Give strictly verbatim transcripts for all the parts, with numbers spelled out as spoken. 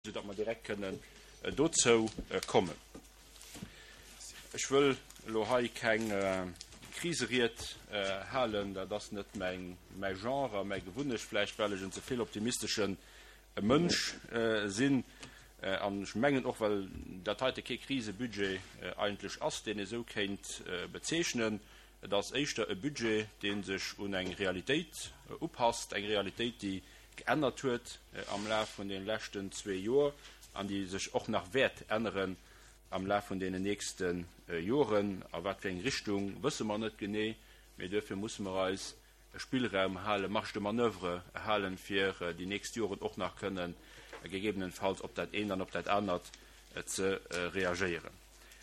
Soudatt mer direkt kënnen dozou kommen. Ech wëll elo hei keng Kriseried halen, dat ass net mäin Genre a mäi Gewunnecht, vläicht well ech en ze vill optimistesche Mënsch sinn an ech mengen och, well dat heite kee Krisebudget eigentlech ass, deen ee sou kéint bezeechnen. Et ass éischter e Budget, dee sech un eng Realitéit upasst, eng Realitéit, déi geännert huet am Laf vun deene leschten zwee Joer an déi sech och nach wäert änneren am Laf vun deenen nächste Joren. A wat fir eng Richtung, wësse mer net genee, mee duerfir musse mer eis e Spillraum halen, Marge de manoeuvre halen, fir déi nächst Joren och nach kënnen gegebenenfalls op dat eent an op dat anert ze reagéieren.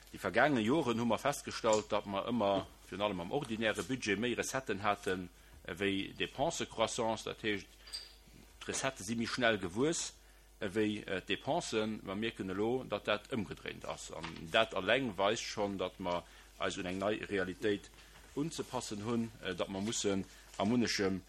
Déi vergaange Joren hu mer festgestallt, datt mer ëmmer, virun allem am ordinäre Budget, méi Recetten hate wéi Dépensëcroissance. Dat heescht, d'Recettë si méi schnell gewuess ewéi d'Depensen. Mer mierken elo, datt dat ëmgedréint ass. An dat alleng weist schonn, datt mer eis un eng nei Realitéit unzepassen hunn, datt mer mussen a munnechem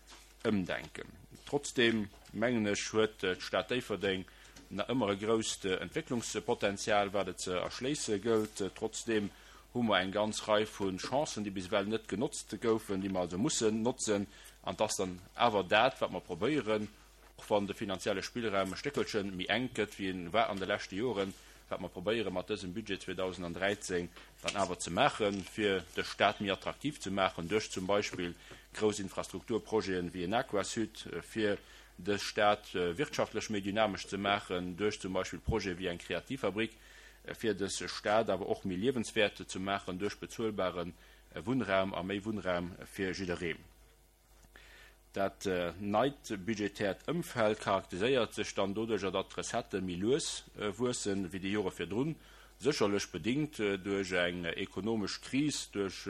ëmdenken. Trotzdeem, mengen ech, huet d'Stad Déifferdeng nach ëmmer e grousst Entwécklungspotenzial, wat et ze erschléisse gëllt. Trotzdeem hu mer eng ganz Rei vu Chancen, déi bis ewell net genotzt goufen, déi mer also mussen notzen. An et ass dann awer dat, wat mer probéieren, och wann de finanzielle Spillraum e Stéckelche méi enk gëtt, wéi en war an de leschte Joren, wat mer probéiere mat dësem Budget zweedausendräizéng dann awer ze maachen, fir de Stat méi attraktiv ze maachen duerch zum Beispill grouss Infrastrukturprojeten wéi en Aquasud, fir de Stat wirtschaftlech méi dynamesch ze maachen duerch zum Beispill Projete wéi eng Kreativfabrik, fir dës Stad awer och méi liewenswäert ze maachen duerch bezuelbare Wunnraum a méi Wunnraum fir jidderee. Dat neit budgetäert Ëmfeld charakteriséiert sech dann doduercher, datt d'Recettë méi lues wuessen wéi déi Jore virdrun, sécherlech bedingt duerch eng ekonomesch Kris, duerch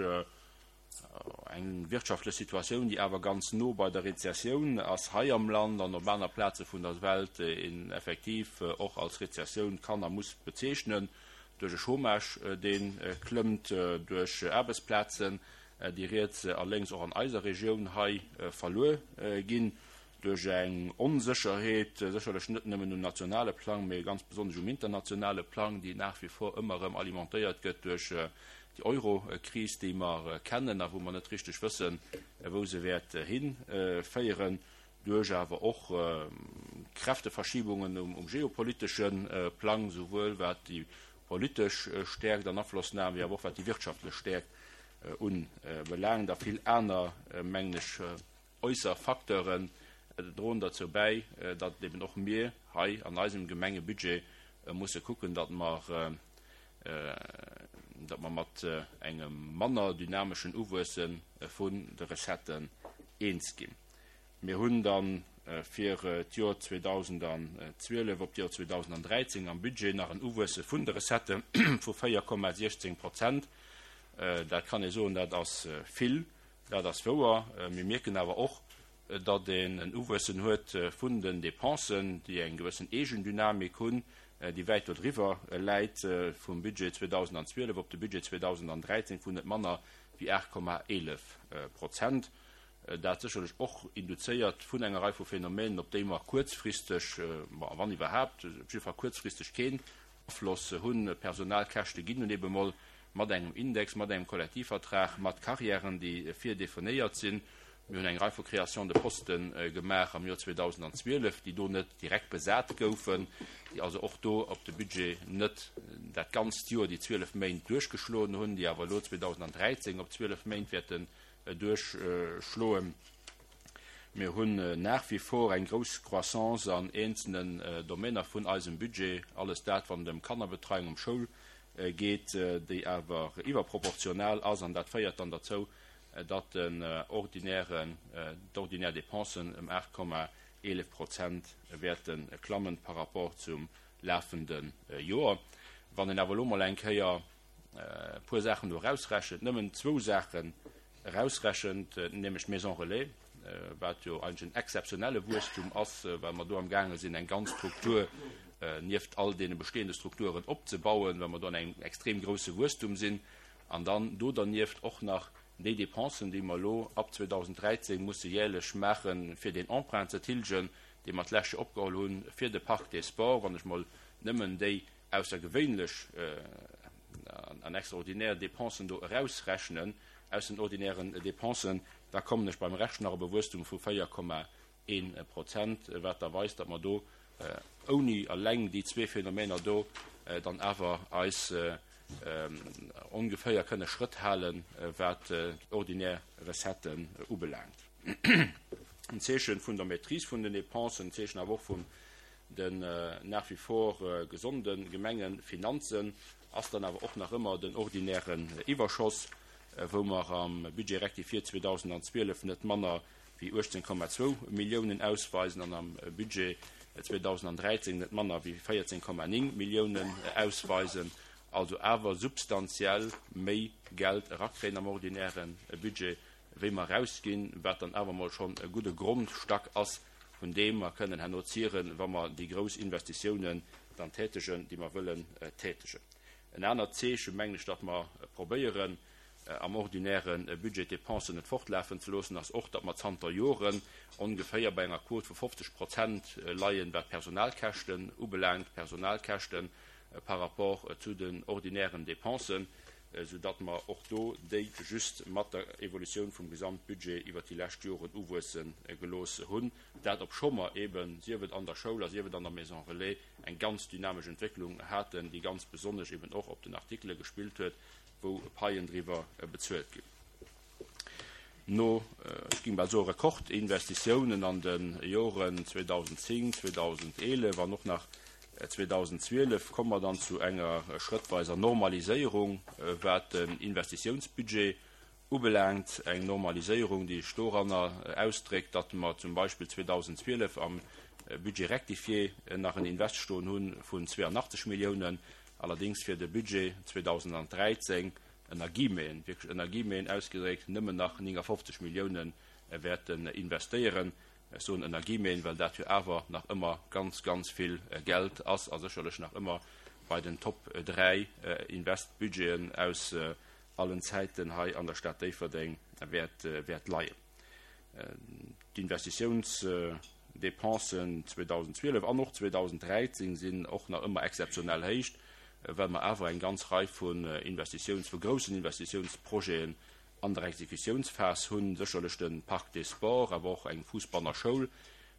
eng wirtschaftlech Situatioun, déi awer ganz no bei der Rezessioun ass hei am Land an op aner Plaze vun der Welt, een effektiv och als Rezessioun kann a muss bezeechnen, duerch e Chômage, dee klëmmt, duerch Aarbechtsplazen, déi riets a lénks och an eiser Regioun hei verluer ginn, duerch eng Onsécherheet, sécherlech net nëmmen um nationale Plang, mee ganz besonnesch um internationale Plang, déi nach wie vor ëmmer erëm alimentéiert gëtt duerch déi Eurokris, déi mer kennen a wou mer net richteg wëssen, wou se wäert hinféieren, duerch awer och Kräfteverschiebungen um geopolitesche Plang, souwuel wat déi politesch Stäerkt an Aflossnam wéi awer och wat déi wirtschaftlech Stäerkt ubelaangt, a vill aner, mengen ech, äusser Facteuren droen derzou bäi, datt eben och mir hei an eisem Gemengebudget musse kucken, datt mer, datt mer mat engem manner dynameschen Uwuesse vun de Recetten eens ginn. Mir hunn da fir d'Joer zweedausendzwielef op d'Joer zweedausendräizéng am Budget nach en Uwuesse vun de Recettë vu véier Komma siechzéng Prozent. Dat kann ee soen, dat ass vill, dat ass wouer. Mir mierken awer och, datt een en Uwuessen huet vun den Dépensen, déi eng gewëssen Eegendynamik hunn, déi wäit dodriwwer läit vum Budget zweedausendzwielef op de Budget zweedausendräizéng vun net manner wéi aacht Komma eelef Prozent. Dat sécherlech och induzéiert vun enger Rei vu Phänomenen, op déi mer kuerzfristeg, wann iwwerhaapt, op jidde Fall kuerzfristeg keen Afloss hunn. Personalkäschte ginn nun ebe mol mat engem Index, mat engem Kollektivvertrag, mat Carrièren, déi virdefinéiert sinn. Mir hunn eng Rei vu Créations de postes gemaach am Joer zweedausendzwielef, déi do net direkt besat goufen, déi also och do op de Budget net dat ganzt Joer, déi zwielef Méint, duerchgeschloen hunn, déi awer elo zweedausenddräizéng op zwielef Méint wäerten duerchschloen. Mir hunn nach wie vor eng grouss Croissance an eenzelnen Domainer vun eisem Budget, alles dat, wann et ëm Kannerbetreiung, ëm Schoul geet, déi awer iwwerproportional ass, an dat féiert dann derzou, datt den ordinären, d'ordinär Dépensen ëm aacht Komma eelef Prozent wäerte klammen par rapport zum lafende Joer. Wann een awer elo mol eng Kéier e puer Saachen do erausrechent, nëmmen zwou Saachen erausrechent, nämlech d'Maison relais, wat jo eigentlech en exzeptionelle Wuesstum ass, well mer do amgaange sinn, eng ganz Struktur nieft all deene bestehende Strukturen opzebauen, well mer do an engem extrem grouse Wuesstum sinn, an dann do dernieft och nach déi Dépensen, déi mer elo ab zweedausenddräizéng musse jährlech maachen, fir deen Emprunt ze tilgen, dee mer d'lescht Joer opgeholl hunn fir de Parc des Sports, wann ech mol nëmmen déi aussergewéinlech an extraordinär Dépensen do erausrechnen aus den ordinären Dépensen, da kommen ech beim Rescht nach op e Wuesstum vu véier Komma een Prozent, wat da weist, datt mer do ouni eleng déi zwee Phänomener do dann awer eis ongeféier kënne Schrëtt halen, wat d'ordinär Recetten ubelaangt. En Zeechen vun der Maîtrise vun den Dépensen, en Zeechen awer och vun den nach wie vor gesonde Gemengefinanzen ass dann awer och nach ëmmer den ordinären Iwwerschoss, wou mer am Budget rectifié zweedausendzwielef net manner wéi uechtzéng Komma zwou Milliounen ausweisen an am Budget zweedausendräizéng net manner wéi véierzéng Komma néng Milliounen ausweisen, also awer substantiell méi Geld erakréien am ordinäre Budget, wéi mer erausginn, wat dann awer emol schonn e gudde Grondstack ass, vun deem mer kënnen herno zieren, wa mer déi grouss Investitiounen dann tätegen, déi mer wëllen tätegen. En anert Zeeche, mengen ech, datt mer probéieren, am ordinäre Budget d'Dépensen net fortlafen ze loossen, ass och, datt mer zanter Joren ongeféier bei enger Quote vu fofzeg Prozent leien, wat d'Personalkäschten ubelaangt, Personalkäschte par rapport zu den ordinären Dépensen, soudatt mer och do déi just mat der Evolutioun vum Gesamtbudget iwwert déi lescht Joren uwuesse gelooss hunn. Dat obscho mer eben, sief et an der Schoul a sief et an der Maison relais, eng ganz dynamesch Entwécklung haten, déi ganz besonnesch eben och op den Artikele gespillt huet, wou Paien driwwer bezuelt ginn. No, ech géing bal soen, Rekordinvestitiounen an de Joren zweedausendzéng, zweedausendeelef an och nach zweedausendzwielef komme mer dann zu enger schrëttweiser Normaliséierung, wat den Investitiounsbudget ubelaangt. Eng Normaliséierung, déi sech doranner ausdréckt, datt mer zum Beispill zweedausendzwielef am Budget rectifié nach en Invest stoen hu vun zweeanachtzeg Milliounen, allerdéngs fir de Budget zweedausendräizéng ënner Guillemeten, wierklech ënner Guillemeten ausgedréckt, nëmmen nach néngafofzeg Milliounen wäerten investéieren. Ech soen ënner Guillemeten, well dat jo awer nach ëmmer ganz, ganz vill Geld ass a sécherlech nach ëmmer bei den Top dräi Investbudgeten aus allen Zäiten hei an der Stad Déifferdeng wäert, wäert leien. D'Investitiounsdepensen zweedausendzwielef an och zweedausenddräizéng sinn och nach ëmmer exzeptionell héich, well mer awer eng ganz Rei vun Investitiouns-, vu groussen Investitiounsprojeten an der Exekutiounsphas hunn, sécherlech de Parc des Sports, awer och eng Fussbanner Schoul,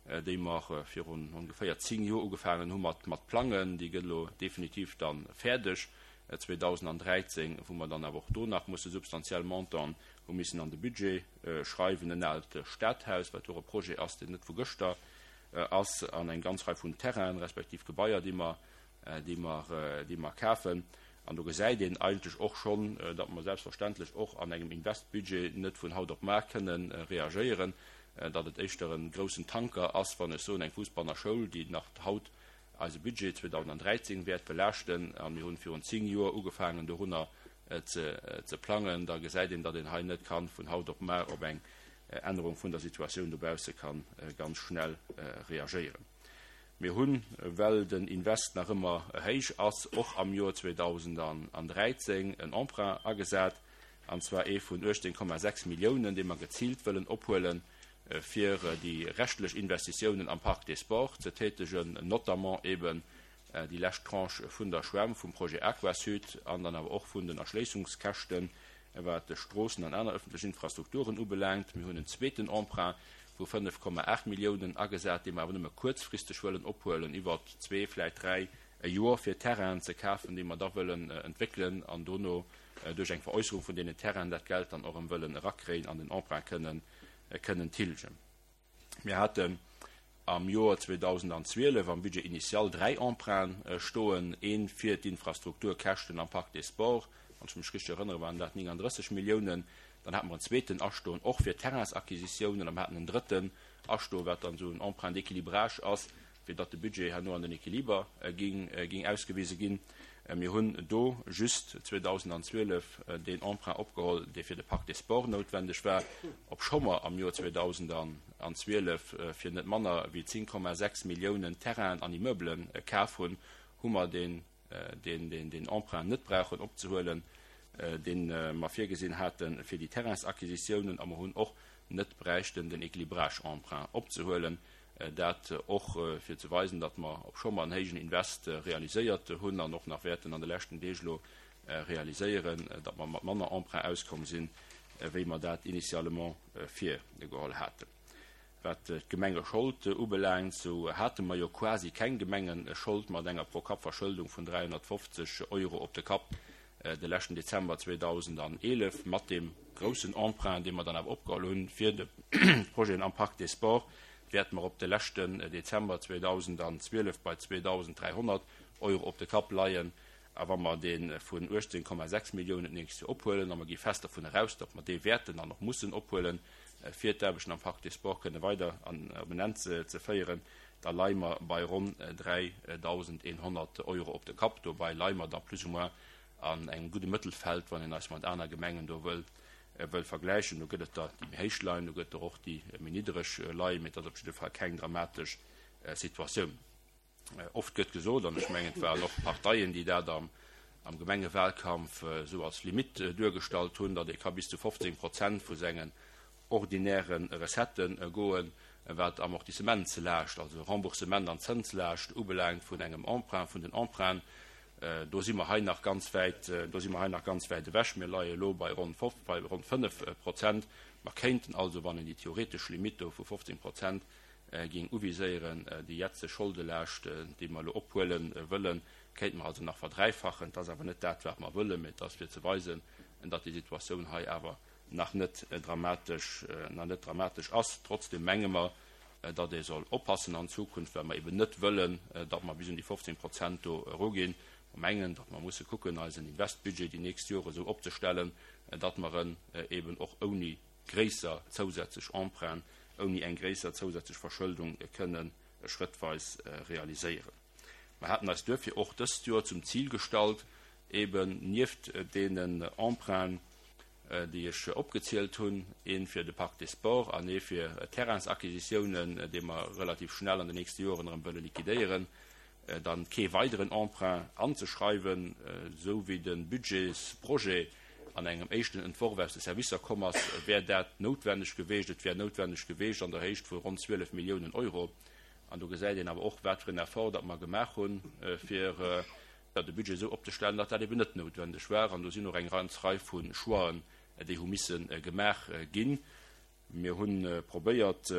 déi mer virun ongeféier zéng Joer ugefaangen hu mat mat plangen. Déi gëtt elo definitiv da fäerdeg zweedausendräizéng, wou mer dann awer och do nach musse substantiell Montanten hu missen an de Budget schreiwen. En aalt Stadhaus, wat och e Projet ass, deen net vu gëschter ass, an eng ganz Rei vun Terrainen respektiv Gebaier, déi mer déi mer, déi mer kafen. An do gesäit een eigentlech och schonn, datt mer selbstverständlech och an engem Investbudget net vun haut op mar kënnen reagéieren, datt et éischter e groussen Tanker ass, wann ech soen, eng Fussbanner Schoul, déi nach haut eise Budget zweedausenddräizéng wäert belaaschten, a mir hunn virun zéng Joer ugefaangen dorunner ze, ze plangen, da gesäit een, datt een hei net kann vun haut op mar op eng Ännerung vun der Situatioun dobausse kann ganz schnell reagéieren. Mir hunn, well den Invest nach ëmmer héich ass, och am Joer zweedausendräizéng en Emprunt agesat, an zwar ee vun uechtzéng Komma sechs Milliounen, dee mer geziilt wëllen ophuelen, fir déi reschtlech Investitiounen am Parc des Sports ze tätegen, notamment eben déi lescht Tranche vun der Schwämm, vum Projet Aquasud an dann awer och vun den Erschléissungskäschten, wat Stroossen an aner öffentlech Infrastrukturen ubelaangt. Mir hunn en zweeten Emprunt vu fënnef Komma aacht Milliounen agesat, dee mer awer nëmme kuerzfristeg wëllen ophuelen, iwwer zwee, vläicht dräi Joer, fir Terrainen ze kafen, déi mer da wëllen entwéckelen an dono duerch eng Veräusserung vun deenen Terrainen dat Geld dann och erëm wëllen erakréien an den Emprunt kënnen, kënnen tilgen. Mir haten am Joer zweedausendzwielef am Budget initial dräi Emprunten stoen, ee fir d'Infrastrukturkäschten am Parc des Sports, wann ech mech richteg erënnere waren dat néngandrësseg Milliounen, dann hate mer en zweeten astoen och fir Terrainsacquisitiounen a mer haten en drëtten astoen, wat dann esou en Emprunt d'équilibrage ass, fir datt de Budget herno an den Équiliber ging, ging ausgewise ginn. Mir hunn do just zweedausendzwielef deen Emprunt opgeholl, dee fir de Parc des Sports noutwendeg war, obscho mer am Joer zweedausendzwielef fir net manner wéi zéng Komma sechs Milliounen Terrainen an Immeubelen kaf hunn, hu mer deen, deen, deen, deen Emprunt net brauchen opzehuelen, deen mer virgesinn haten fir déi Terrainsacquisitiounen, a mer hunn och net bräichten den Équilibrage-Emprunt opzehuelen, Dat och fir ze weisen, datt mer obscho mer en héijen Invest realiséiert hunn an och nach wäerten an de leschten Deeg elo realiséieren, datt mer mat manner Emprunt auskomm sinn, wéi mer dat initialement virgeholl haten. Wat d'Gemengeschold ubelaangt, sou hate mer jo quasi keng Gemengeschold mat enger Pro-Kapp-Verschëldung vun dräihonnertfofzeg Euro op de Kapp de leschten Dezember zweedausendeneelef. Mat deem groussen Emprunt, dee mer dann awer opgeholl hunn fir de Projeten am Parc des Sports, wäerte mer op de leschten Dezember zweedausendzwielef bei zweedausenddräihonnert Euro op de Kapp leien. A wa mer dee vun uechtzéng Komma sechs Milliounen d'nächst Joer ophuelen, a mer gi fest dervun eraus, datt mer dee wäerten an och mussen ophuelen, fir d'Aarbechten am Parc des Sports kënne weider an op en Enn ze féieren, da leie mer bei ronn dräidausendeenhonnert Euro op de Kapp. Dobäi leie mer da plus ou moins an engem gudde Mëttelfeld, wann een eis mat aner Gemengen do wëll wëll vergläichen. Do gëtt et der, déi méi héich leien, do gëtt et der och, déi méi niddereg leien, mee et ass op jidde Fall keng dramatesch Situatioun. Oft gëtt gesot, an ech mengen, et waren och Parteien, déi dat am Gemengewahlkampf esou als Limitt duergestallt hunn, datt ee ka bis zu fofzéng Prozent vu sengen ordinäre Recettë goen, wat Amortissementslaascht, also Remboursement an Zënslaascht ubelaangt vun engem Emprunt, vun den Emprunten. Do si mer hei nach ganz wäit, do si mer hei nach ganz wäit ewech. Mir leie elo bei ronn bei ronn fënnef Prozent. Mer kéinten also, wann een déi theoretesch Limitt do vu fofzéng Prozent géing uviséieren, déi jetzeg Scholdelaascht, déi mer elo ophuele wëllen, kéinte mer also nach verdräifachen. Et ass awer net dat, wat mer wëllen, mä et ass fir ze weisen, datt déi Situatioun hei awer nach net dramatesch, nach net dramatesch ass. Trotzdem menge mer, datt ee soll oppassen an Zukunft, well mer eben net wëllen, datt mer bis un déi fofzéng Prozent do eruginn. Mer mengen, datt mer musse kucken, eisen Investbudget déi nächst Jore esou opzestellen, datt mer en eben och ouni gréisser zousätzlech Emprunten, ouni eng gréisser zousätzlech Verschëldung kënne schrëttweis realiséieren. Mer haten eis duerfir och dëst Joer zum Zil gestallt, eben nieft deenen Emprunten, déi ech opgezielt hunn, ee fir de Parc des Sports an ee fir Terrainsacquisitiounen, déi mer relativ schnell an den nächste Joren erëm wëlle liquidéieren, dann kee weideren Emprunt anzeschreiwen. Esou wéi de Budgetsprojet an engem éischten Entworf aus de Servicer komm ass, wär dat noutwenneg geweecht. Et wär noutwenneg geweecht an der Héicht vu ronn zwielef Milliounen Euro. An do gesäit een awer och, wat fir en Effort datt mer gemaach hunn, fir de Budget esou opzestellen, datt dat eben net noutwenneg war. An do sinn och eng ganz Rei vu Choixen, déi hu misse gemaach ginn. Mir hu probéiert,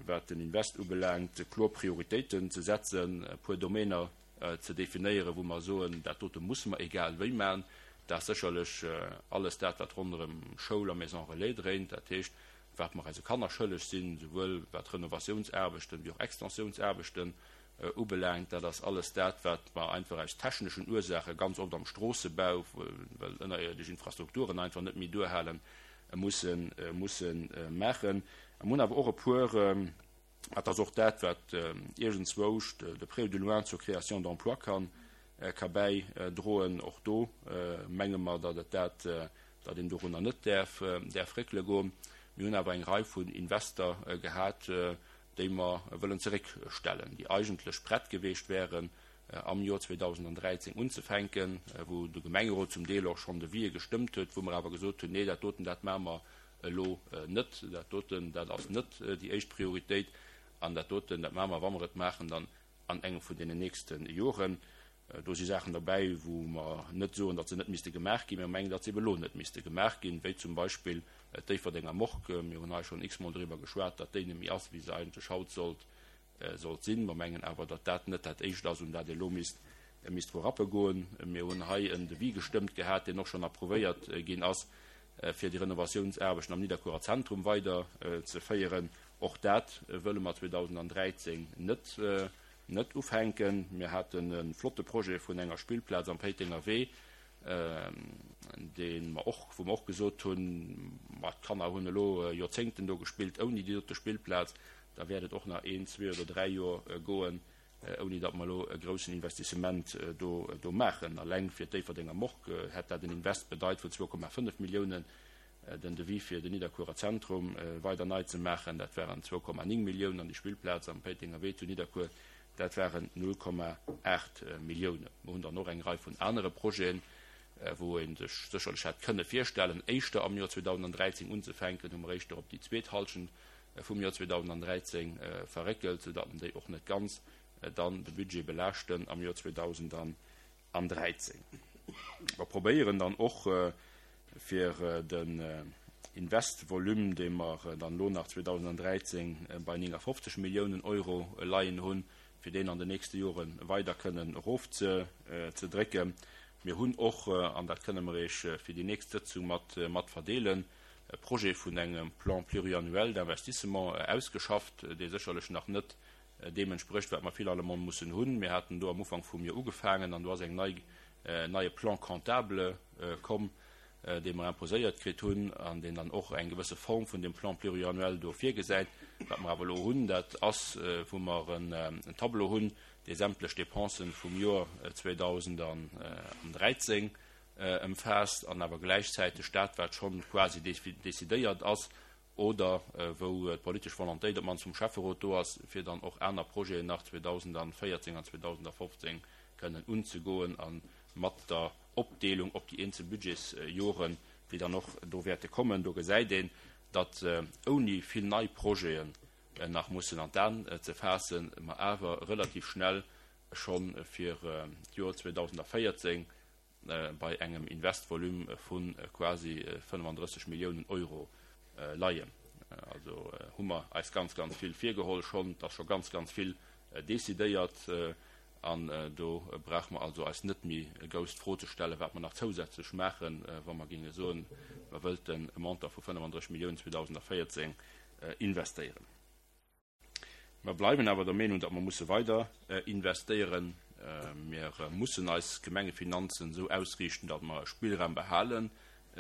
wat den Invest ubelaangt, kloer Prioritéiten ze setzen, e puer Domainer ze definéieren, wou mer soen, dat dote musse mer egal wéi maachen. Dat ass sécherlech alles dat, wat ronderëm Schoul a Maison relais dréint, dat heescht, wat mer eise Kanner schëlleg sinn, souwuel wat Renovatiounsaarbechten wéi och Extensiounsaarbechten ubelaangt. Dat ass alles dat, wat mer einfach aus techneschen Ursaache ganz oft am Stroossebau, well ënnerierdesch Infrastrukturen einfach net méi duerhalen, mussen, mussen maachen. Mir hunn awer och e puer, dat ass och dat, wat iergendzwousch de près ou de loin zur Création d'emplois kann, ka bäidroen. Och do menge mer, datt et dat, datt een dorunner net däerf, däerf réckele goen. Mir hunn awer eng Rei vun Invester gehat, déi mer wëllen zeréckstellen, déi eigentlech prett geweecht wären, am Joer zweedausenddräizéng unzefänken, wou de Gemengerot zum Deel och schonn Devisë gestëmmt huet, wou mer awer gesot hunn, nee, dat doten, dat maache mer elo net, dat doten, dat ass net déi éischt Prioritéit an dat doten, dat maache mer, wa mer et maachen, dann an engem vun deenen nächste Joren. Do si Saachen derbäi, wou mer net soen, datt se net misste gemaach ginn, mä mer mengen, datt se ebe elo net misste gemaach ginn, wéi zum Beispill d'Déifferdenger Morgue. Mir hunn hei schonn x-mol driwwer geschwat, datt déi net méi ass, wéi se eigentlech haut sollt, sollt sinn. Mer mengen awer, datt dat net dat Éischt ass, un dat ee elo misst, misst dru rappe goen. Mir hunn hei en Devis gestëmmt gehat, deen och schonn approuvéiert ginn ass, fir déi Renovatiounsaarbechten am Nidderkuerer Zentrum weider ze féieren. Och dat wëlle mer zweedausenddräizéng net, net ufänken. Mir haten e flotte Projet vun enger Spillplaz am Péitenger Wee, dee mer och, wou mer och gesot hunn, ma d'Kanner hunn elo Joerzéngten do gespillt ouni déi dote Spillplaz, da wäert et och nach een, zwee oder dräi Joer goen, ouni datt mer elo e groussen Investissement do, do maachen. Alleng fir d'Déifferdenger Morgue hätt dat en Invest bedeit vun zwou Komma fënnef Milliounen. Den Devis fir den Nidderkuerer Zentrum weider nei ze maachen, dat waren zwou Komma néng Milliounen an déi Spillplaz am Péitenger Wee zu Nidderkuer, dat waren null Komma aacht Milliounen. Mer hunn dann och eng Rei vun anere Projeten, wou ee sech sécherlech hätt kënne virstellen, éischter am Joer zweedausenddräizéng unzefänken, hu mer éischter op déi zweet Hallschent vum Joer zweedausenddräizéng verréckelt, soudatt déi och net ganz dann de Budget belaaschten am Joer zweedausenddräizéng. Mer probéieren dann och fir den Investvolume, dee mer dann elo nach zweedausenddräizéng bei néngafofzeg Milliounen Euro leien hunn, fir deen an den nächste Jore weider kënnen erofzedrécken. Mir hunn och, an dat kënne mer Iech fir déi nächst Sëtzung mat mat verdeelen, e Projet vun engem Plan pluriannuel d'investissement ausgeschafft, dee sécherlech nach net deem entsprécht, wat mer finalement mussen hunn. Mir haten do am Ufank vum Joer ugefaangen an do ass eng nei, en neie Plan comptable komm, dee mer imposéiert kritt hunn an deen dann och eng gewësse Form vun deem Plan pluriannuel do virgesäit. Wat mer awer elo hunn, dat ass, wou mer en Tableau hunn, dee sämtlech Dépensen vum Joer zweedausenddräizéng ëmfaasst an awer gläichzäiteg dat, wat schonn quasi décidéiert ass oder wou d'politesch Volontéit op d'mannst vum Schäfferot do ass, fir dann och aner Projeten nach zweedausendvéierzéng an zweedausendfofzéng kënnen unzegoen a mat der Opdeelung op déi eenzel Budgetsjoren, déi dann och do wäerte kommen. Do gesäit een, datt ouni vill nei Projeten nach mussen an d'An ze faassen, mer awer relativ schnell scho fir d'Joer zweedausendvéierzéng bei engem Investvolume vu quasi fënnefandrësseg Milliounen Euro leien. Also hu mer eis ganz, ganz vill virgeholl schonn, et ass scho ganz, ganz vill decidéiert an do brauche mer also eis net méi grouss d'Fro ze stellen, wat mer nach zousätzlech maachen, wa mer géinge soen, mer wëllten e Montant vu fënnefandrësseg Milliounen zweedausendvéierzéng investéieren. Mer bleiwen awer der Meenung, datt mer musse weider investéieren. Mir mussen eis Gemengefinanzen esou ausriichten, datt mer e Spillraum behalen,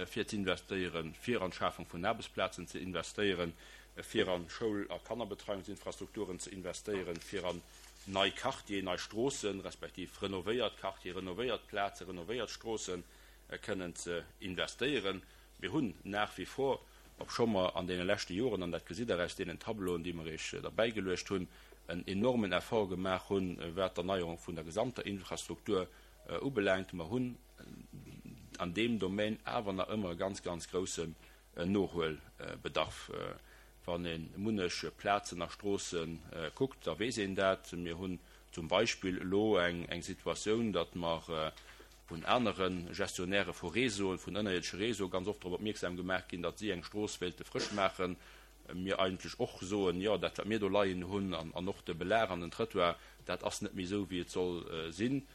fir ze investéieren, fir an d'Schafung vun Aarbechtsplazen ze investéieren, fir an Schoul a Kannerbetreiungsinfrastrukturen ze investéieren, fir an nei Quartier, nei Stroossen, respektiv renovéiert Quartier, renovéiert Plazen, renovéiert Stroossen kënnen ze investéieren. Mir hunn nach wie vor, obscho mer an deene leschte Joren, an dat gesitt Der aus deenen Tableauen, déi mer Iech derbäigeluecht hunn, en enormen Effort gemaach hunn, wat d'Erneierung vun der gesamter Infrastruktur ubelaangt, mer hunn an deem Domaine awer nach ëmmer e ganz, ganz groussen Nohuelbedarf. Wann ee munnech Plazen a Stroosse kuckt, da weess een dat. Mir hunn zum Beispill elo eng Situatioun, datt mer vun anere Gestionnairë vu Réseauen, vun ënnerierdesche Réseaue ganz oft drop opmierksam gemaach ginn, datt si eng Strooss wéilte frësch maachen. Mir eigentlech och soen, jo, dat wat mir do leien hunn an och de Belag an den Trëttoir, dat ass net méi esou, wéi et soll sinn.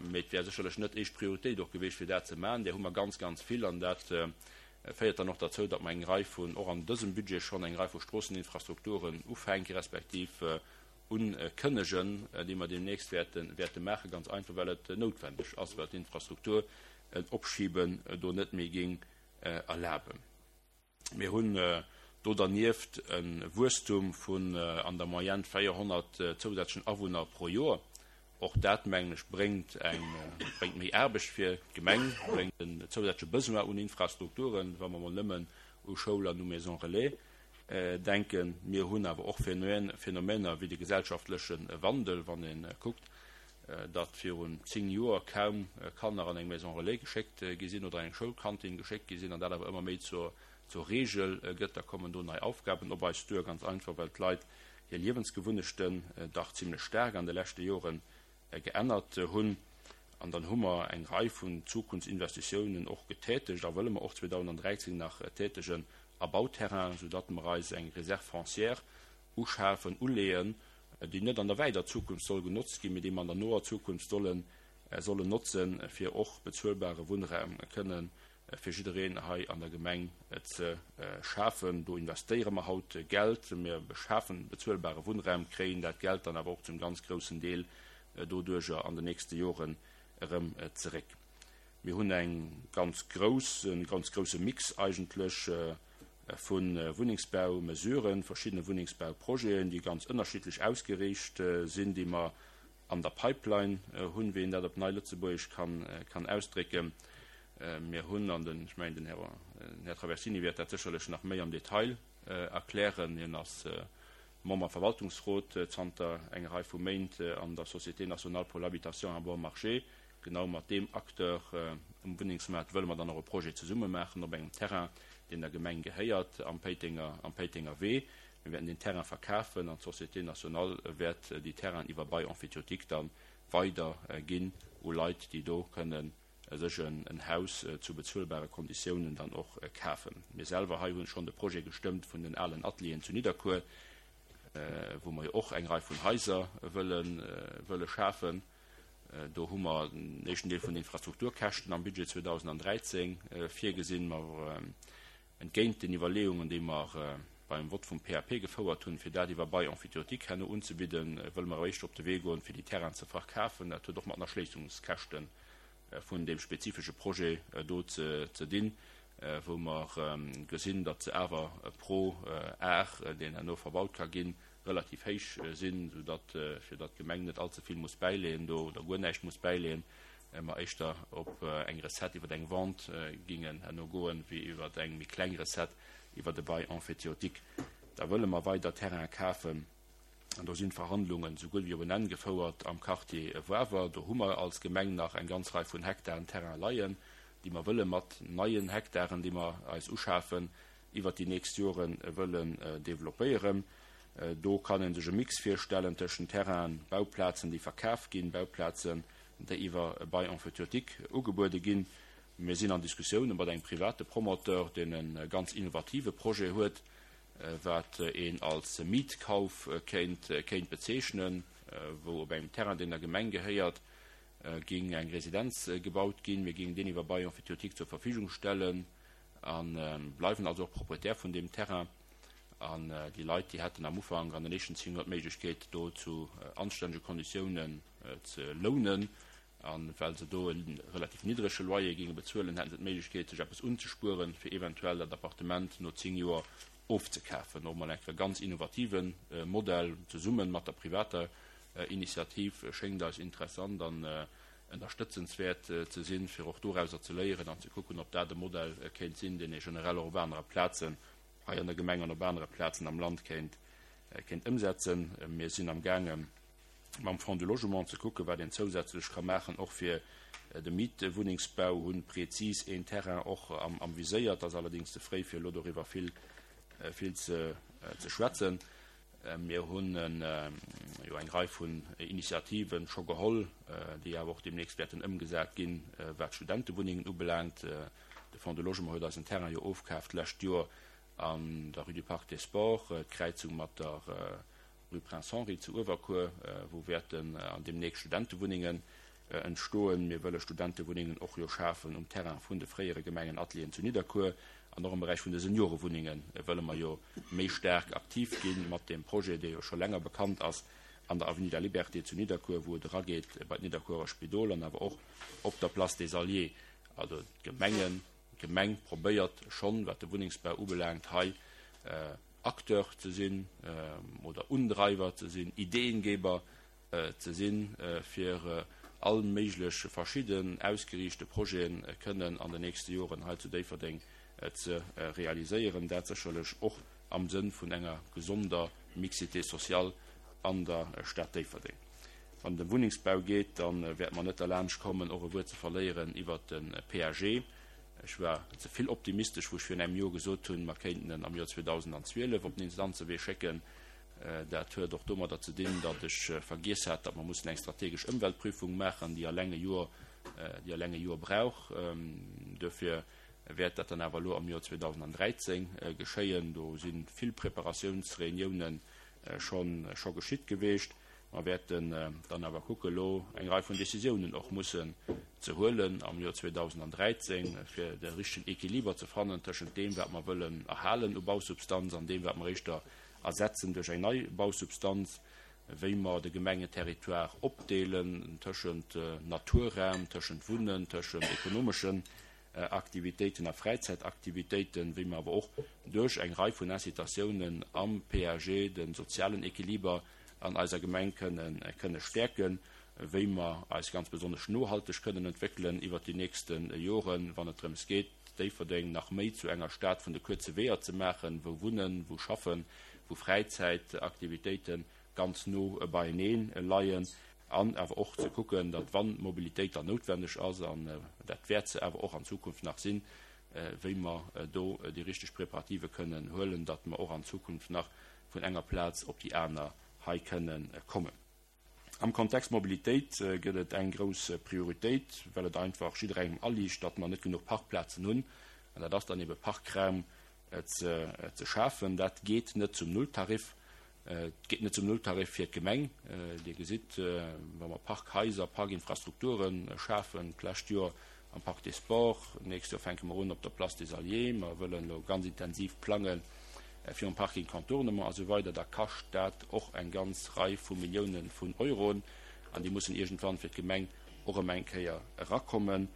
Mee et wär sécherlech net éischt Prioritéit och gewiescht, fir dat ze maachen. Där hu mer ganz, ganz vill an dat féiert dann och derzou, datt mer eng Rei vun, och an dësem Budget schonn, eng Rei vu Stroosseninfrastrukturen ufänke respektiv unkënnegen, déi mer deemnächst wäerte, wäerte maachen, ganz einfach, well et noutwendeg ass, well d'Infrastruktur en Opschiben do net méi géing erlaben. Mir hunn do dernieft e Wuesstum vun an der Moyenne véierhonnert zousätzlechen Awunner pro Joer. Och dat, mengen ech, bréngt eng, bréngt méi Aarbecht fir d'Gemeng, bréngt en zousätzleche Besoin un Infrastrukturen, wa mer mol nëmmen u Schoul an u Maison relais denken. Mir hunn awer och Phänomener wéi de gesellschaftleche Wandel, wann ee kuckt, datt virun zéng Joer kaum Kanner an eng Maison relais geschéckt gi sinn oder an eng Schoulkantin geschéckt gi sinn, an dat awer ëmmer méi zur Regel gëtt. Da kommen do nei Aufgaben op eis duer, ganz einfach, well d'Leit hir Liewensgewunnechten dach zimlech staark an de leschte Jore geännert hunn. An dann hu mer eng Rei vun Zukunftsinvestitiounen och getätegt a wëlle mer och zweedausenddräizéng nach tätegen a Bauterrainen, soudatt mer eis eng Réserve foncière uschafen, uleeën, déi net an der wäider Zukunft soll genotzt ginn, mee déi mer an der noer Zukunft sollen, sollen notzen, fir och bezuelbare Wunnraum kënnen fir jiddereen hei an der Gemeng ze schafen. Do investéiere mer haut Geld, mir beschafen bezuelbare Wunnraum, kréien dat Geld dann awer och zum ganz groussen Deel doduerjer an den nächste Joren erëm zeréck. Mir hunn eng ganz grouss, e ganz grousse Mix eigentlech vu Wunnengsbaumesuren, verschiddene Wunnengsbauprojeten, déi ganz ënnerschiddlech ausgeriicht sinn, déi mer an der Pipeline hunn, wéi een dat op Nei-Lëtzebuergesch kann, kann ausdrécken. Mir hunn an den, ech mengen, den Här, den Här Traversini wäert dat sécherlech nach méi am Detail erklären, hien ass Member am Verwaltungsrot zanter enger Rei vu Méint an der Société nationale pour l'habitation à bon marché. Genau mat deem Acteur um Wunnengsmaart wëlle mer dann och e Projet zesumme maachen op engem Terrain, deen der Gemeng gehéiert, am Péitenger, am Péitenger Wee. Mir wäerten deen Terrain verkafen an d'Société Nationale wäert déi Terrainen iwwer Bail emphytéotique da weider ginn u Leit, déi do kënnen sech en Haus zu bezuelbare Konditiounen dann och kafen. Mir selwer hei hunn schonn de Projet gestëmmt vun den alen Atelieren zu Nidderkuer, wou mer jo och eng Rei vun Haiser wëlle schafen. Do hu mer den éischten Deel vun den Infrastrukturkäschten am Budget zweedausendräizéng virgesinn. Mer, entgéint den Iwwerleeungen, déi mer beim Vott vum P A P gefouert hunn, fir dat iwwer Bail emphytéotique herno unzebidden, wëlle mer eréischt op de Wee goen, fir déi Terrainen ze verkafen. Dat huet och mat den Erschléissungskäschte vun deem spezifesche Projet do ze dinn, wou mer gesinn, datt se awer pro Ar, deen herno verbaut ka ginn, relativ héich sinn, soudatt, fir datt d'Gemeng net allze vill muss bäileeën do oder guer näischt muss bäileeën, mer éischter op eng Recette iwwer eng Vente gingen herno goen, wéi iwwer eng méi kleng Recette iwwer de Bail emphytéotique. Da wëlle mer weider Terraine kafen an do sinn d'Verhandlungen esou gutt wéi op en Enn gefouert am Quartier Wawer. Do hu mer als Gemeng nach eng ganz Rei vun Hektaren Terrain leien, déi mer wëlle mat neien Hektaren, déi mer eis uschafen, iwwert déi nächst Jore wëllen developpéieren. Do kann ee sech e Mix virstellen tëschent Terrainen, Bauplazen, déi verkaf ginn, Bauplazen, déi iwwer e Bail emphytéotique ugebuede ginn. Mir sinn an Diskussioune mat engem private Promoteur, deen e ganz innovative Projet huet, wat een als Mietkauf kéint kéint bezeechnen, wou op engem Terrain, deen der Gemeng gehéiert, géing eng Residenz gebaut ginn. Mir géingen deen iwwer Bail emphytéotique zur Verfügung stellen a bleiwen also och Proprietär vun deem Terrain. An déi Leit, déi hätten am Ufank an den éischten zéng Joer d'Méiglechkeet, do zu anstännege Konditiounen ze lounen. A well se do e relativ niddrege Loyer géinge bezuelen, hätte se d'Méiglechkeet, sech eppes unzespueren, fir eventuell dat Appartement no zéng Joer ofzekafen. Och mol eng Kéier e ganz innovative Modell, zesumme mat der privater Initiativ, schéngt eis interessant an ënnerstëtzenswäert ze sinn, fir och dorauser ze léieren an ze kucken, ob dat e Modell kéint sinn, deen ee generell och op anere Plazen hei an der Gemeng an op anere Plazen am Land kéint kéint ëmsetzen. Mir sinn amgaange mam Fonds du Logement ze kucken, wat een zousätzlech ka maachen, och fir de Mietwunnengsbau, hunn prezis een Terrain och am am Viséier. Et ass allerdéngs ze fréi, fir elo doriwwer vill vill ze ze schwätzen. Mir hunn jo eng Rei vun Initiativen scho geholl, déi awer och deemnächst wäerten ëmgesat ginn, wat d'Studentewunnengen ubelaangt. De Fonds du Logement huet eis en Terrain jo ofkaaft d'lescht Joer an der Rue du Parc des Sports, d'Kräizung mat der Rue Prince Henri zu Uewerkuer, wou wäerten an deemnächst Studentewunnengen entstoen. Mir wëlle Studentewunnengen och jo schafen um Terrain vun de fréiere Gemengenatelieren zu Nidderkuer. An och am Beräich vun de Seniorewunnenge wëlle mer jo méi staark aktiv gi mat deem Projet, dee jo scho länger bekannt ass, an der Avenue de la Liberté zu Nidderkuer, wou et erageet bei d'Nidderkuerer Spidol an awer och op der Place des Alliés. Also d'Gemengen, d'Gemeng probéiert schonn, wat de Wunnengsbau ubelaangt, hei Acteur ze sinn oder Undreiwer ze sinn, Ideengeber ze sinn, fir all méiglech verschidden ausgeriichte Projete kënnen an den nächste Joren hei zu Déifferdeng ze realiséieren, dat sécherlech och am Sënn vun enger gesonder Mixité sociale an der Stad Déifferdeng. Wann et ëm Wunnengsbau geet, da wäerte mer net derlaanscht kommen, och e Wuert ze verléieren iwwert de P A G. Ech war ze vill optimistesch, wou ech virun engem Joer gesot hunn, mer kéinten en am Joer zweedausendzwielef op den Instanzewee schécken. Dat huet och domadder ze dinn, datt ech vergiess hat, datt mer mussen eng strategesch Ëmweltprüfung maachen, déi eleng e Joer, déi eleng e Joer brauch. Duerfir wäert dat dann awer elo am Joer zweedausendräizéng geschéien. Do si vill Preparatiounsreuniounen schonn scho geschitt geweecht. Mer wäerten dann awer kucke elo eng Rei vun Décisiounen och mussen ze huelen am Joer zweedausendräizéng, fir de richtegen Equiliber ze fannen tëschent deem, wat mer wëllen erhalen u Bausubstanz an deem, wat mer éischter ersetzen duerch eng nei Bausubstanz, wéi mer de Gemengeterritoire opdeelen tëschent Naturraum, tëschent Wunnen, tëschent ekonomeschen Aktivitéiten a Fräizäitaktivitéiten, wéi mer awer och duerch eng Rei vun Incitatiounen am P A G de sozialen Equiliber an eiser Gemeng kënne stäerken, wéi mer eis ganz besonnesch nohalteg kënnen entwéckelen iwwert déi nächste Joren, wann et drëms geet, Déifferdeng nach méi zu enger Stad vun de kuerze Weeër ze maachen, wou Wunnen, wou Schaffen, wou Fräizäitaktivitéite ganz no beienee leien, an awer och ze kucken, datt, wann Mobilitéit dann noutwenneg ass, an dat wäert se awer och an Zukunft nach sinn, wéi mer do déi richteg Preparative kënnen huelen, datt mer och an Zukunft nach vun enger Plaz op déi aner hei kënnen kommen. Am Kontext Mobilitéit gëtt et eng grouss Prioritéit, well et einfach jidderengem aliicht, datt mer net genuch Parkplazen hunn, an dat ass dann ebe Parkraum ze ze schafen. Dat geet net zum Nulltarif. Et geet net zum Nulltarif fir d'Gemeng. Dir gesitt, wa mer Parkhaiser, Parkinfrastrukture schafen, d'lescht Joer am Parc des Sports, d'nächst Joer fänke mer un op der Place des Alliés, mer wëllen elo ganz intensiv plange fir um Parking Contournement a sou weider, da kascht dat och eng ganz Rei vu Milliounen vun Euroen an déi mussen iergendwann fir d'Gemeng och erëm eng Kéier erakommen.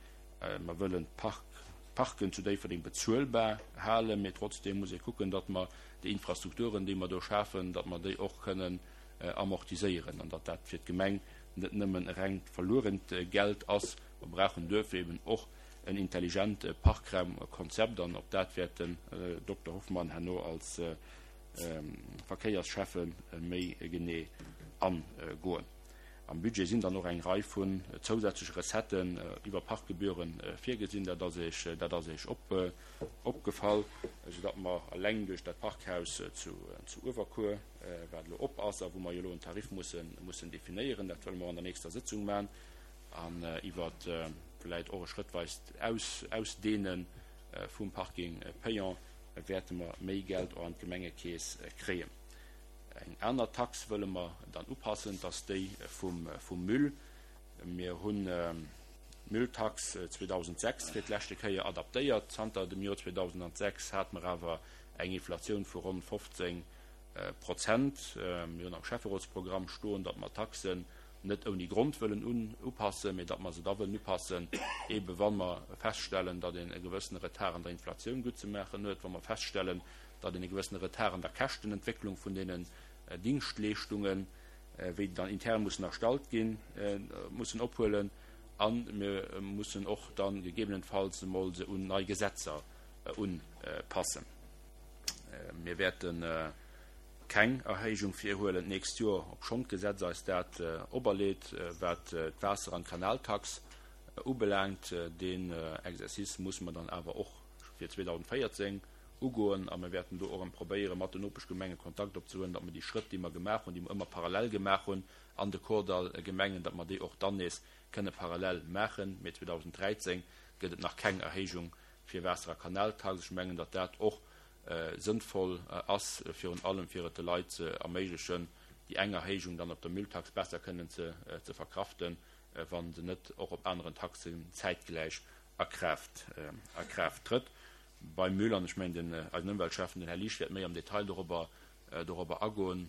Mer wëllen d'Park Parken zu Déifferdeng bezuelbar halen, mee trotzdeem muss ee kucken, datt mer déi Infrastrukturen, déi mer do schafen, datt mer déi och kënnen amortiséieren an datt dat fir d'Gemeng net nëmmen e rengt verluerent Geld ass. Mer brauchen duerfir eben och en intelligent Parkraumkonzept an op dat wäert den Dokter Hoffmann herno als Verkéiersschäffe méi genee agoen. Am Budget sinn dann och eng Rei vun zousätzleche Recetten iwwer Parkgebühre virgesinn. Dat ass Iech, dat ass Iech op, opgefall, soudatt mer eleng duerch dat Parkhaus zu, zu Uewerkuer, wat elo op ass a wou mer jo elo en Tarif mussen, mussen definéieren, dat wëlle mer an der nächster Sëtzung maachen, an iwwer vläicht och e schrëttweist Aus, Ausdehne vum Parking payant wäerte mer méi Geld och an d'Gemengekeess kréien. Eng aner Tax wëlle mer dann upassen, dat ass déi vum Müll. Mir hunn d'Mülltax zweedausendsechs fir d'leschte Kéier adaptéiert. Zanter dem Joer zweedausendsechs hate mer awer eng Inflatioun vu ronn fofzéng Prozent. Mir hunn am Schäfferotsprogramm stoen, datt mer d'Taxen net ouni Grond wëllen upassen, mee datt mer se da wëllen upassen, eebe wa mer feststellen, datt een e gewëssene Retard an der Inflatioun guttzemaachen huet, wa mer feststellen, datt een e gewëssene Retard an der Käschtenentwécklung vun deenen Dingschtleeschtungen, wéi déi dann intern mussen erstallt ginn, mussen ophuelen. A mir mussen och da gegebenenfalls emol se un nei Gesetzer unpassen. Mir wäerte keng Erhéijung virhuelen d'nächst Joer, obschonn d'Gesetz eis dat operleet, wat d'Waasser an d'Kanaltax ubelaangt. Deen Exercice musse mer dann awer och fir zweedausendvéierzéng ugoen a mir wäerten do och erëm probéieren, mat den Nopeschgemenge Kontakt opzehuelen, datt mer déi Schrëtt, déi mer gemaach hunn, déi mer ëmmer parallel gemaach hunn an de Kordall-Gemengen, datt mer déi och dann nees kënne parallel maachen. Mee zweedausendräizéng gëtt et nach keng Erhéijung fir Waasser a Kanaltax. Ech mengen, datt dat och sënnvoll ass, virun allem fir et de Leit ze erméiglechen, déi eng Erhéijung dann op der Mülltax besser kënnen ze verkraften, wa se net och op aneren Taxen zäitgläich a Kraaft a Kraaft trëtt. Beim Müll, an ech mengen den eisen Ëmweltschäffen, den Här Liesch, wäert méi am Detail dorobber dorobber agoen,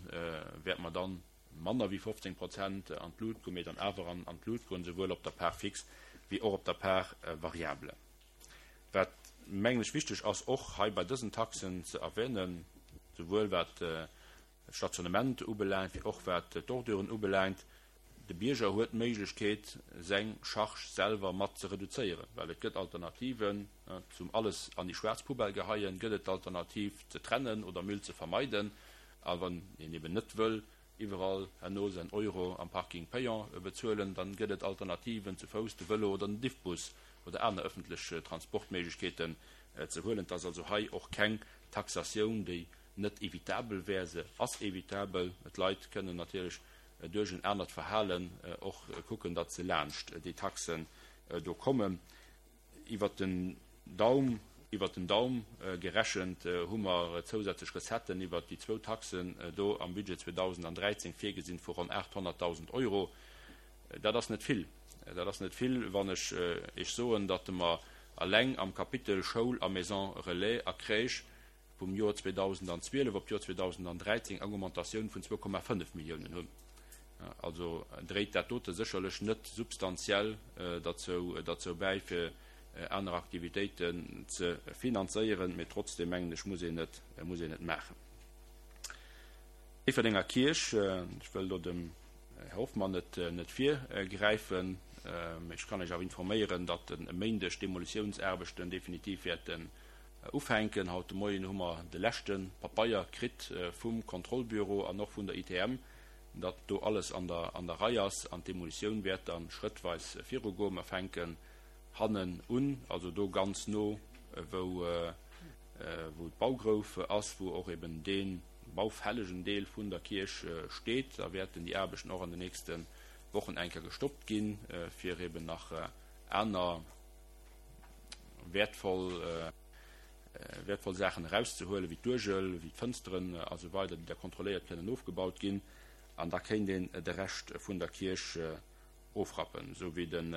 wäerte mer dann manner wéi fofzéng Prozent an d'Lut goen, mee dann awer an an d'Lut goen, souwuel op der Part fixe wéi och op der Part variable. Wat, mengen ech, wichteg ass och hei bei dësen Taxen ze erwähnen, souwuel wat d'Stationnement ubelaangt wéi och wat d'Orduren ubelaangt, De Bierger huet d'Méiglechkeet, seng Charge selwer mat ze reduzéieren, well et gëtt Alternativen zum alles an déi schwaarz Poubelle geheien, gëtt et d'Alternativ ze trennen oder Müll ze vermeiden. A wann een eben net wëll iwwerall herno säin Euro am Parking payant bezuelen, dann gëtt et Alternativen, ze Fouss, de Vëlo oder den Diffbus oder aner ëffentlech Transportméiglechkeeten ze huelen. Et ass also hei och keng Taxatioun, déi net evitabel wär. Se ass evitabel. D'Leit kënnen natierlech duerch en anert Verhalen och kucken, datt se laanscht déi Taxen do kommen. Iwwert den Daum, iwwert den Daum gerechent hu mer zousätzlech Recetten iwwert déi zwou Taxen do am Budget zweedausendräizéng virgesinn vu ronn aathonnertdausend Euro. Dat ass net vill. Dat ass net vill, wann ech Iech soen, datt mer eleng am Kapitel Schoul a Maison relais a Crèche vum Joer zweedausendzwielef op d'Joer zweedausendräizéng eng Augmentatioun vun zwou Komma fënnef Milliounen hunn. Also dréit dat dote sécherlech net substantiell derzou derzou bäi, fir aner Aktivitéiten ze finanzéieren, mee trotzdem mengen ech, muss een et muss een et maachen. Déifferdenger Kierch, ech wëll do dem Här Hoffmann net net virgräifen, mee ech kann Iech awer informéieren, datt e Méindeg d'Demolitiounsaarbechten definitiv wäerten ufänken. Haut de Moien hu mer de leschte Papeier kritt vum Kontrollbüro an och vun der I T M, datt do alles an der an der Rei ass an d'Demolitioun wäert da schrëttweis virugoen. Mer fänken hannen un, also do ganz no wou wou d'Baugrouf ass, wou och eben dee baufällegen Deel vun der Kierch steet. Da wäerten déi Aarbechten och an den nächste Wochen eng Kéier gestoppt ginn, fir eben nach aner wäertvoll wäertvoll Saachen erauszehuelen, wéi d'Uergel, wéi d'Fënsteren a sou weider, déi da kontrolléiert kënnen ofgebaut ginn. An da kéint een de Rescht vun der Kierch ofrappen. Esou wéi den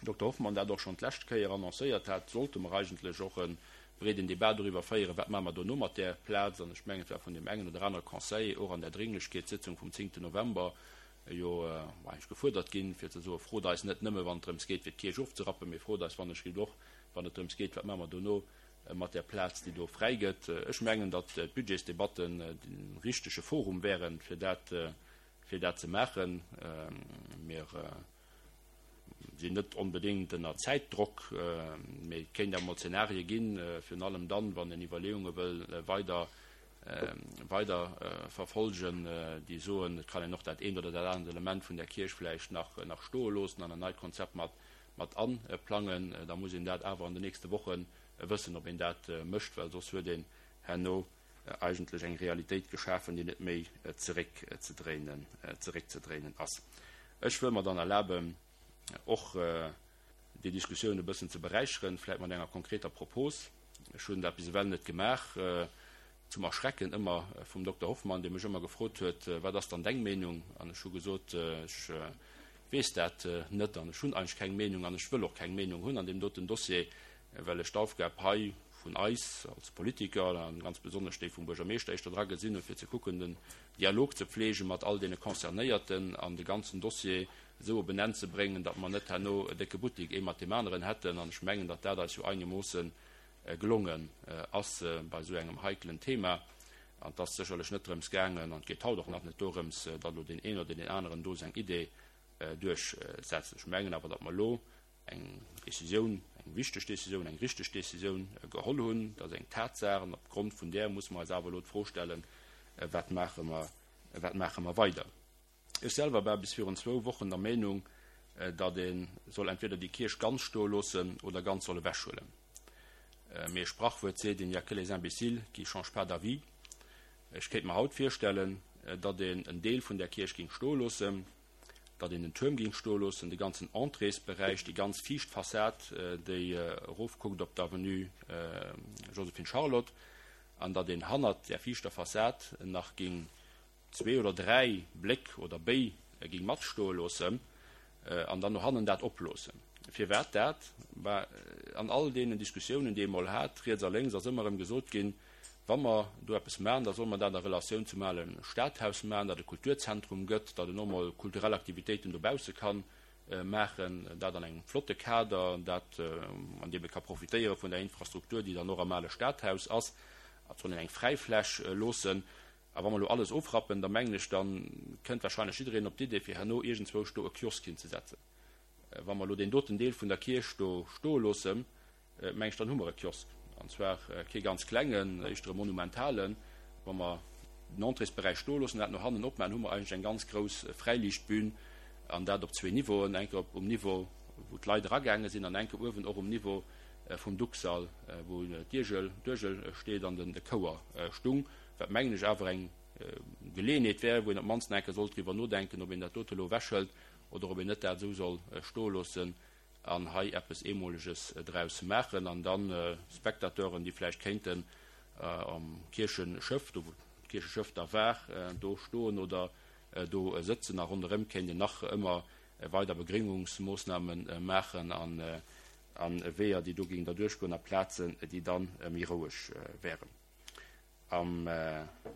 Dokter Hoffmann dat och schonn d'lescht Kéier annoncéiert hat, sollte mer eigentlech och e breeden Debat doriwwer féieren, wat maache mer dono mat där Plaz. An ech mengen, et war vun deem engen oder anere Conseiller och an där Dringlechkeetssitzung vum zéngten November jo eigentlech gefuerdert ginn, fir ze soen, Frot eis net nëmme, wann et drëms geet, fir d'Kierch ofzerappen, mee frot eis wannechgelift och, wann et drëms geet, wat maache mer dono mat där Plaz, déi do fräi gëtt. Ech mengen, datt d'Budgetsdebatten de richtege Forum wären, fir dat, fir dat ze maachen. Mir sinn net onbedéngt ënner Zäitdrock, mee et kéint awer mol Zenarie ginn, virun allem dann, wann een Iwwerleeunge wëll weider, weider verfolgen, déi soen, et kann een och dat eent oder dat anert Element vun där Kierch vläicht nach, nach stoe loossen an en neit Konzept mat, mat aplangen. Da muss een dat awer an den nächste Woche wëssen, ob een dat mécht, well soss huet een herno eigentlech eng Realitéit geschafen, déi net méi zeréckzedréinen, zeréckzedréinen ass. Ech wëll mer dann erlaben, och déi Diskussioun e bëssen ze beräicheren, vläicht mat enger konkreter Propos. Ech hunn dat bis ewell net gemaach, zum Erschrecken ëmmer vum Dokter Hoffmann, dee mech ëmmer gefrot huet, Wat ass dann deng Meenung? An ech hu gesot, Ech weess dat net an ech hunn eigentlech keng Meenung an ech wëll och keng Meenung hunn an deem doten Dossier, well ech d'Aufgab hei vun eis als Politiker a ganz besonnesch déi vum Buergermeeschter éischter dra gesinn hunn, fir ze kucken, den Dialog ze pflege mat all deene Concernéierten an de ganzen Dossier esou op en Enn ze bréngen, datt mer net herno e décke Buttik ee mat deem aneren hätten. An ech mengen, datt dat eis jo einemoosse gelongen ass bei esou engem heikelen Thema. An et ass sécherlech net drëms gaangen, an et geet haut och nach net dorëms, datt elo deen een oder deen aneren do seng Idee duerchsetzt. Ech mengen awer, datt mer elo eng Décisioun, eng wichteg Décisioun, eng richteg Décisioun geholl hunn. Dat ass eng Tatsaach an opgrond vun där muss mer eis awer elo d'Fro stellen, Wat maache mer, wat maache mer weider? Ech selwer war bis virun zwou Wochen der Meenung, datt ee soll entweder déi Kierch ganz stoe loossen oder ganz soll ewechhuelen. Mee e Sprachwuert seet, Il n'y a que les imbéciles qui changent pas d'avis. Ech kéint mer haut virstellen, datt een en Deel vun där Kierch géing stoe loossen, datt een den Tuerm géing stoe loossen, de ganzen Entréesberäich, déi ganz viischt Fassad, déi erofkuckt op d'Avenue Joséphine-Charlotte, an datt een hannert där viischter Fassad nach géing zwee oder dräi Bléck oder Béi géing matstoe loossen an dann no hannen dat oploossen. Firwat dat? Bah, an all deenen Diskussiounen, déi ee mol hat, riets a lénks, ass ëmmer erëm gesot ginn, Wa mer do eppes maachen, da solle mer dat a Relatioun zum ale Stadhaus maachen, dat e Kulturzentrum gëtt, datt en och mol kulturell Aktivitéiten dobausse ka maachen, dat an engem flotte Kader, dat, an deem e ka profitéiere vun der Infrastruktur, déi dann och am ale Stadhaus ass. Et soll een eng Fräifläch loossen. A wa mer elo alles ofrappen, da mengen ech, da kënnt wahrscheinlech jiddereen op d'Idee, fir herno iergendzwousch do e Kiosk hinzesetzen. Wa mer elo deen doten Deel vun der Kierch do stoe loossen, mengen ech, dann hu mer e Kiosk, an zwar kee ganz klengen, éischter e monumentalen. Wa mer den Entréesberäich stoe loossen, dat no hannen opmaachen, hu mer eigentlech eng ganz grouss Fräiliichtbün, an dat op zwee Niveauen, eng Kéier um Niveau, wou d'Leit eragaange sinn, an eng Kéier uewen och um Niveau vum Ducksall, wou d'Iergel, d'Uergel steet an de Chouer stung, wat mengen ech awer eng Geleeënheet wär, wou een op d'mannst nach eng Kéier sollt driwwer nodenken, ob een dat dote elo ewechhëlt oder ob een net dat esou soll stoe loossen an hei eppes Eemoleges draus maachen an dann Spectateuren, déi vläicht kéinten am Kiercheschëff, do wou d'Kiercheschëff da war, do stoen oder do sëtzen a ronderëm kéint een nach ëmmer weider Begréngungsmoossname maachen an Weeër, déi do géingen derduerch goen a Plazen, déi da méi roueg wären. Am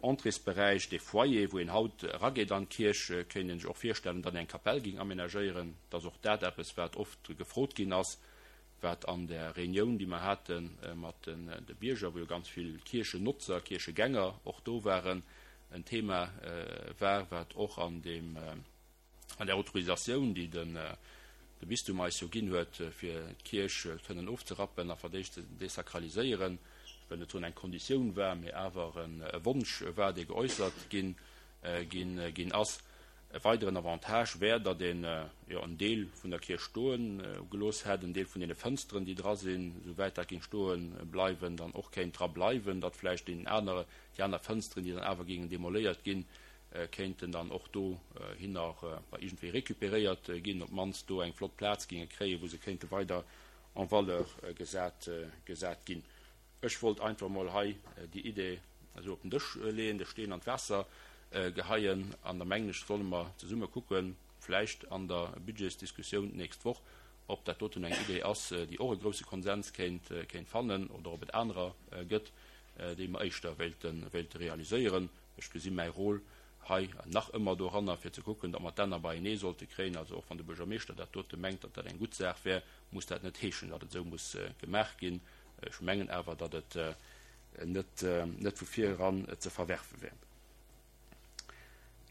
Entréesberäich, dee Foyer, wou een haut erageet an d'Kierch, kéint een sech och virstellen, datt een eng Kapell géing amenagéieren. Dat ass och dat eppes, wat oft gefrot ginn ass, wat an der Reunioun, déi mer hate mat de Bierger, wou jo ganz vill Kierchennotzer, Kierchegänger och do waren, en Thema war, wat och an deem, an där Autorisatioun, déi de Bistum eis jo ginn huet, fir d'Kierch kënnen ofzerappen a verdéischt ze desakraliséieren, ech wëll net soen eng Konditioun war, mee awer e Wonsch war, dee geäussert ginn ass. E weideren Avantage wär, datt een jo en Deel vun der Kierch stoe gelooss hätt, en Deel vun deene Fënsteren, déi dra sinn, souwäit dat géing stoe bleiwen, dann och kéint dra bleiwen, datt vläicht deen aner, déi aner Fënsteren, déi dann awer géingen demoléiert ginn, kéinten dann och dohinner iergendwéi récupéréiert ginn, op d'mannst do eng flott Plaz géinge kréien, wou se kéinte weider en valeur gesat, gesat ginn. Ech wollt einfach emol hei déi Idee esou op den Dësch leeën, de Steen an d'Waasser geheien, an da mengen ech, solle mer zesumme kucken, vläicht an der Budgetsdiskussioun d'nächst Woch, ob dat doten eng Idee ass, déi och e grouse Konsens kéint, kéint fannen, oder ob et anerer gëtt, déi mer éischter wéilte, wéilte realiséieren. Ech gesi mäi Rôle hei nach ëmmer doranner, fir ze kucken, datt mer d'Enner beienee sollte kréien. Also och wann de Buergermeeschter dat dote mengt, datt dat eng gutt Saach wär, muss dat net heeschen, datt et esou muss gemaach ginn. Ech mengen awer, datt et net, net vu vir eran ze verwerfe wär.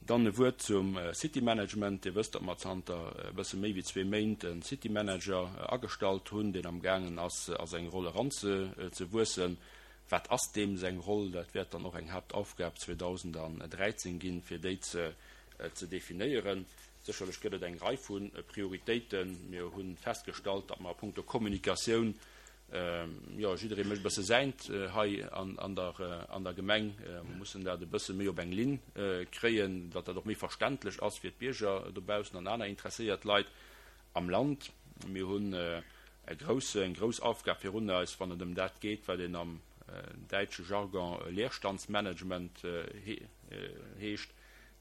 Dann e Wuert zum City Management. Dir wësst, datt mer zanter e bësse méi wéi zwee Méint e City Manager agestallt hunn, deen amgaangen ass, a seng Roll eranzewuessen. Wat ass deem seng Roll? Dat wäert dann och eng Haaptaufgab zweedausendräizéng ginn, fir déi ze definéieren. Sécherlech gëtt et eng Rei vu Prioritéiten. Mir hu festgestallt, datt mer a puncto Kommunikatioun, jo, jidderee mécht e bësse säint hei an der Gemeng. Mer mussen dat e bësse méi op eng Linn kréien, datt dat och méi verständlech ass fir d'Bierger dobaussen an aner interesséiert Leit am Land. Mir hunn e grousse, eng grouss Aufgab virun eis, wann et ëm dat geet, wat een am däitsche Jargon Leerstandsmanagement heescht,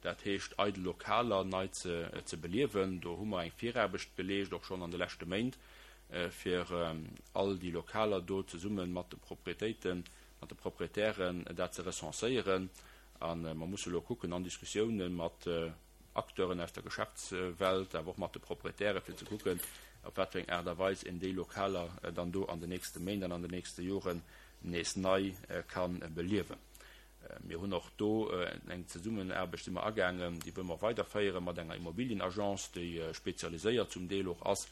dat heescht eidel Lokaler nei ze beliewen. Do hu mer eng Viraarbecht geleescht, och schonn an de leschte Méint, fir all déi Lokaler do zesumme mat de Proprietéiten, mat de Proprietären dat ze recenséieren. A mer musse elo kucken an Diskussiounen mat Acteuren aus der Geschäftswelt, awer och mat de Proprietären, fir ze kucken, op wat fir eng Aart a Weis een déi Lokaler dann do an den nächste Méint an an den nächste Joren nees nei ka beliewen. Mir hunn och do eng Zesummenaarbecht si mer agaangen, déi wëlle mer weiderféiere mat enger Immobilienagence, déi spezialiséiert zum Deel och ass,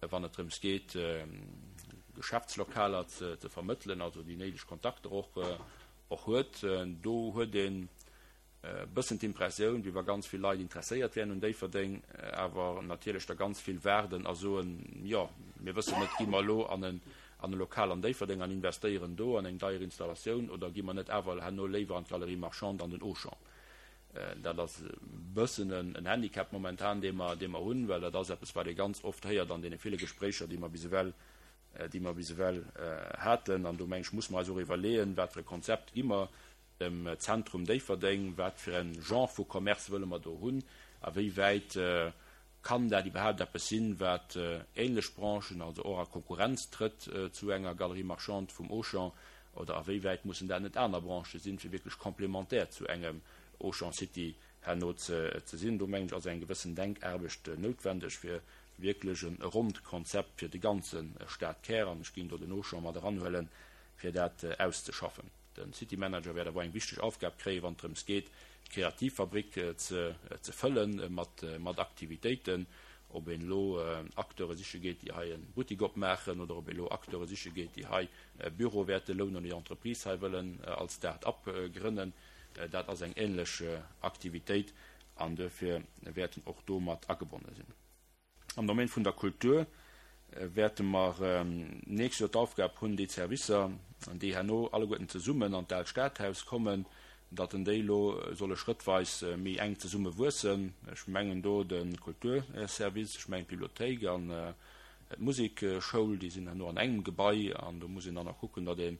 wann et drëms geet, Geschäftslokaler ze vermëttelen, also déi néideg Kontakter och huet. Do huet een e bëssen d'Impressioun, wéi wa ganz vill Leit interesséiert wären un Déifferdeng, awer natierlech der ganz vill waarden a soen, jo, mir wëssen net, gi mer elo an en an e Lokal an Déifferdeng an investéieren do an eng deier Installatioun oder gi mer net awer herno léiwer an d'Galerie Marchande an den Auchan. Dat ass e bëssen en Handicap momentan, dee mer, dee mer hunn, well dat ass eppes, wat ee ganz oft héiert an deene ville Gespréicher, déi mer bis ewell, déi mer bis ewell haten. An do, meng ech, muss mer eis och iwwerleeën, wat fir e Konzept gi mer dem Zentrum Déifferdeng, wat fir e Genre vu Commerce wëlle mer do hunn, a wéi wäit kann dat iwwerhaapt eppes sinn, wat ähnlech Branchen, also och a Konkurrenz trëtt zu enger Galerie marchande vum Auchan, oder a wéi wäit mussen dat net aner Branchë sinn, fir wierklech complémentaire zu engem Auchan City herno ze sinn. Do mengen ech, ass eng gewëssen Denkaarbecht noutwendeg, fir wierklech e ronnt Konzept fir de ganze Stadkär, an ech géing do den Auchan mat eranhuelen, fir dat auszeschaffen. De City Manager wäert awer eng wichteg Aufgab kréien, wann et drëms geet, d'Kreativfabrik ze ze fëlle mat mat Aktivitéiten. Ob een elo Acteure siche geet, déi hei e Buttik opmaachen, oder ob ee elo Acteure siche geet, déi hei e Büro wäerte lounen oder hir Entreprise hei wëllen als Start-up grënnen, dat ass eng änlech Aktivitéit an duerfir wäerten och do mat agebonne sinn. Am Domaine vun der Kultur wäerte mer d'nächst Joer d'Aufgab hunn, déi Servicer, déi herno alleguerten zesummen an d'Aalt Stadhaus kommen, datt en déi elo solle schrëttweis méi enk zesumme wuessen. Ech mengen do de Kulturservice, ech mengen d'Bibliothéik an d'Musekschoul, déi sinn herno an engem Gebai an do muss een dann och kucken, datt ee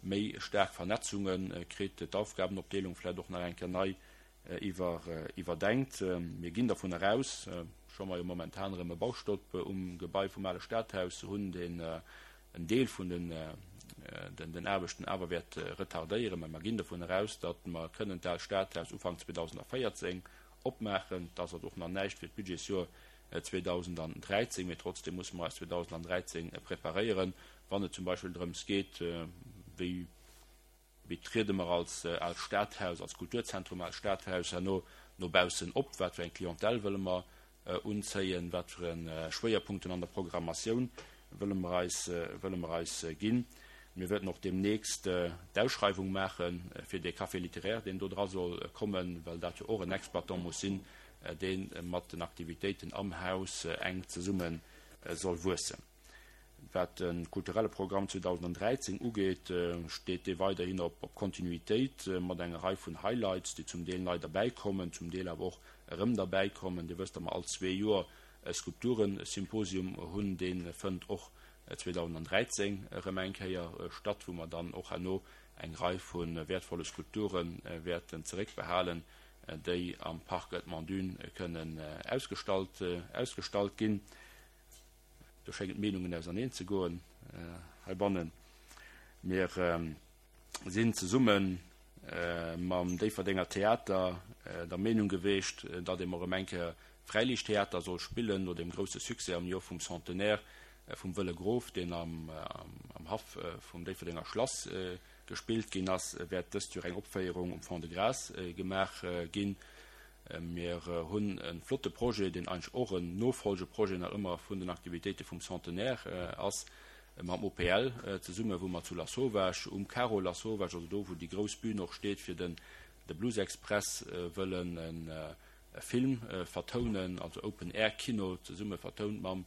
méi staark Vernetzunge kritt, d'Aufgabenopdeelung vläicht och nach eng Kéier nei iwwerdenkt. Mir ginn dervun eraus, scho mer jo momentan erëm e Baustopp um Gebai vum ale Stadhaus hunn, deen en Deel vun den Aarbechten awer wäert retardéieren, mä mer ginn dovun eraus, datt mer kënnen d'Aalt Stadhaus Ufank zweedausendvéierzéng opmaachen. Dat ass also och nach näischt fir d'Budgetsjoer zweedausendräizéng, mä trotzdem musse mer eis zweedausendräizéng preparéieren, wann et zum Beispill drëms geet, wéi Wéi triede mer als Aalt Stadhaus, als Kulturzentrum Aalt Stadhaus herno no baussen op? Wat fir eng Clientèle wëlle mer unzéien? Wat fir e Schwéierpunkten an der Programmatioun wëlle mer eis, wëlle mer eis ginn? Mir wäerten och deemnächst d'Ausschreiwung maache fir dee Café littéraire, deen do dra soll kommen, well dat jo och en Exploitant muss sinn, dee mat den Aktivitéiten am Haus enk zesumme soll wuessen. Wat de kulturelle Programm zweedausenddräizéng ugeet, steet dee weiderhin op Kontinuitéit mat enger Rei vun Highlights, déi zum Deel nei derbäikommen, zum Deel awer och erëm derbäikommen. Dir wësst, datt mer all zwee Joer e Skulpturensymposium hunn. Dee fënnt och zweedausenddräizéng erëm eng Kéier statt, wou mer dann och herno eng Rei vu wäertvolle Skulpture wäerten zeréckbehalen, déi am Parc Edmond Dune kënnen ausgestallt ausgestallt ginn. Do schéngen d'Meenungen auserneen ze goen heibannen. Mir sinn zesumme mam Déifferdenger Theater der Meenung geweecht, datt ee mol erëm eng Kéier Fräiliichttheater soll spillen, no deem grousse Succès am Joer vum Centenaire vum Wëlle Grof, deen am Haff vum Déifferdenger Schlass gespillt ginn ass, wäert dëst Joer eng Opféierung um Fond-de-Gras gemaach ginn. Mir hunn e flotte Projet, deen eigentlech och en Nofolgeprojet nach ëmmer vun den Aktivitéite vum Centenaire ass, mam O P L zesumme, wou mer zu Lasauvage, um Carreau Lasauvage, also do wou déi grouss Bühn och steet fir den de Blues Express, wëllen e Film vertounen, also Open Air Kino, zesumme vertount mam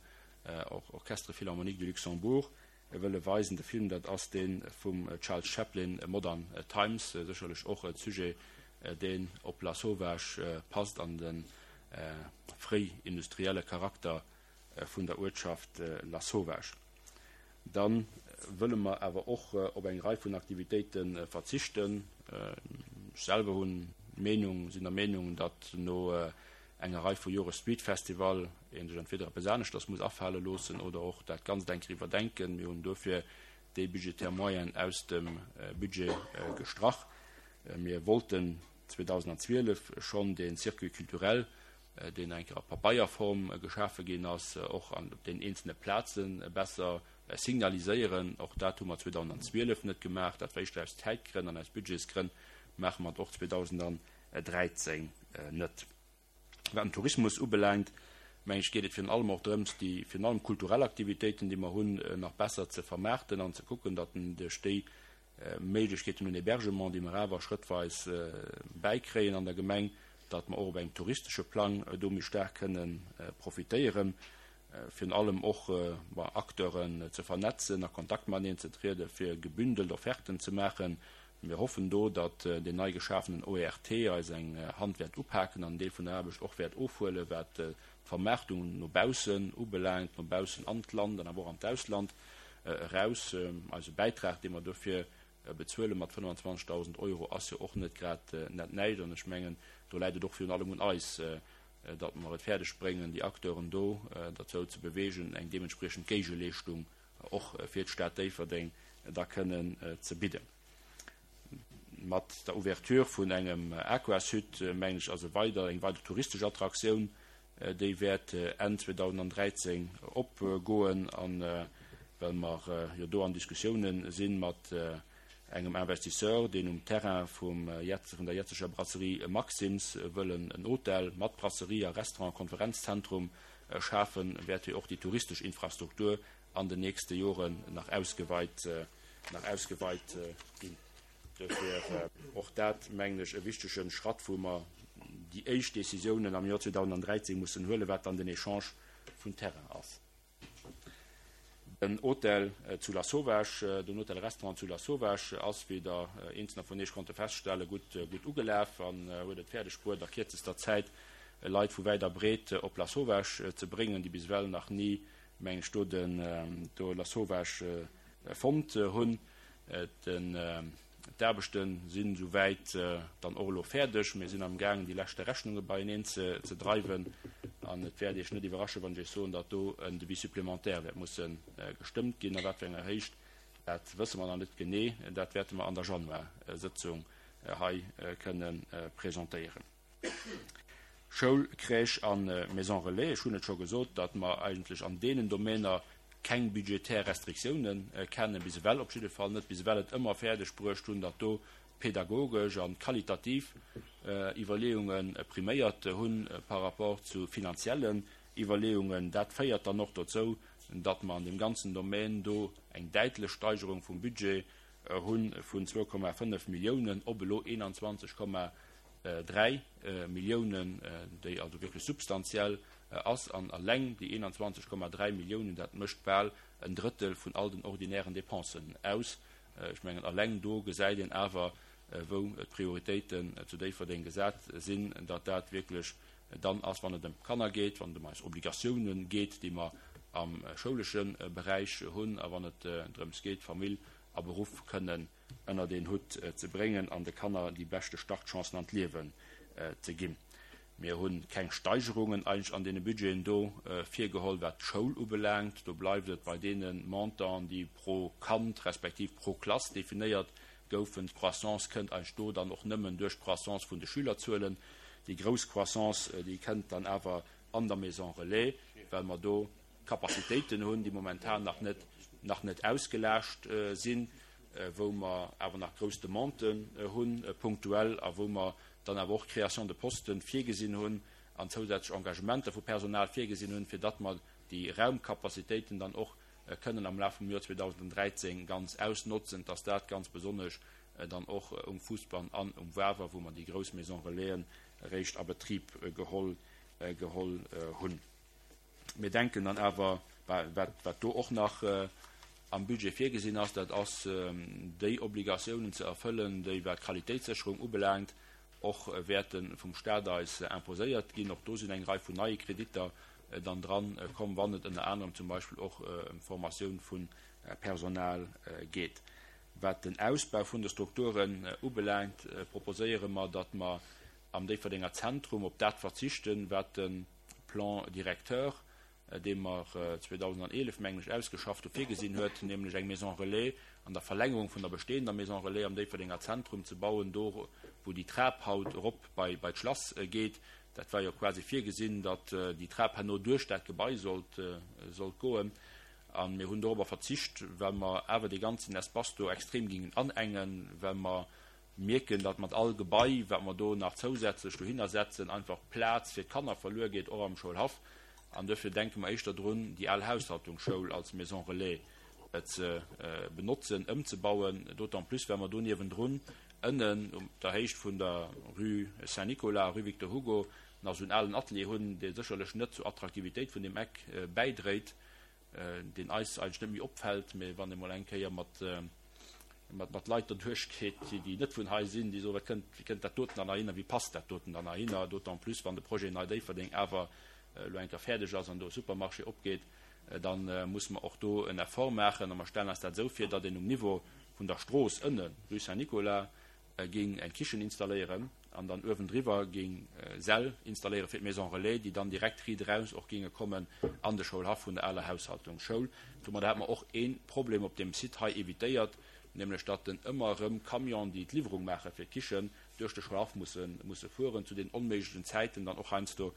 Orchestre Philharmonique du Luxembourg wëlle weisen. De Film, dat ass dee vum Charles Chaplin, Modern Times, sécherlech och e Sujet, deen op Lasauvage passt an de fréi-industrielle Charakter vun der Uertschaft Lasauvage. Da wëlle mer awer och op eng Rei vun Aktivitéite verzichten. Ech selwer hunn d'Meenung, sinn der Meenung, datt no enger Rei vu Jore Street Festival ee sech entweder eppes aneschters muss afale loossen oder och dat Ganzt eng Kéier iwwerdenken. Mir hunn dofir déi budgetär Moyen aus dem Budget gestrach. Mir wollten zweedausendzwielef schonn dee Circuit culturel, deen eng Kéier a Pabeierform geschafe ginn ass, och an op den eenzelne Plaze besser signaliséieren. Och dat hu mer zweedausendzwielef net gemaach. Dat war éischter aus Zäitgrënn an aus Budgetsgrënn, maache mer et och zweedausenddräizéng net. Wat den Tourismus ubelaangt, meng ech, geet et virun allem och drëms, déi virun allem kulturell Aktivitéiten, déi mer hunn, nach besser ze vermaarten an ze kucken, datt en duerch déi Méiglechkeeten un Hébergement, déi mer awer schrëttweis bäikréien an der Gemeng, datt mer och op engem touristesche Plang do méi staark kënne profitéieren, virun allem och Acteuren ze vernetzen, a Kontakt mateneen ze trieden, fir gebündelt Offerten ze maachen. Mir hoffen do, datt deen nei geschafenen O E R T eis eng Hand wäert upaken an en Deel vun der Aarbecht och wäert ofhuelen, wat d'Vermaartung no baussen ubelaangt, no baussen an d'Land an awer och an d'Ausland eraus. Eise Bäitrag, dee mer dofir bezuele mat fënnfanzwanzegdausend Euro, ass jo och net grad net näischt. An ech mengen, do läit et och virun allem un eis, datt mer et fäerdeg bréngen, déi Acteuren do derzou ze beweegen, eng deementspriechend Géigeleeschtung och fir d'Stad Déifferdeng da kënnen ze bidden. Mat der Ouverture vun engem Aquasud, mengen ech, ass e weider, eng weider touristesch Attraktioun, déi wäert Enn zweedausenddräizéng opgoen. A well mer jo do an Diskussiounen si mat engem Investisseur, deen um Terrain vum vun der jetzeger Brasserie Maxim's wëll en Hotel mat Brasserie a Restaurant, Konferenzzentrum schafen, wäert jo och déi touristesch Infrastruktur an den nächste Joren nach ausgeweit, nach ausgeweit ginn. Dofir och dat, mengen ech, e wichtege Schratt, wou mer déi éischt Decisiounen am Joer zweedausenddräizéng mussen huelen, wat dann den Echange vun Terrain ass. Den Hotel zu Lasauvage, den Hotel-Restaurant zu Lasauvage ass, wéi der eenzelner vun Iech konnte feststellen, gutt, gutt ugelaf an huet et fäerdeg bruet, a kierzester Zäit Leit vu wäit a breet op Lasauvage ze bréngen, déi bis ewell nach ni, meng ech, do den, do Lasauvage fonnt hunn. Den. D'Aarbechte sinn esouwäit dann och elo fäerdeg. Mir sinn amgaangen, déi leschte Rechnunge beieneen ze dreiwen. An et wäert Iech net iwwerrasche wann ech Iech soen, datt do en Devis supplémentaire wäert musse gestëmmt ginn. A wat fir enger Héicht, dat wësse mer nach net genee. Dat wäerte mer an der Januarsëtzung hei kënne presentéieren. Schoul, Crèche a Maison relais, ech hunn et scho gesot, datt mer eigentlech an deenen Domainer keng budgetär Restriktiounen kennen, bis ewell op jidde Fall net, bis ewell et ëmmer fäerdeg bruecht hunn, datt do pedagogesch a qualitativ Iwwerleeunge priméiert hunn par rapport zu finanziellen Iwwerleeungen. Dat féiert dann och dozou, datt mer an deem ganzen Domän do eng däitlech Steigerung vum Budget hu vun zwou Komma fënnef Milliounen op elo eenanzwanzeg Komma dräi Milliounen, déi also wierklech substantiell ass. An eleng déi eenanzwanzeg Komma dräi Milliounen, dat mécht bal en Drëttel vun all den ordinären Dépensen aus. Ech mengen, eleng do gesäit een awer, wou d'Prioritéiten zu Déifferdeng gesat sinn, datt dat wierklech dann ass, wann et ëm d'Kanner geet, wann et ëm eis Obligatiounen geet, déi mer am schoulesche Beräich hunn, a wann et drëms geet, Famill a Beruff kënnen ënnert een Hutt ze bréngen an de Kanner déi beschte Startchancen an d'Liewen ze ginn. Mir hu keng Steigerungen eigentlech an deene Budgeten do virgeholl, wat d'Schoul ubelaangt. Do bleift et bei deene Montanten, déi pro Kand respektiv pro Klass definéiert goufen. D'Croissance kënnt eigentlech do dann och nëmmen duerch d'Croissance vun de Schülerzuelen. Déi grouss Croissance, déi kënnt dann awer an der Maison relais, well mer do Capacitéiten hunn, déi momentan nach net, nach net ausgelaascht sinn, wou mer awer nach grouss Demanden hunn, punktuell, a wou mer dann awer och Création de postes virgesinn hunn an zousätzlech Engagementer vu Personal virgesinn hunn, fir datt mer déi Raumcapacitéiten dann och kënnen am Laf vum Joer zweedausendräizéng ganz ausnotzen, dass dat ganz besonnesch dann och um Fousbann an um Wawer, wou mer déi grouss Maison relaisen eréischt a Betrib geholl geholl hunn. Mir denken dann awer, wat do och nach am Budget virgesinn ass, dat ass déi Obligatiounen ze erfëllen, déi, wat d'Qualitéitssécherung ubelaangt, och wäerte vum Stat eis imposéiert ginn. Och do sinn eng Rei vun neie Kreditter dann dran komm, wann et ënner anerem zum Beispill och ëm d'Formatioun vu Personal geet. Wat den Ausbau vun de Strukturen ubelaangt, proposéiere mer, datt mer am Déifferdenger Zentrum op dat verzichten, wat de Plan directeur, dee mer zweedausendeneelef, mengen ech, ausgeschafft hu, virgesinn huet, nämlech eng Maison relais an der Verlängerung vun der bestehender Maison relais am Déifferdenger Zentrum ze bauen, do wou déi Trap haut erop bei d'Schlass geet. Dat war jo quasi virgesinn, datt déi Trap herno duerch dat Gebai sollt sollt goen. A mir hunn dorobber verzicht, well mer awer dee ganzen Espace do extrem gingen anengen, well mer mierken, datt mat all Gebai, wat mer do nach zousätzlech dohinner setzen, einfach Plaz fir d'Kanner verluer geet, och am Schoulhaff. An duerfir denke mer éischter drun, déi al Haushaltungsschoul als Maison relais ze benotzen, ëmzebauen, d'autant plus well mer do niewendrun ënnen op der Héicht vun der Rue Saint-Nicolas, Rue Victor Hugo, nach esou en alen Atelier hunn, dee sécherlech net zur Attraktivitéit vun deem Eck bäidréit, deen eis eigentlech net méi opfält, mä wann ee mol eng Kéier mat mat Leit derduerch geet, déi net vun hei sinn, déi soen, wat kënnt, wéi kënnt dat doten dann heihinner, wéi passt dat doten dann heihinner, d'autant plus wann de Projet Nei Déifferdeng awer elo eng Kéier fäerdeg ass an do e Supermarché opgeet, da musse mer och do en Effort maachen. A mer stellen eis dat esou vir, datt een um Niveau vun der Strooss ënnen, Rue Saint-Nicolas, géing eng Kichen installéieren an dann uewendriwwer géing Säll installéiere fir d'Maison relais, déi dann direkt riit eraus och géinge kommen an de Schoulhaff vun der aler Haushaltungsschoul. Domadder hätte mer och ee Problem op deem Site hei evitéiert, nämlech datt den ëmmer erëm Camion, déi d'Liwwerung maache fir d'Kichen, duerch de Schoulhaff musse musse fueren, zu den onméiglechen Zäiten dann och heiansdo,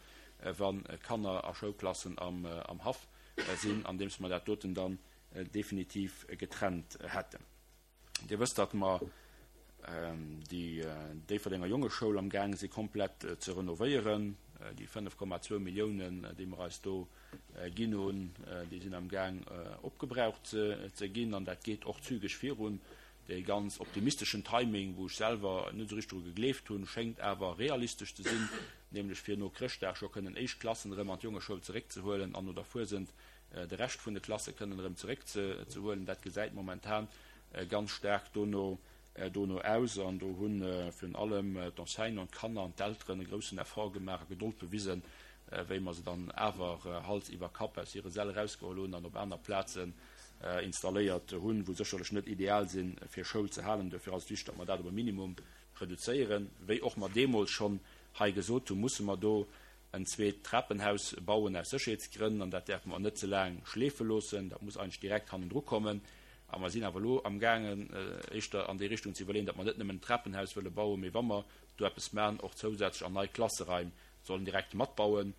wa Kanner a Schoulklassen am am Haff sinn, andeems mer dat doten dann definitiv getrennt hätten. Dir wësst, datt mer déi Déifferdenger Jongeschoul am gaange si komplett ze renovéieren. Déi fënnef Komma zwou Milliounen, déi mer eis do ginn hunn, déi sinn am gaang opgebraucht ze ginn an dat geet och zügeg virun. Dee ganz optimisteschen Timing, wou ech selwer net esou richteg dru gegleeft hunn, schéngt awer realistesch ze sinn, nämlech fir no Chrëschtdag scho kënnen éischt Klassen erëm an d'Jongeschoul zeréckzehuelen an no der Fuesent de Rescht vun de Klasse kënnen erëm zeréckzehuelen. Dat gesäit momentan ganz staark dono dono aus an do hu virun allem d'Enseignanten, d'Kanner an d'Elteren e groussen Effort gemaach a Gedold bewisen, wéi mer se dann awer Hals iwwer Kapp aus hire Säll erausgeholl hunn an op aner Plazen installéiert hunn, wou sécherlech net ideal sinn, fir Schoul ze halen. Duerfir ass et wichteg, datt mer dat op e Minimum reduzéieren. Wéi och mer deemools schonn hei gesot hunn, musse mer do en zweet Trapenhaus bauen aus Sécherheetsgrënn an dat däerfe mer net ze laang schleefe loossen. Dat muss eigentlech direkt hannendru kommen. A mer sinn awer elo amgaangen, éischter an déi Richtung ze iwwerleeën, datt mer net nëmmen en Trapenhaus wëlle bauen, mee wa mer do eppes maachen, och zousätzlech an nei Klasseraim sollen direkt matbauen.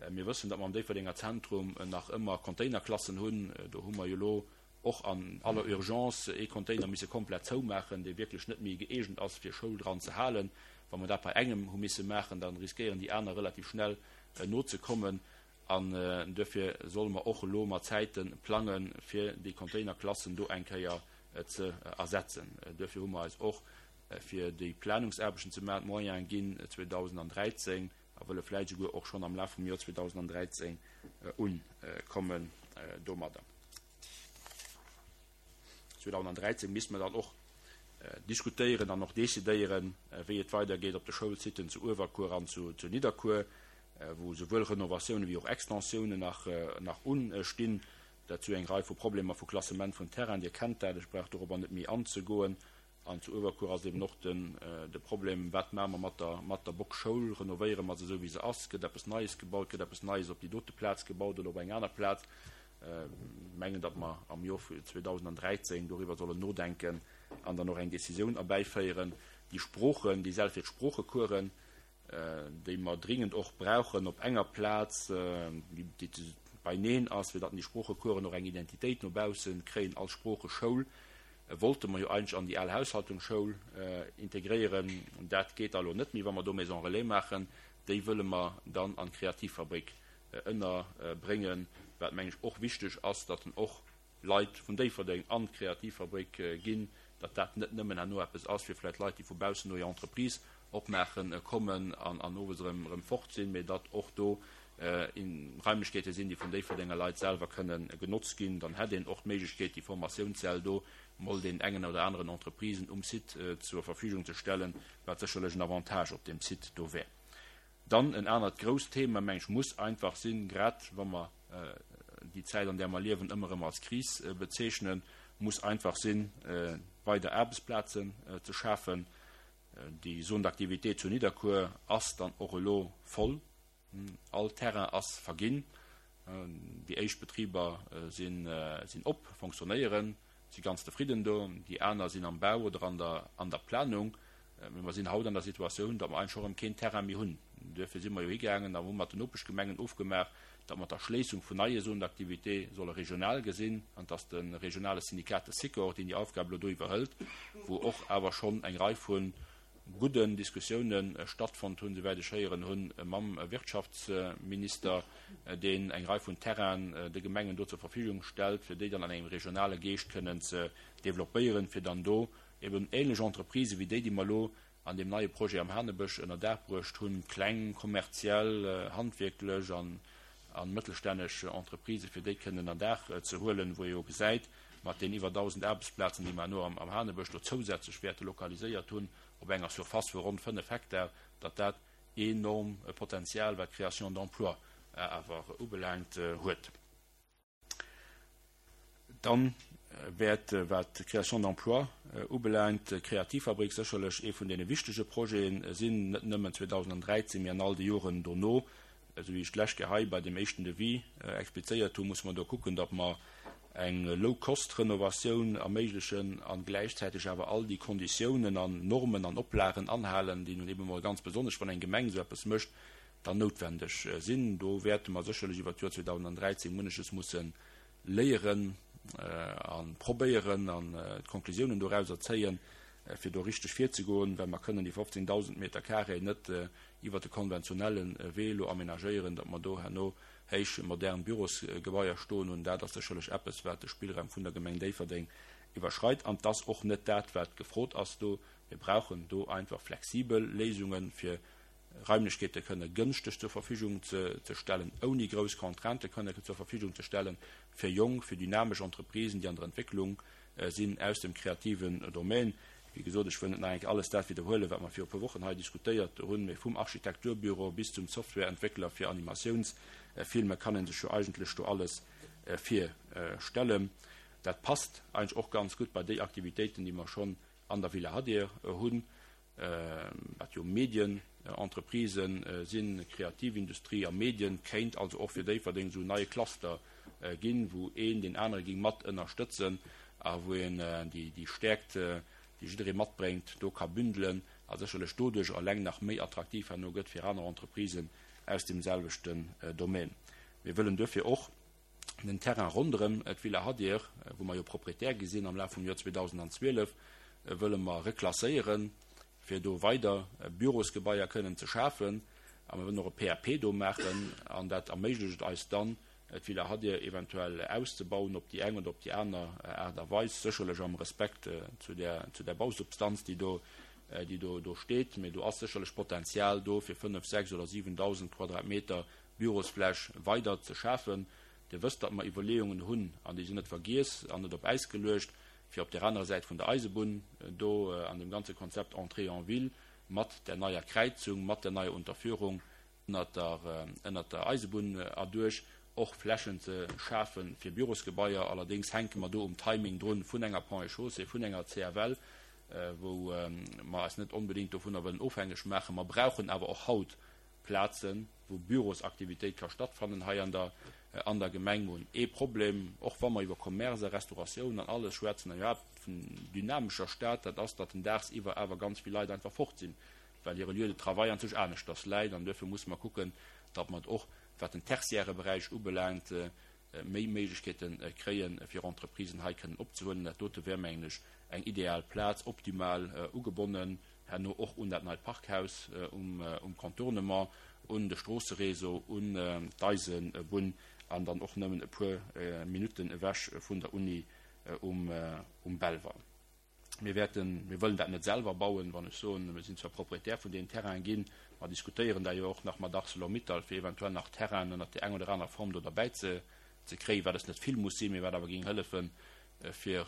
Mir wëssen, datt mer am Déifferdenger Zentrum nach ëmmer Containerklassen hunn. Do hu mer jo elo och an aller Urgence ee Container misse komplett zoumaachen, dee wierklech net méi gëeegent ass, fir Schoul dran ze halen. Wa mer dat bei engem hu misse maachen, da riskéieren déi aner relativ schnell nozekommen. An duerfir solle mer och elo mat Zäite plangen, fir déi Containerklassen do eng Kéier ze ersetzen. Duerfir hu mer eis och fir déi Planungsaarbechten ze maachen, d'Moyene ginn zweedausendräizéng a wëlle vläicht esouguer och schonn am Laf vum Joer zweedausendräizéng ukommen domadder. zweedausendräizéng misste mer dann och diskutéieren an och decidéieren, wéi et weidergeet op de Schoulsiten zu Uewerkuer an zu Nidderkuer, wou esouwuel Renovatiounen wéi och Extensiounen nach nach ustinn. Dat zu eng Rei vu Problemer vu Klassement vun Terrain. Dir kennt dat, ech brauch dorobber net méi anzegoen. An zu Uewerkuer ass eben och den de Problem, wat maache mer mat der mat der Bockschoul? Renovéiere mer se esou wéi se ass? Gëtt eppes Neies gebaut? Gëtt eppes Neies op déi dote Plaz gebaut oder op eng aner Plaz? Mengen, datt mer am Joer zweedausendräizéng doriwwer sollen nodenken an dann och eng Décisioun erbäiféieren. Déi Sproochen, déi Säll fir d'Sproochecoursen, déi mer dringend och brauchen op enger Plaz, déi beineen ass, fir datt déi Sproochecoursen och eng Identitéit no baussen kréien als Sproocheschoul, wollte mer jo eigentlech an déi al Haushaltungsschoul integréieren. Dat geet elo net méi, wa mer do Maison relais maachen. Déi wëlle mer dann an d'Kreativfabrik ënnerbréngen, wat, meng ech, och wichteg ass, datt en och Leit vun Déifferdeng an d'Kreativfabrik ginn, datt dat net nëmmen herno eppes ass fir vläicht Leit, déi vu baussen no hir Entreprise opmaachen, kommen an an owes erëm erëm fort sinn, mee datt och do Raimlechkeete sinn, déi vun Déifferdenger Leit selwer kënnen genotzt ginn. Dann hätt een och d'Méiglechkeet, déi Formatiounssäll do mol den engen oder aneren Entreprisen um Site zur Verfügung ze stellen, wat sécherlech en Avantage op deem Site do wär. Dann en anert grousst Thema, meng ech, muss einfach sinn, grad wa mer déi Zäit, an där mer liewen, ëmmer erëm als Kris bezeechnen, muss einfach sinn, weider Aarbechtsplazen ze schafen. Déi Zone d'activité zu Nidderkuer ass dann och elo voll. All Terrain ass verginn. Déi éischt Betriber sinn sinn op, fonctionnéieren, si ganz zefridden do. Déi aner sinn am Bau oder an der an der Planung. Mee mer sinn haut an der Situatioun, datt mer eigentlech och erëm keen Terrain méi hunn. Duerfir si mer jo higaangen a hu mat den Nopeschgemengen ofgemaach, datt mer d'Erschléissung vun neie Zones d'activité solle regional gesinn an datt de regionale Syndikat, de Sikor, deen déi Aufgab elo do iwwerhëlt, wou och awer schonn eng Rei vu gudden Diskussiounen stattfonnt hunn, souwäit ech héieren hunn, mam Wirtschaftsminister, deen eng Rei vun Terrainen de Gemengen do zur Verfügung stellt, fir déi dann an engem regionale Geescht kënnen ze développéieren, fir dann do eben ähnlech Entreprisë wéi déi, déi mer elo an deem neie Projet am Hanebësch ënner Daach bruecht hunn, kleng, kommerziell, handwierklech an mëttelstänneg Entreprisë, fir déi kënnen ënner Daach ze huelen, wou ee jo gesäit, mat den iwwer dausend Aarbechtsplazen, déi mer elo am Hanebësch do zousätzlech wäerte lokaliséiert hunn, op enger Surface vu ronn fënnef Hektar, datt dat enorm Potenzial, wat d'Création d'emplois awer ubelaangt, huet. Dann wäert, wat d'Création d'emplois ubelaangt, d'Kreativfabrik sécherlech ee vun deene wichtege Projete sinn, net nëmmen zweedausendräizéng, mee an all de Joren dono. Esou wéi ech d'lescht Kéier hei bei deem éischten Devis explizéiert hunn, musse mer do kucken, datt mer eng Low-Cost-Renovatioun erméiglechen a gläichzäiteg awer all déi Konditiounen an Normen an Oplagen anhalen, déi nun eben emol ganz besonnesch, wann eng Gemeng esou eppes mécht, dann noutwendeg sinn. Do wäerte mer sécherlech iwwert d'Joer zweedausendräizéng munneches musse léieren a probéieren an d'Konklusiounen dorauser zéien, fir do richteg virzegoen, well mer kënnen déi fofzéngdausend Meter carré net iwwert de konventionelle Wee elo aménagéieren, datt mer do herno héich modern Bürosgebaier stoen hunn. Dat ass sécherlech eppes, wat de Spillraum vun der Gemeng Déifferdeng iwwerschreit. An et ass och net dat, wat gefrot ass do. Mir brauchen do einfach flexibel Léisungen, fir Raimlechkeete kënne gënschteg zur Verfügung ze stellen, ouni grouss Contraintë kënne zur Verfügung ze stellen, fir jonk, fir dynamesch Entreprisen, déi an der Entwécklung sinn, aus dem kreativen Domaine. Wéi gesot, ech wëll net nach eng Kéier alles dat widderhuelen, wat mer viru e puer Wochen hei diskutéiert hunn, mee vum Architekturbüro bis zum Softwareentwéckler fir Animatiounsfilme kann ee sech jo eigentlech do alles virstellen. Dat passt eigentlech och ganz gutt bei déi Aktivitéiten, déi mer schonn an der Villa Hadir hunn, wat jo Medienentreprisen sinn, Kreativindustrie a Medien, kéint also och fir Déifferdeng esou en neie Cluster ginn, wou een deen anere géing mat ënnerstëtzen a wou een déi Stäerkt, déi jidderee matbréngt, do ka bündelen a sécherlech doduerch eleng nach méi attraktiv herno gëtt fir aner Entreprisen aus deem selwechten Domaine. Mir wëllen duerfir och den Terrain ronderëm d'Villa Hadir, wou mer jo Proprietär gi sinn am Laf vum Joer zweedausendzwielef, wëlle mer reklasséieren, fir do weider Bürosgebaier kënnen ze schafen. A mer wëllen och e P A P do maachen an dat erméiglecht et eis dann, d'Villa Hadir eventuell auszebauen op déi eng oder op déi aner Aart a Weis, sécherlech am Respekt zu der, zu der Bausubstanz, déi do déi do do steet. Mee do ass sécherlech Potenzial do, fir fënnef, sechs oder siwendausend Quadratmeter Bürosfläch weider ze schafen. Dir wësst, datt mer Iwwerleeungen hunn, an déi sinn net vergiess an net op Äis geluecht, fir op där anerer Säit vun der Eisebunn do an deem ganze Konzept Entrée en ville mat där neier Kräizung, mat där neier Unterführung ënnert der, ënnert der Eisebunn erduerch och Flächen ze schafe fir Bürosgebaier. Allerdéngs hänke mer do um Timing drun vun enger Ponts et Chaussées, vun enger C F L, wou mer eis net onbedéngt dovunner wëllen ofhängeg maachen. Mer brauchen awer och haut Plazen, wou Bürosaktivitéit ka stattfannen hei an der an der Gemeng. Mer hunn ee Problem, och wa mer iwwer Commerce a Restauratioun an alles schwätzen an iwwerhaapt vun dynamescher Stad, dat ass, datt den dagsiwwer awer ganz vill Leit einfach fort sinn, well hire Lieu de travail an sech aneschters läit. An duerfir musse mer kucken, datt mer och, wat den tertiäre Beräich ubelaangt, méi Méiglechkeete kréien, fir Entreprisen hei kënnen opzehuelen. Dat dote wär, mengen ech, eng ideal Plaz, optimal ugebonnen herno och un dat neit Parkhaus um Contournement, un de Stroosseréseau, un d'Eisebunn an dann och nëmmen e puer Minutten ewech vun der Uni um Belval. Mir wäerten, mir wëllen dat net selwer bauen, wann ech soen, mir sinn zwar Proprietär vun deenen Terrainen ginn, mer diskutéieren da jo och nach mat Arcelor-Mittal, fir eventuell nach Terrainen ënnert där enger oder anerer Form do derbäi ze ze kréien, wat es net vill muss sinn, mee wat awer géing hëllefen, fir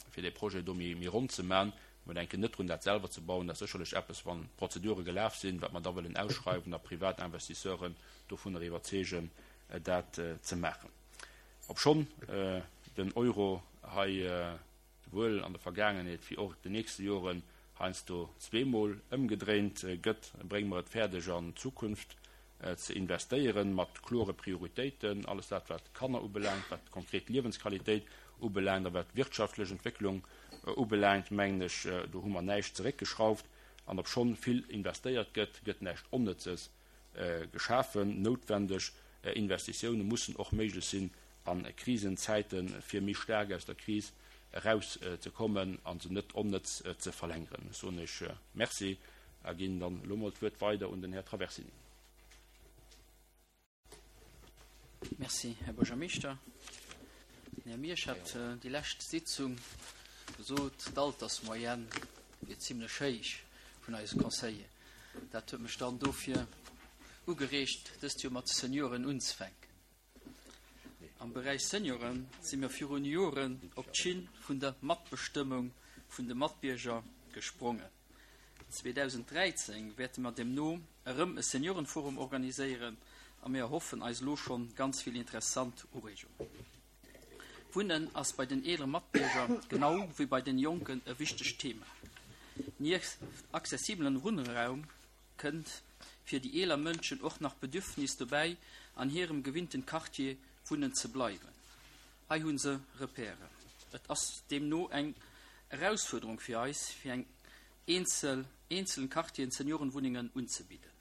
fir dee Projet do méi méi ronn ze man. Mer denken net drun, dat selwer ze bauen. Dat ass sécherlech eppes, wann d'Prozedure gelaf sinn, wat mer da wëllen ausschreiwen a privat Investisseuren dovunner iwwerzeegen, dat ze maachen. Obschonn den Euro hei souwuel an der Vergaangenheet wéi och den nächste Joren heiansdo zweemol ëmgedréint gëtt, brénge mer et fäerdeg an d'Zukunft ze investéieren, mat klore Prioritéiten, alles dat wat d'Kanner ubelaangt, wat konkret Liewensqualitéit ubelaangt a wat d'wirtschaftlech Entwécklung ubelaangt, mengen ech, do hu mer näischt zeréckgeschrauft. An obschonn vill investéiert gëtt, gëtt näischt Onnëtzes geschafen. Noutwendeg Investitioune mussen och méiglech sinn a Krisenzäiten, fir méi staark aus der Kris eraus ze kommen a se net onnëtz ze verlängeren. Ech soen Iech Merci a ginn dann elo mol d'Wuert weider un den Här Traversini. Merci, Här Buergermeeschter. Den Här Miersch hat déi lescht Sitzung gesot, d'Altersmoyenne wier zimlech héich vun eise Conseiller. Dat huet mech dann dofir ugereegt, dëst Joer mat de Senioren unzefänken. Am Beräich Senioren si mir virun Joren op d'Schinn vun der Matbestëmmung vun de Matbierger gesprongen. zweedausend dräizéng wäerte mer deemno erëm e Seniorenforum organiséieren a mir erhoffen eis elo schonn ganz vill interessant Ureegungen. Wunnen ass bei den eelere Matbierger genau wéi bei den Jonken e wichtegt Thema. Nieft accessibelen Wunnraum kënnt fir déi eeler Mënschen och nach d'Bedürfnis dobäi, an hirem gewinnten Quartier wunnen ze bleiwen. Hei hu se Repèren. Et ass deemno eng Erausfuerderung fir eis, fir an eenzel eenzelen Quartieren Seniorenwunnengen unzebidden.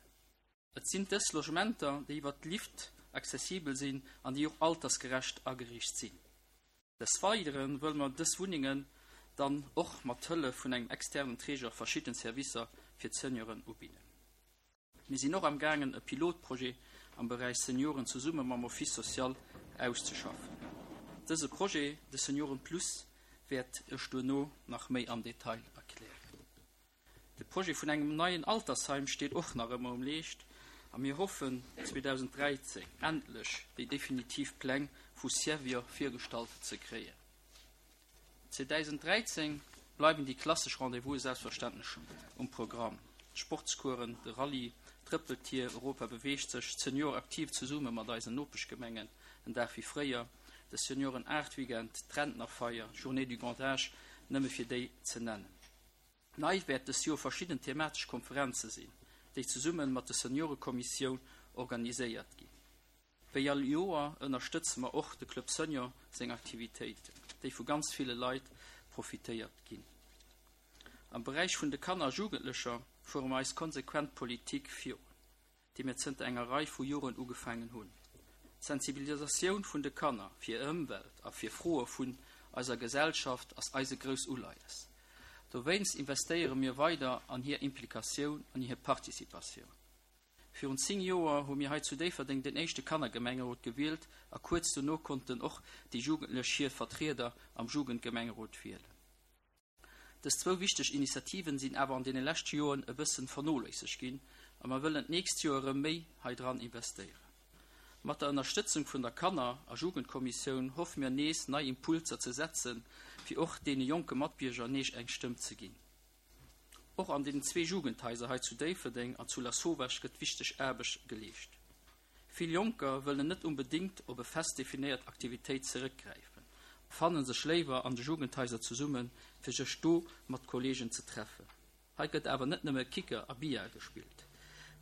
Et sinn dës Logementer, déi iwwer Lift accessibel sinn an déi och altersgerecht ageriicht sinn. Des Weidere wëlle mer dës Wunnengen dann och mat Hëllef vun engem externen Träger verschidden Servicer fir d'Senioren ubidden. Mir sinn och am gaangen e Pilotprojet am Beräich Senioren zesumme mam Office social auszeschaffen. Dëse Projet, de Senioren Plus, wäert ech duerno nach méi am Detail erklären. De Projet vun engem neien Altersheim steet och nach ëmmer um Leescht a mir hoffen zweedausend dräizéng endlech déi definitiv Pläng vu Servior virgestallt ze kréien. zweedausend dräizéng bleiwen déi klassesch Rendez-vouse selbstverständlech um Programm. D'Sportscoursen, de Rallye, d'Trëppeltier, Europa beweegt sech, d'Senior aktiv zesumme mat eisen Nopeschgemengen, en Dag wéi fréier, de Senioren Art Weekend, d'Rentnerfeier, Journée du Grand Âge, nëmme fir déi ze nennen. Nei wäert dës Joer verschidden thematesch Konferenze sinn, déi zesumme mat der Seniorekommissioun organiséiert ginn. Wéi all Joer ënnerstëtze mer och de Club Senior seng Aktivitéiten, déi vu ganz ville Leit profitéiert ginn. Am Beräich vun de Kanner a Jugendlecher fuere mer eis konsequent Politik virun, déi mir zënter enger Rei vu Joren ugefaangen hunn. D'Sensibilisatioun vun de Kanner fir Ëmwelt a fir Froe vun eiser Gesellschaft ass eis e grousst Uleies. Dowéinst investéiere mir weider an hir Implikatioun an hir Participatioun. Virun zéng Joer hu mir hei zu Déifferdeng den éischte Kannergemengerot gewielt a kuerz dono konnten och déi Jugendlech hir Vertrieder am Jugendgemengerot wielen. Dës zwou wichteg Initiativen sinn awer an deene leschte Joren e bëssen vernoléissegt ginn a mer wëllen d'nächst Joer erëm méi hei dran investéieren. Mat der Ënnerstëtzung vun der Kanner a Jugendkommissioun hoffe mir nees nei Impulser ze setzen, fir och deene jonke Matbierger nees eng Stëmm ze ginn. Och an den zwee Jugendhaiser hei zu Déifferdeng an zu Lasauvage gëtt wichteg Aarbecht geleescht. Vill Jonker wëllen net onbedéngt op e fest definéiert Aktivitéit zeréckgräifen, fannen sech léiwer an de Jugendhaiser zesummen, fir sech do mat Kolleegen ze treffen. Hei gëtt awer net nëmme Kicker a Billard gespillt.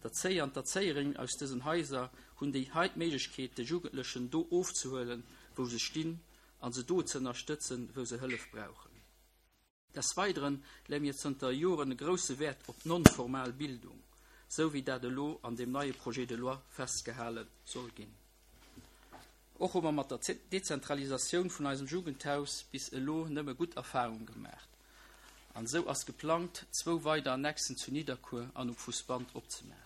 D'Erzéier an d'Erzéierinnen aus dësen Haiser hunn déi hei d'Méiglechkeet, de Jugendlechen do ofzehuelen, wou se stinn, a se do ze ënnerstëtzen, wou se Hëllef brauchen. Des Weideren leeë mir zënter Joren e grousse Wäert op non-formal Bildung, sou wéi dat elo an deem neie Projet de loi festgehale soll ginn. Och hu mer mat der Dezentralisatioun vun eisem Jugendhaus bis elo nëmme gutt Erfarunge gemaach. An esou ass geplangt, zwou weider Annexen zu Nidderkuer an um Fousbann opzemaachen.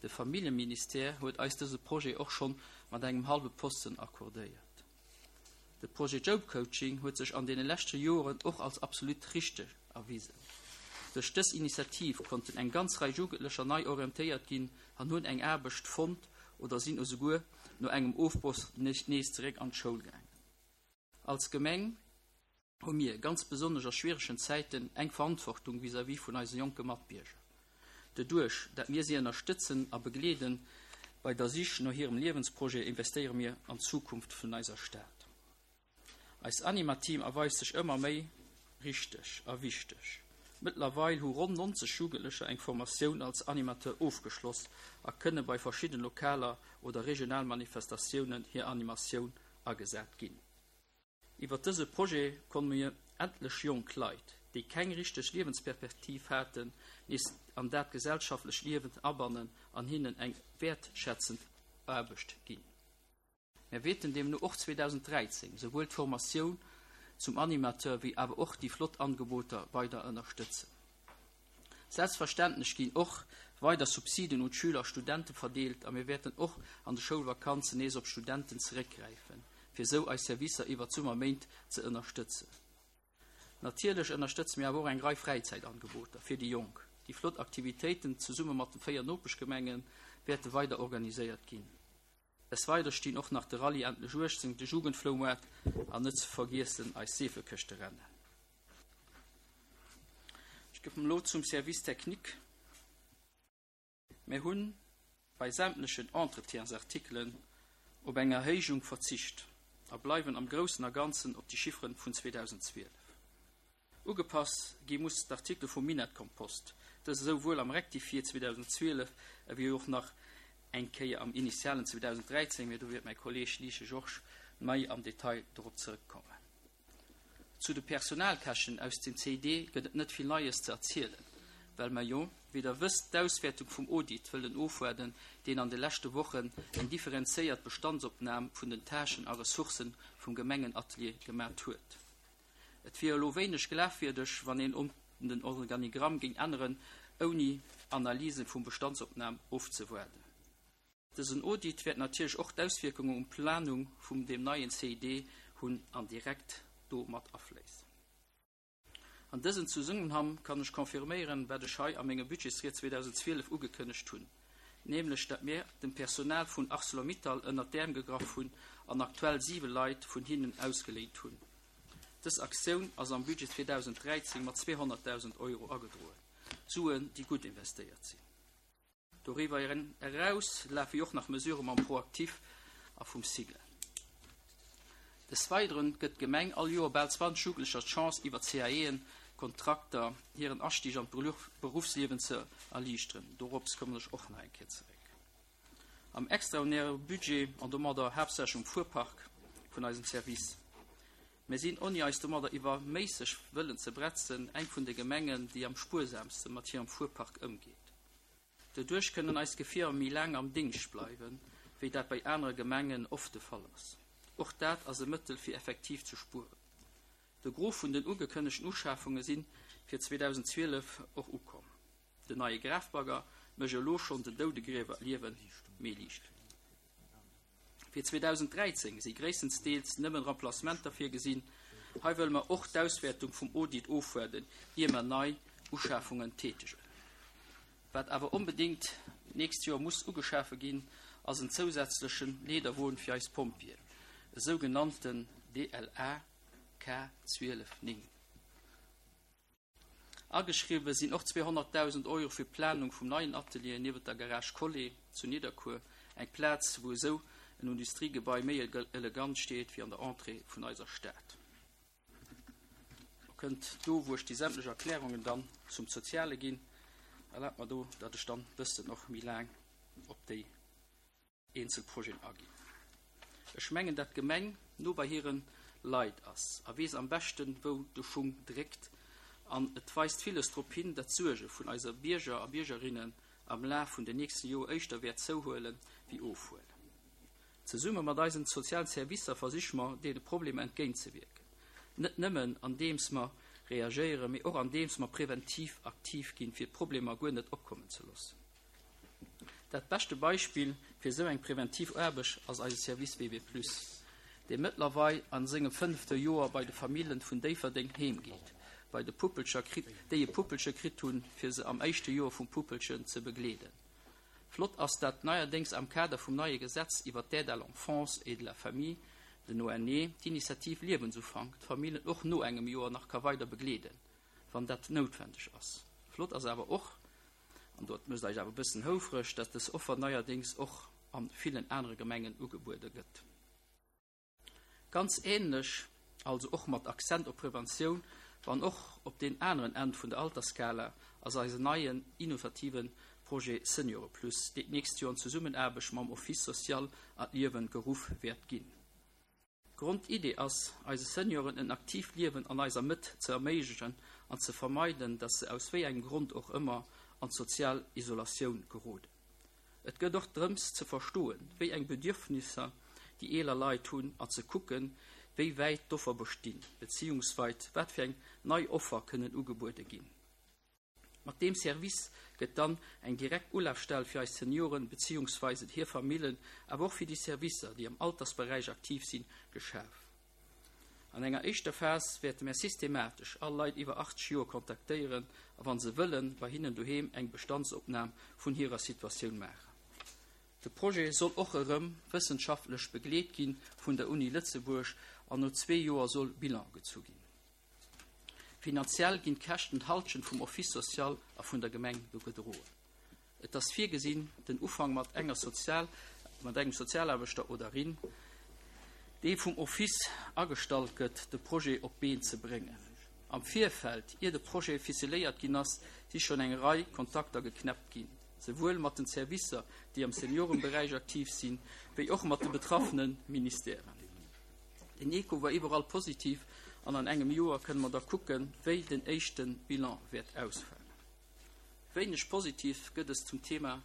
De Familljeministère huet eis dëse Projet och schonn mat engem hallwe Posten accordéiert. De Projet Job Coaching huet sech an deene leschte Joren och als absolut richteg erwisen. Duerch dës Initiativ konnten eng ganz Rei Jugendlecher nei orientéiert ginn an hunn eng Aarbecht fonnt oder sinn esouguer no engem Ofbroch nees zeréck an d'Schoul gaangen. Als Gemeng hu mir ganz besonnesch a schwieregen Zäiten eng Verantwortung vis-à-vis vun eise jonke Matbierger. Doduerch, dat mir si ënnerstëtzen a begleeden bei der Sich no hirem Liewensprojet, investéiere mir an d'Zukunft vun eiser Stad. Eist Anima-Team erweist sech ëmmer méi richteg a wichteg. Mëttlerweil hu ronn nonzeg Jugendlecher eng Formatioun als Animateur ofgeschloss a kënne bei verschidden lokaler oder regional Manifestatiounen hir Animatioun agesat ginn. Iwwer dëse Projet konnte mir etlech jonk Leit, déi keng richteg Liewensperspektiv haten, nees an dat gesellschaftlecht Liewen abannen an hinnen eng wäertschätzend Aarbecht ginn. Mir wäerten deemno och zweedausenddräizéng souwuel d'Formatioun zum Animateur wéi awer och déi flott Angeboter weider ënnerstëtzen. Selbstverständlech ginn och weider Subsiden un d'Schüler a Studente verdeelt a mir wäerten och an de Schoulvakanzen nees op Studenten zeréckgräifen, fir esou eis Servicer iwwer d'Summerméint ze ënnerstëtzen. Natierlech ënnerstëtze mir awer och eng Rei Fräizäitangeboter fir déi Jonk. Déi flott Aktivitéiten zesumme mat de véier Nopeschgemenge wäerte weider organiséiert ginn. Des Weidere stinn och nach de Rallye Endlech uechtzéng, de Jugendfloumaart an net ze vergiessen eis Seefekëschterennen. Ech kommen elo zum Service technique. Mir hunn bei sämtlechen Entretiensartikelen op eng Erhéijung verzicht a bleiwen am Groussen a Ganzen op déi Chifferen vun zweedausendzwielef. Ugepasst gi muss d'Artikel vum Minettkompost, dëst esouwuel am Rectifié zweedausendzwielef ewéi och nach eng Kéier am initialen zweedausenddräizéng, mee do wäert mäi Kolleeg Liesch Georges méi am Detail dorop zrëckkommen. Zu de Personalkäschten aus dem C I D gëtt et net vill Neies ze erzielen, well mer jo, wéi der wësst, d'Auswäertung vum Audit wëllen ofwaarden, deen an de leschte Wochen eng differenzéiert Bestandsopnam vun den Tâchen a Ressourcë vum Gemengenatelier gemat huet. Et wier elo wéineg glafwierdeg, wann een den Organigramm géing änneren, ouni Analyse vum Bestandsopnam ofzewaarden. Dësen Audit wäert natierlech och d'Auswierkungen um Planung vum dem neien C I D hunn an direkt do mat afléissen. An dësem Zesummenhang kann ech confirméieren, wat ech hei a menger Budgetsried zweedausendzwielef ugekënnegt hunn, nämlech dat mir dem Personal vun ArcelorMittal ënnert d'Äerm gegraff hunn an aktuell siwe Leit vun hinnen ausgeléint hunn. Dës Aktioun ass am Budget zweedausenddräizéng mat zweehonnertdausend Euro agedroen. Suen, déi gutt investéiert sinn. Doriwwer eraus lafe och nach Mesurë mam ProActif a vum SIGEL. Des Weideren gëtt d'Gemeng all Joer bal zwanzeg Jugendlecher d'Chance iwwer C A E-Kontrakter hiren Astig an d'Beruffsliewen ze erliichteren. Dorops kommen ech och nach eng Kéier zeréck. Am extraordinäre Budget an domadder haaptsächlech um Fuerpark vun eisem Service. Mir sinn, ouni eis domadder iwwerméisseg wëllen ze bretzen, eng vun de Gemengen, déi am spuersamste mat hirem Fuerpark ëmgeet. Doduerch kënnen eis Gefierer méi laang am Déngscht bleiwen, wéi dat bei anere Gemengen oft de Fall ass. Och dat ass e Mëttel fir effektiv ze spueren. De Gros vun den ugekënnegten Uschafunge sinn fir zweedausendzwielef och ukomm. Den neie Grafbagger mécht elo schonn den Doudegriewer d'Liewe méi liicht. Fir zweedausenddräizéng si gréisstendeels nëmmen Remplacementer virgesinn. Hei wëlle mer och d'Auswäertung vum Audit ofwaarden, ier mer nei Uschafungen tätegen. Wat awer onbedéngt d'nächst Joer muss ugeschafe ginn, ass en zousätzleche Leederwon fir eis Pompjeeën, e sougenannten D L A K zwielef néng. Ageschriwwe sinn och zweehonnertdausend Euro fir d'Planung vum neien Atelier niewent der Garage Collé zu Nidderkuer, eng Plaz, wou esou en Industriegebai méi elegant steet wéi an der Entrée vun eiser Stad. Kënnt do, wou ech déi sämtlech Erklärungen dann zum Soziale ginn, erlaabt mer do, datt ech dann bëssen och méi laang op déi eenzel Projeten aginn. Ech mengen, datt d'Gemeng no bei hire Leit ass a weess am beschten, wou de Schung dréckt, an et weist villes drop hin, datt d'Suerge vun eise Bierger a Biergerinnen am Laf vun den nächste Joer éischter wäert zouhuelen wéi ofhuelen. Zesumme mat eisen sozialen Servicer versiche mer, deene Problemer entgéintzewierken. Net nëmmen andeems mer reagéieren, mee och andeems mer preventiv aktiv ginn, fir d'Problemer guer net opkommen ze loossen. Dat beschte Beispill fir esou eng preventiv Aarbecht ass eise Service W W plus, dee mëttlerweil a sengem fënnefte Joer bei de Familljen vun Déifferdeng heemgeet, bei de Puppelcher kritt, déi e Puppelche kritt hunn, fir se am éischte Joer vum Puppelchen ze begleeden. Flott ass, dat neierdéngs am Kader vum neie Gesetz iwwer d'Aide à l'enfance et de la famille, den O N E, d'Initiativ Liewensufank, d'Familljen och no engem Joer nach ka weider begleeden, wann dat noutwendeg ass. Flott ass awer och, an dat mécht eis awer e bëssen houfreg, datt dës Offer neierdéngs och a villen anere Gemengen ugebuede gëtt. Ganz änlech, also och mat Accent op Preventioun, wann och op den aneren Enn vun der Altersskala, ass eisen neien innovative Projet Seniore Plus, deen d'nächst Joer an Zesummenaarbecht mam Office social an d'Liewe geruff wäert ginn. Grondidee ass, eise Senioren en aktiivt Liewen an eiser Mëtt ze erméiglechen an ze vermeiden, datt se aus wéi engem Grond och ëmmer an sozial Isolatioun geroden. Et geet och drëms ze verstoen, wéi eng Bedürfnisser déi eeler Leit hunn an ze kucken, wéi wäit d'Offer bestinn, beziehungsweis wat fir eng nei Offer kënnen ugebuede ginn. Mat deem Service gëtt dann eng direkt Ulafstell fir eis Senioren beziehungsweise hir Familljen, awer och fir déi Servicer, déi am Altersberäich aktiv sinn, geschaf. An enger éischter Phas wäerte mer systematesch all Leit iwwer achtzeg Joer kontaktéieren a wann se wëllen, bei hinnen doheem eng Bestandsopnam vun hirer Situatioun maachen. De Projet soll och erëm wëssenschaftlech begleet gi vun der Uni Lëtzebuerg an no zwee Joer soll Bilan gezu ginn. Finanziell ginn d'Käschten d'Hallschent vum Office social a vun der Gemeng do gedroen. Et ass virgesinn, den Ufank mat enger Sozial mat engem Sozialaarbechter oder rin, dee vum Office agestallt gëtt, de Projet op d'Been ze bréngen. Am Virfeld, ier de Projet ficeléiert ginn ass, si schonn eng Rei Kontakter geknäppt ginn, souwuel mat den Servicer, déi am Seniorenberäich aktiv sinn, wéi och mat de betraffene Ministèren. Den Echo war iwwerall positiv an an engem Joer kënne mer da kucken, wéi den éischte Bilan wäert ausfalen. Wéineg positiv gëtt es zum Thema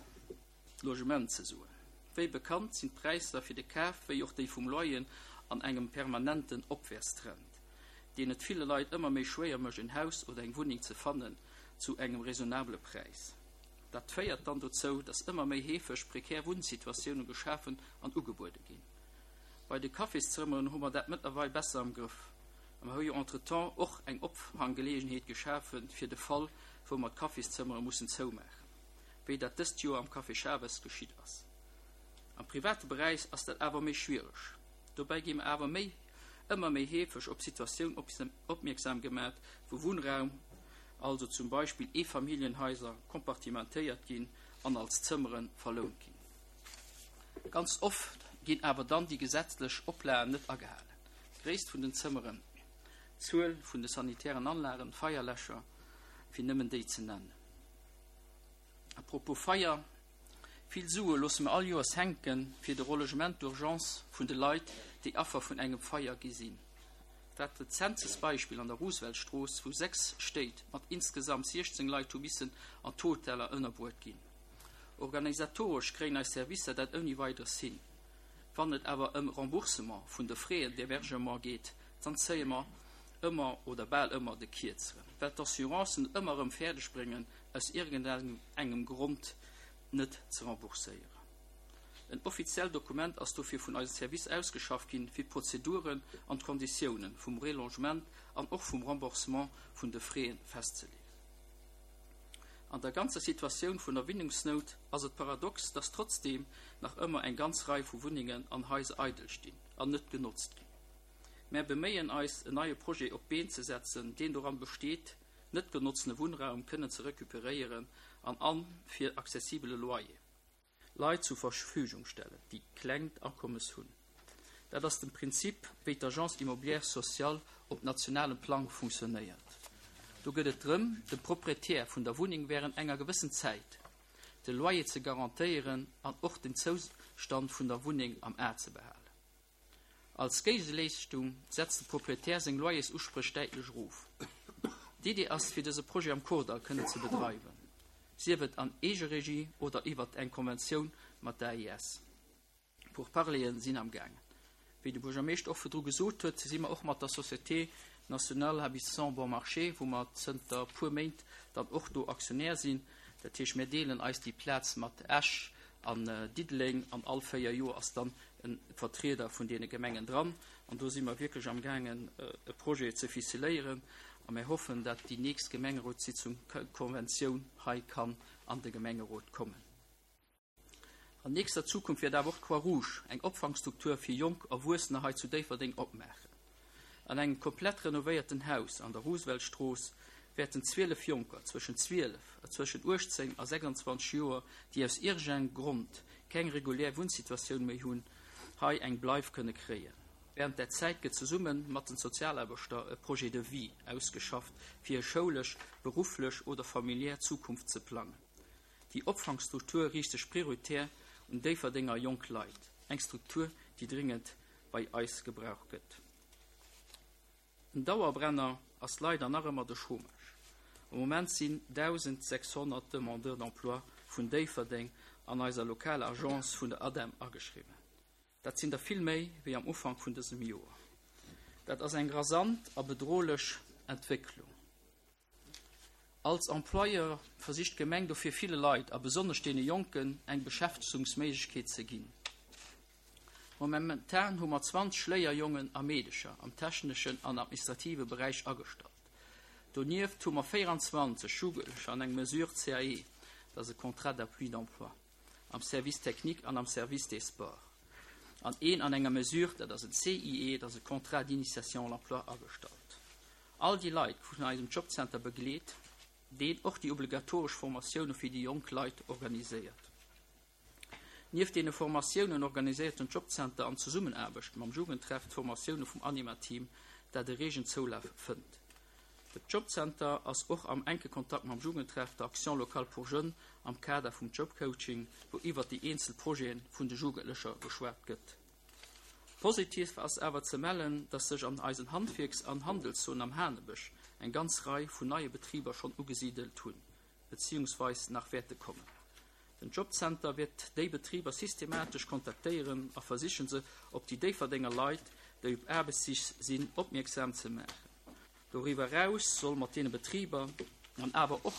Logement ze soen. Wéi bekannt sinn d'Präisser fir de Kaf wéi och déi vum Loyer an engem permanenten Opwäertstrend, deen et ville Leit ëmmer méi schwéier mécht, en Haus oder eng Wunneng ze fannen zu engem raisonnabele Präis. Dat féiert dann dozou, datt ëmmer méi heefeg prekär Wunnsituatioune geschafen an ugebuede ginn. Bei de Cafészëmmeren hu mer dat mëttlerweil besser am Grëff. A mer hu jo entretemps och eng Opfanggeleeënheet geschafe fir de Fall, wou mer d'Cafészëmmere mussen zoumaachen, wéi dat dëst Joer am Café Chaves geschitt ass. Am private Beräich ass dat awer méi schwiereg. Dobäi gi mer awer méi ëmmer méi heefeg op Situatiounen opmierksam gemaach, wou Wunnraum, also zum Beispill Eefamilljenhaiser, kompartimentéiert ginn an als Zëmmere verlount ginn. Ganz oft ginn awer dann déi gesetzlech Oplagen net agehalen. D'Gréisst vun den Zëmmeren, d'Zuel vun de sanitären Anlagen, Feierläscher, fir nëmmen déi ze nennen. À propos Feier, vill Sue loosse mer all Joers hänken fir de Relogement d'urgence vun de Leit, déi Affer vun engem Feier gi sinn. Dat rezentst Beispill an der Rooseveltstrooss, wou sechs Stéit mat insgesamt siechzéng Leit hu missen an Hoteller ënnerbruecht ginn. Organisatoresch kréien eis Servicer dat ouni weideres hin. Wann et awer ëm Remboursement vun de Frais d'hébergement geet, dann zéie mer ëmmer oder bal ëmmer de Kierzeren. Well d'Assurancen et ëmmer erëm fäerdeg bréngen, aus iergendengem Grond net ze rembourséieren. En offiziellt Dokument ass dofir vun eisem Service ausgeschafft ginn, fir d'Prozeduren an d'Konditioune vum Relogement an och vum Remboursement vun de Frais festzeleeën. An der ganzer Situatioun vun der Wunnengsnout ass et paradox, dass trotzdeem nach ëmmer eng ganz Rei vu Wunnengen an Haiser eidel stinn an net genotzt ginn. Mir beméien eis, en neie Projet op d'Been ze setzen, deen doran besteet, net genotzte Wunnraum kënnen ze recuperéieren an an fir accessibele Loyer Leit zur Verfügung stellen, déi klengt Akommes hunn. Dat ass de Prinzip, wéi d'Agence immobilière sociale op nationalem Plang funktionéiert. Do geet et drëm, de Proprietär vun der Wunneng wärend enger gewëssen Zäit de Loyer ze garantéieren an och den Zoustand vun der Wunneng am A ze behalen. Als Géigeleeschtung setzt de Proprietär seng Loyersuspréch däitlech erof. D'Idee ass, fir dëse Projet am Kordall kënnen ze bedreiwen. Sief et an Eegeregie oder iwwer eng Konventioun mat der A I S. Pourparleren sinn am Gaangen. Wéi de Buergermeeschter och virdru gesot huet, si mer och mat der Société Nationale Habitation Bon Marché, wou mer zënter puer Méint dann och do Aktionär sinn. Dat heescht, mir deelen eis déi Plaz mat Esch an äh, Diddeleng an all véier Joer ass dann e Vertrieder vun deene Gemengen dran. An do si mer wierklech am Gaangen, äh, e Projet ze ficeléieren. A mir hoffen, datt déi nächst Gemengerotssitzung d'Konventioun hei kann an de Gemengerot kommen. An nächster Zukunft wäert awer och d'Croix-Rouge eng Opfangstruktur fir jonk Erwuessener hei zu Déifferdeng opmaachen. An engem komplett renovéierten Haus an der Rooseveltstrooss wäerten zwielef Jonker zwëschen zwielef, äh, zwëschen uechtzéng a sechsanzwanzeg Joer, déi aus iergendengem Grond keng regulär Wunnsituatioun méi hunn, hei eng Bleif kënne kréien. Wärend der Zäit gëtt zesumme mat den Sozialaarbechter e Projet de vie ausgeschafft, fir schoulesch, berufflech oder familiär Zukunft ze plangen. Déi Opfangstruktur riicht sech prioritär un Déifferdenger jonk Leit, eng Struktur, déi dringend bei eis gebraucht gëtt. En Dauerbrenner ass leider nach ëmmer de Chômage. Am Moment sinn dausensechshonnert Demandeurs d'emploi vun Déifferdeng an eiser lokaler Agence vun der ADEM ageschriwwen. Dat sinn der vill méi wéi am Ufank vun dësem Joer. Dat ass eng rasant a bedrohlech Entwécklung. Als Employeur versicht d'Gemeng dofir ville Leit a besonnesch deene Jonken eng Beschäftegungsméiglechkeet ze ginn. Momentan hu mer zwanzeg Léierjongen a Meedercher am techneschen an administrative Beräich agestallt. Donieft hu mer véieranzwanzeg Jugendlecher an enger Mesure C A E, dat ass e Contrat d'appui d'emploi, am Service technique an am Service des sports. An een an enger Mesure, dat ass en C I E, dat ass e Contrat d'initiation à l'emploi, agestallt. All déi Leit vun eisem Jobcenter begleet, deen och déi obligatoresch Formatioune fir déi jonk Leit organiséiert. Nieft deene Formatiounen organiséiert den Jobcenter an Zesummenaarbecht mam Jugendtreff d'Formatioune vum Anima-Team, dat e regen Zoulaf fënnt. De Jobcenter ass och am enke Kontakt mam Jugendtreff, der Action locale pour jeunes am Kader vum Jobcoaching, wou iwwer déi eenzel Projete vun de Jugendlecher geschwat gëtt. Positiv ass awer ze mellen, dass sech an eisen Handwierks- an Handelszon am Hanebësch eng ganz Rei vun neie Betriber schonn ugesidelt hunn, beziehungsweis nach wäerte kommen. Den Jobcenter wäert déi Betriber systematesch kontaktéieren a versichen, se op déi Déifferdenger Leit, déi op Aarbechtssich sinn, opmierksam ze maachen. Doriwwer eraus soll mat deene Betriber an awer och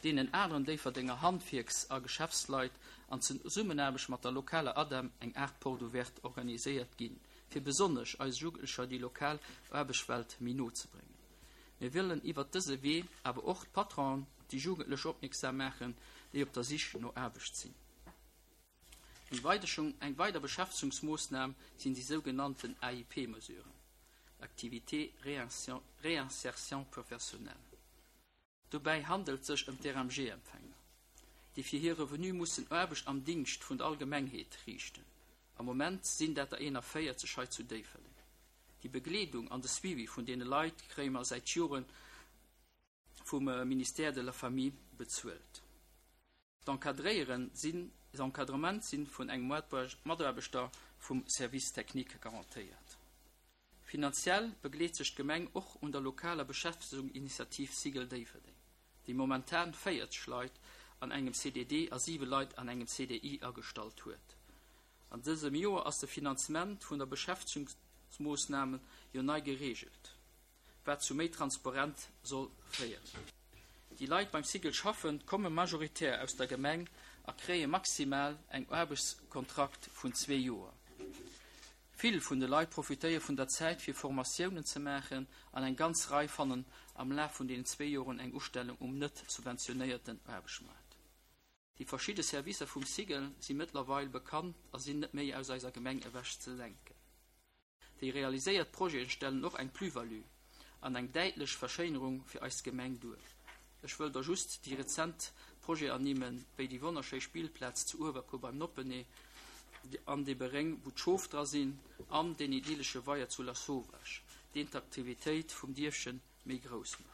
deenen aneren Déifferdenger Handwierks- a Geschäftsleit an Zesummenaarbecht mat der lokaler ADEM eng Aart Porte ouverte organiséiert ginn, fir besonnesch eis Jugendlecher déi lokal Aarbechtswelt méi no ze bréngen. Mir wëllen iwwer dëse Wee awer och d'Patronen op déi Jugendlech opmierksam maachen, déi op der Sich no Aarbecht sinn. Eng weider, eng weider Beschäftegungsmoossnam sinn déi sougenannten A I P-Mesuren. Activité Réinsertion professionnelle. Dobäi handelt et sech ëm d'R M G-Empfänger, déi fir hir Revenu mussen Aarbecht am Dingscht vun der Allgemengheet riichten. Am Moment sinn dat der eenanvéierzeg hei zu Déifferdeng. Déi Begleedung an de Suivi vun deene Leit kréie mer säit Joren vum äh, Ministère de la Famille bezuelt. D'Encadréieren sinn d'Encadrement sinn vun engem Mataarbechter vum Service technique garantéiert. Finanziell begleet sech d'Gemeng och un der lokaler Beschäftegungsinitiativ Cigl Déifferdeng, déi momentan véierzeg Leit an engem C D D a siwe Leit an engem C D I agestallt huet. An dësem Joer ass de Finanzement vun der Beschäftegungsmoossname jo nei gereegelt, wat zu méi Transparenz soll féieren. Déi Leit beim Cigl schaffen, komme majoritär aus der Gemeng a kréie maximal en Aarbechtskontrakt vun zwee Joer. Vill vun de Leit profitéiere vun der Zäit fir Formatiounen ze maachen an eng ganz Rei fannen am Laf vun den zwee Joren eng Ustellung um net subventionéierten Aarbechtsmaart. Déi verschidde Servicer vum SIGEL si mëttlerweil bekannt a sinn net méi aus eiser Gemeng ewech ze denken. Déi realiséiert Projete stellen och eng Plus-value an eng däitlech Verschéinerung fir eis Gemeng duer. Ech wëll der just déi rezent Projeten ernimmen, wéi déi wonnerschéi Spillplaz zu Uewerkuer beim Noppenee, an de Beréng wou d'Schof dra sinn, an den idyllesche Weier zu Lasauvage, deen d'Aktivitéit vum Dierfche méi grouss mécht.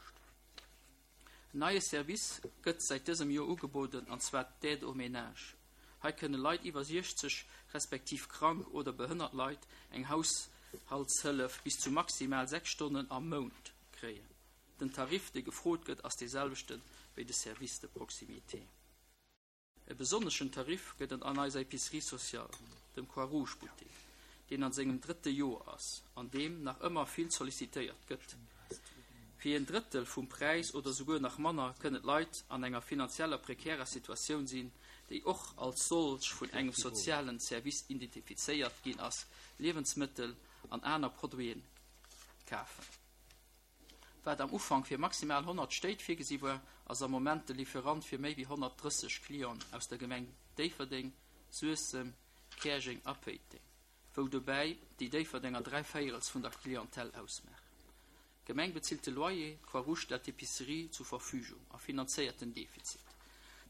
En neie Service gëtt säit dësem Joer ugebueden, an zwar d'Aide au ménage. Hei kënne Leit iwwer siechzeg respektiv krank oder behënnert Leit eng Haushaltshëllef bis zu maximal sechs Stonnen am Mount kréien. Den Tarif, dee gefrot gëtt, ass dee selwechte wéi de Service de proximité. E besonneschen Tarif gëtt et an eiser Épicerie sociale, dem Croix-Rouge-Buttek, deen an sengem drëtte Joer ass, an deem nach ëmmer vill sollicitéiert gëtt. Fir en Drëttel vum Präis oder souguer nach manner kënnen d'Leit an enger finanzieller prekärer Situatioun sinn, déi och als solch vun engem sozialen Service identifizéiert ginn ass, Liewensmëttel an aner Produite kafen. Wat am Ufank fir maximal honnert Stéit virgesi war, ass am Moment de Lieferant fir méi wéi honnertdrësseg Clienten aus der Gemeng Déifferdeng, Suessem, Käerjeng a Péiteng, wou dobäi déi Déifferdenger dräi Véierels vun der Clientèle ausmaachen. D'Gemeng bezilt de Loyer, d'Croix-Rouge stellt d'Epicerie zur Verfügung a finanzéiert den Defizit.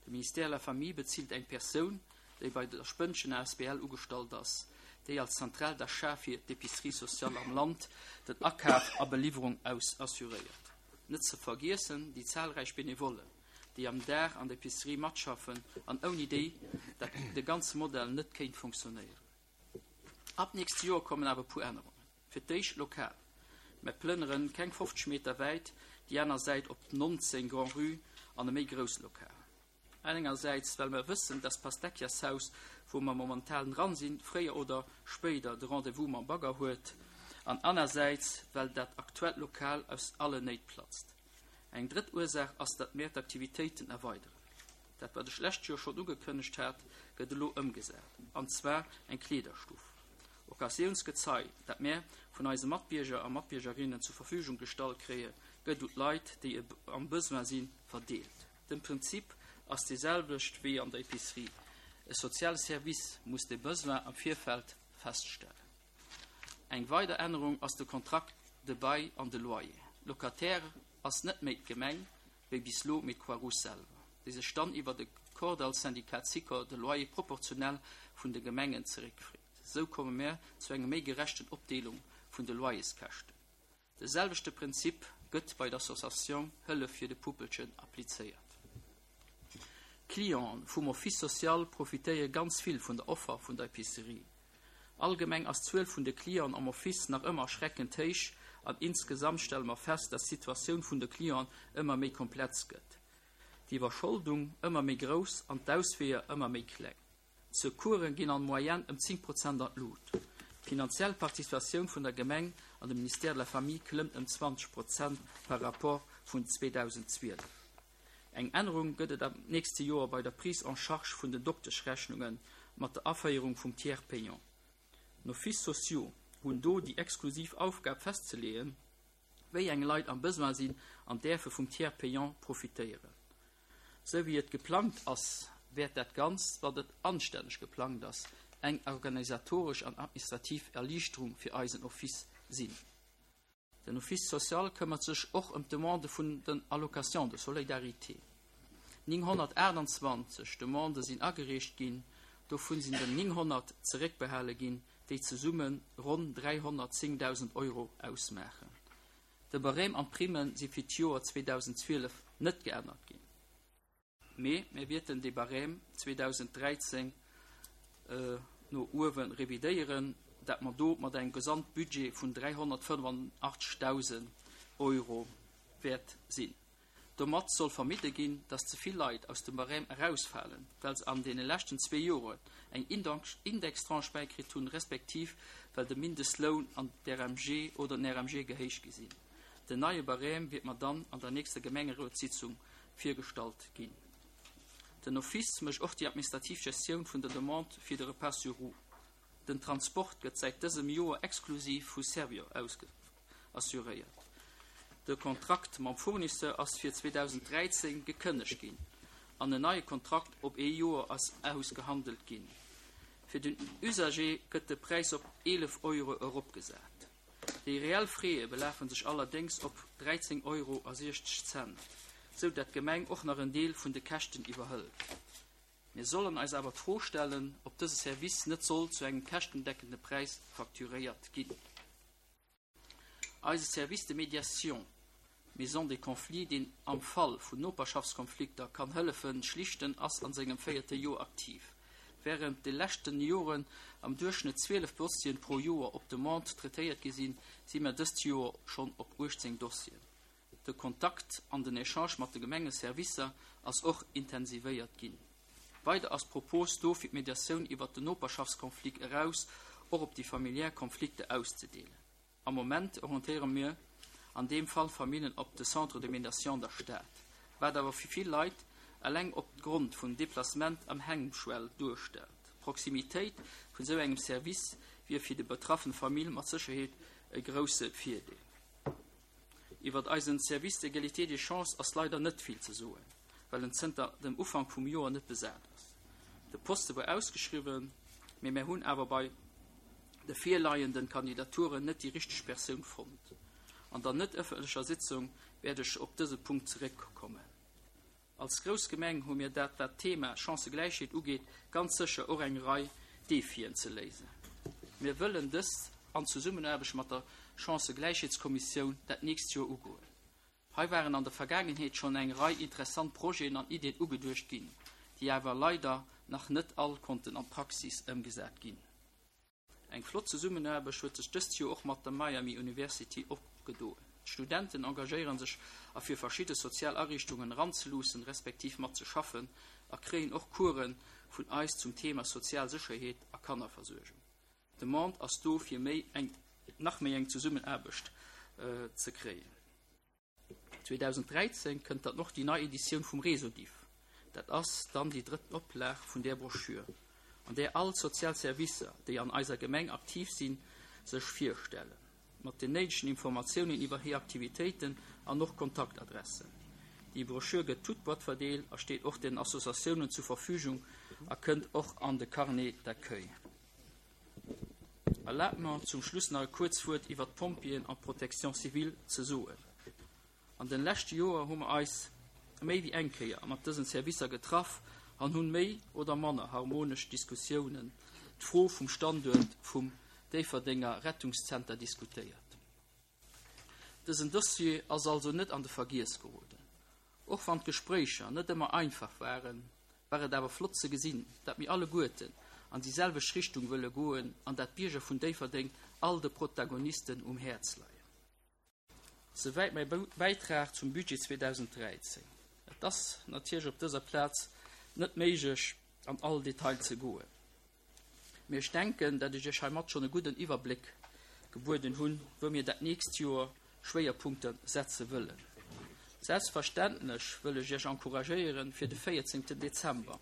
De Ministère de la Famille bezilt eng Persoun, déi bei der Spënnchen asbl ugestallt ass, déi als Centrale d'achat fir d'Épicerie sociale am Land den Akaf a Beliwwerung aus assuréiert. Net ze vergiessen déi zahlreich Benevollen, déi am Dag an der Epicerie matschaffen an ouni déi dat de ganze Modell net kéint funktionéieren. Ab nächst Joer kommen awer puer Ännerungen. Fir d'éischt lokal. Mir plënneren keng fofzeg Meter wäit déi aner Säit op neunzehn Grand-Rue an e méi grousst Lokal. Engersäits, well mer wëssen, dass Pastecchiashaus, wou mer momentan dran sinn, fréier oder spéider de Rendez-vous mam Bagger huet, an anersäits, well dat aktuellt Lokal aus allen Néit platzt. Eng drëtt Ursaach ass, datt mir d'Aktivitéiten erweideren. Dat, wat ech lescht Joer schonn ugekënnegt hat, gëtt elo ëmgesat, an zwar eng Kleederstuff. Occasiounsgezei, dat mir vun eise Matbierger a Matbiergerinnen zur Verfügung gestallt kréien, gëtt un d'Leit, déi am Besoin sinn, verdeelt. De Prinzip ass dee selwecht wéi an der Epicerie. E soziale Service muss de Besoin am Virfeld feststellen. Eng weider Ännerung ass de Contrat de bail an de Loyer. Locataire ass net méi d'Gemeng wéi bis elo, mee d'Croix-Rouge selwer, déi sech dann iwwer de Kordall-Syndikat Sikor de Loyer proportionell vun de Gemengen zeréckfreet. Esou komme mir zu enger méi gerechten Opdeelung vun de Loyerskäschten. De selwechte Prinzip gëtt bei der Associatioun Hëllef fir de Puppelchen applizéiert. D'Clienten vum Office social profitéiere ganz vill vun der Offer vun der Epicerie. Allgemeng ass d'Zuel vun de Clienten am Office nach ëmmer erschreckend héich an insgesamt stelle mer fest, dass d'Situatioun vun de Clienten ëmmer méi komplex gëtt. D'Iwwerscholdung ëmmer méi grouss an d'Ausweeër ëmmer méi kleng. D'Secoursen ginn an Moyenne ëm zéng Prozent an d'Lut. D'finanziell Participatioun vun der Gemeng an dem Ministère de la Famille klëmmt ëm zwanzeg Prozent par rapport vun zweedausendzwielef. Eng Ännerung gëtt et am nächste Joer bei der Prise en charge vun den Dokteschrechnunge mat der Aféierung vum Tiers payant. D'Offices sociaux hunn do déi exklusiv Aufgab festzeleeën, wéi eng Leit am Besoin sinn an däerfe vum Tiers payant profitéieren. Sou wéi et geplangt ass, wäert dat Ganzt, wat et anstänneg geplangt ass, eng organisatoresch an administrativ Erliichterung fir eisen Office sinn. Den Office social këmmert sech och ëm d'Demande vun den Allocations de solidarité. Nénghonnertaachtanzwanzeg Demandë sinn agereecht ginn, dovun sinn der nénghonnert zeréckbehale ginn, déi zesumme ronn dräihonnertzéngdausend Euro ausmaachen. De Barème an d'Primme si fir d'Joer zweedausendzwielef net geännert ginn. Mee mir wäerten de Barème zweedausenddräizéng no uewe revidéieren, dat mer do mat engem Gesamtbudget vun dräihonnertfënnefandachtzegdausend Euro wäert sinn. Domat soll vermidde ginn, datt ze vill Leit aus dem Barème erausfalen, well se an deene leschten zwee Joren eng Indextranche bäikritt hunn, respektiv well de Mindestloun an d'R M G oder den R M G gehéicht gi sinn. Den neie Barème wäert mer dann an der nächster Gemengerotssitzung virgestallt ginn. Den Office mécht och déi administrativ Gestioun vun der Demande fir de Repas sur roues. Den Transport gëtt säit dësem Joer exklusiv vu Servior assuréiert. De Kontrakt mam Fournisseur ass fir zweedausend dräizéng gekënnegt ginn an en neie Kontrakt op ee Joer ass ausgehandelt ginn. Fir den Usager gëtt de Präis op eelef Euro eropgesat. Déi reell Frais belafen sech allerdéngs op dräizéng Euro a siechzeg Cent, sou dat d'Gemeng och nach en Deel vun de Käschten iwwerhëlt. Mir sollen eis awer d'Fro stellen, ob dëse Service net soll zu engem käschtendeckende Präis facturéiert ginn. Eise Service de médiation Maison des conflits, deen am Fall vun Noperschaftskonflikter kann hëllefen schlichten, ass an sengem véierte Joer aktiv. Wärend de leschte Joren am Duerchschnëtt zwielef Dossieren pro Joer op Demande traitéiert gi sinn, si mer dëst Joer schonn op uechtzéng Dossieren. De Kontakt an den Echange mat de Gemengeservicer ass och intensivéiert ginn. Weider ass d'Propos do fir d'Mediatioun iwwer den Noperschaftskonflikt eraus och op déi familiär Konflikter auszedeenen. Am Moment orientéiere mir an deem Fall Familljen op de Centre de médiation der Stad, wat awer fir vill Leit eleng opgrond vum Deplacement eng Hemmschwell duerstellt. D'Proximitéit vun esou engem Service wier fir déi betraffen Famill mat Sécherheet e grousse Virdeel. Iwwer eisen Service d'égalité des chances ass leider net vill ze soen, well en zënter dem Ufank vum Joer net besat ass. De Poste war ausgeschriwwen, mee mir hunn awer bei de virleienden Kandidaturen net déi richteg Persoun fonnt. An der net ëffentlecher Sitzung wäert ech op dëse Punkt zeréckkommen. Als grouss Gemeng hu mir dat wat d'Thema Chancëgläichheet ugeet ganz sécher och eng Rei Defien ze léisen. Mir wëllen dëst an Zesummenaarbecht mat der Chancëgläichheetskommissioun dat nächst Joer ugoen. Hei waren an der Vergaangenheet schonn eng Rei interessant Projeten an Iddien ugeduecht ginn, déi awer leider nach net all konnten an d'Praxis ëmgesat ginn. Eng flott Zesummenaarbecht huet sech dëst Joer och mat der Miami University opgedoen. D'Studenten engagéiere sech a fir verschidde sozial Ariichtungen eranzeluussen, respektiv mat ze schaffen a kréien och Coursen vun eis zum Thema sozial Sécherheet a Kannerversuergung. D'Demande ass do fir méi eng nach méi eng Zesummenaarbecht ze kréien. zweedausend dräizéng kënnt dann och déi nei Editioun vum Resodif. Dat ass dann déi drëtt Oplag vun där Broschür, an där all sozial Servicer, déi an eiser Gemeng aktiv sinn, sech virstellen. Mat den néidegen Informatiounen iwwer hir Aktivitéiten an och Kontaktadressen. Déi Broschür gëtt toutes boîtes verdeelt a steet och den Associatiounen zur Verfügung a kënnt och an de Carnet d'accueil. Erlaabt mer zum Schluss nach e kuerzt Wuert iwwer d'Pompjeeën an d'Protection civile ze soen. An de leschte Joer hu mer eis méi wéi eng Kéier mat dësen Servicer getraff an hunn méi oder manner harmonesch Diskussiounen d'Fro vum Standuert vum Déifferdenger Rettungszenter diskutéiert. Dësen Dossier ass also net an de Vergiess geroden. Och wann d'Gespréicher net ëmmer einfach waren, war et awer flott ze gesinn, dat mir alleguerten an déi selwecht Richtung wëlle goen an dat d'Bierger vun Déifferdeng all de Protagonisten um Häerz leien. Souwäit mäi Bäitrag zum Budget zweedausend dräizéng. Et ass natierlech op dëser Plaz net méiglech an all Detail ze goen. Mee ech denken, dat ech iech heimat schonn e gudden Iwwerbléck gebueden hunn, wou mir dat nächst Joer Schwéierpunkte setze wëllen. Selbstverständlech wëll ech iech encouragéieren, fir de véierzéngten Dezember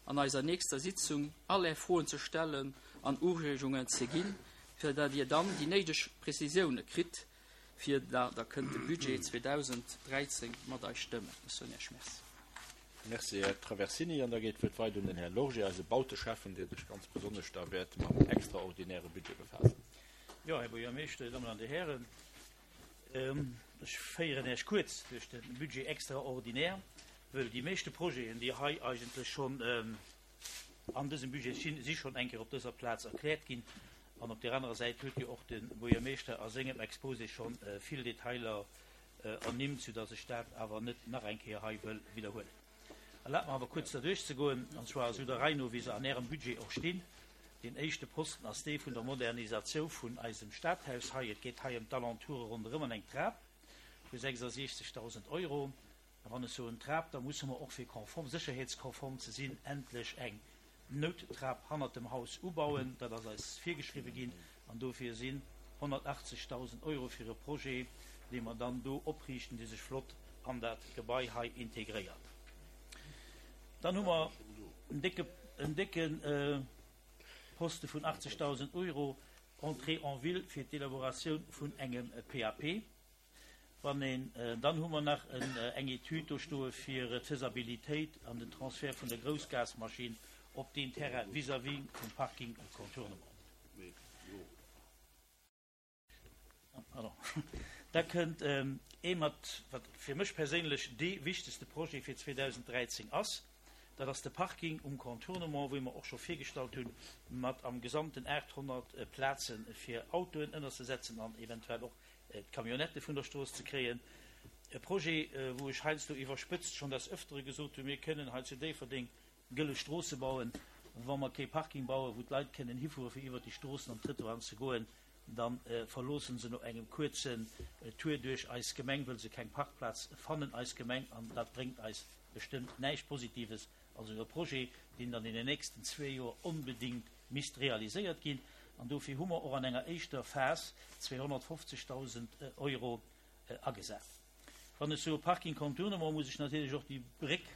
an eiser nächster Sitzung all är Froen ze stellen an Ureegungen ze ginn, fir dat dir dann déi néideg Prezisioune kritt, fir dat der kënnt de Budget zweedausend dräizéng mat eis stëmmen. Ech soen iech Merci. Merci, Här Traversini. An da geet d'Wuert weider un den Här Lorgé, eise Bauteschäffen, dee sech ganz besonnesch da wäert mam extraordinäre Budget befaassen. Jo, Här Buergermeeschter, Dammen an Dir Hären, ech féieren Iech kuerz duerch de Budget extraordinaire, wëll déi meeschte Projeten, déi hei eigentlech schonn an dësem Budget sinn, si schonn eng Kéier op dëser Plaz erkläert ginn. An op där anerer Säit huet jo och de Buergermeeschter a sengem Exposé schonn vill Detailer ernimmt, soudass ech dat awer net nach eng Kéier hei wëll widderhuelen. Erlaabt mer awer kuerz derduerch ze goen, an zwar esou der Rei no, wéi se an Ärem Budget och stinn. Deen éischte Posten ass dee vun der Modernisatioun vun eisem Stadhaus hei. Et geet hei ëm d'Alentoure ronderëm an eng Trap vu sechsasiechzegdausend Euro. A wann ech soen Trap, da musse mer och fir konform, sécherheetskonform ze sinn, endlech eng Nouttrap hannert dem Haus ubauen. Dat ass eis virgeschriwwe ginn an dofir sinn honnertachtzegdausend Euro fir e Projet, dee mer dann do opriichten, dee sech flott an dat Gebai hei integréiert. Dann hu mer en décke, en décke Poste vun achtzegdausend Euro, Entrée en ville, fir d'Elaboratioun vun engem P A P. Wann een, dann hu mer nach eng Etüd do stoe fir d'Faisabilitéit an den Transfert vun der Groussgasmaschinn op deen Terrain vis-à-vis vum Parking Contournement. Pardon. Da kënnt ee mat, wat fir mech perséinlech dee wichtegste Projet fir zweedausend dräizéng ass, dat ass de Parking um Contournement, wou mer och scho virgestallt hunn, mat am Gesamten aathonnert Plaze fir Autoen ënnerzesetzen an eventuell och d'Camionnette vun der Strooss ze kréien. E Projet, wou ech heiansdo iwwerspëtzt schonn des Ëftere gesot hunn, mir kënnen hei zu Déifferdeng gëlle Stroosse bauen, wa mer kee Parking bauen, wou d'Leit kënnen hifuere fir iwwert déi Stroossen an d'Trëttoiren ze goen, da verloosse se no engem kuerzen Tour duerch eis Gemeng, wëll se keng Parkplaz fannen, eis Gemeng, an dat bréngt eis bestëmmt näischt Positives. Also e Projet, deen dann in den nächsten zwee Joer onbedéngt misst realiséiert ginn. An dofir hu mer och an enger éischter Phas zweehonnertfofzegdausend Euro agesat. Wann ech soe Parking Contournement, muss ech natierlech och déi Bréck,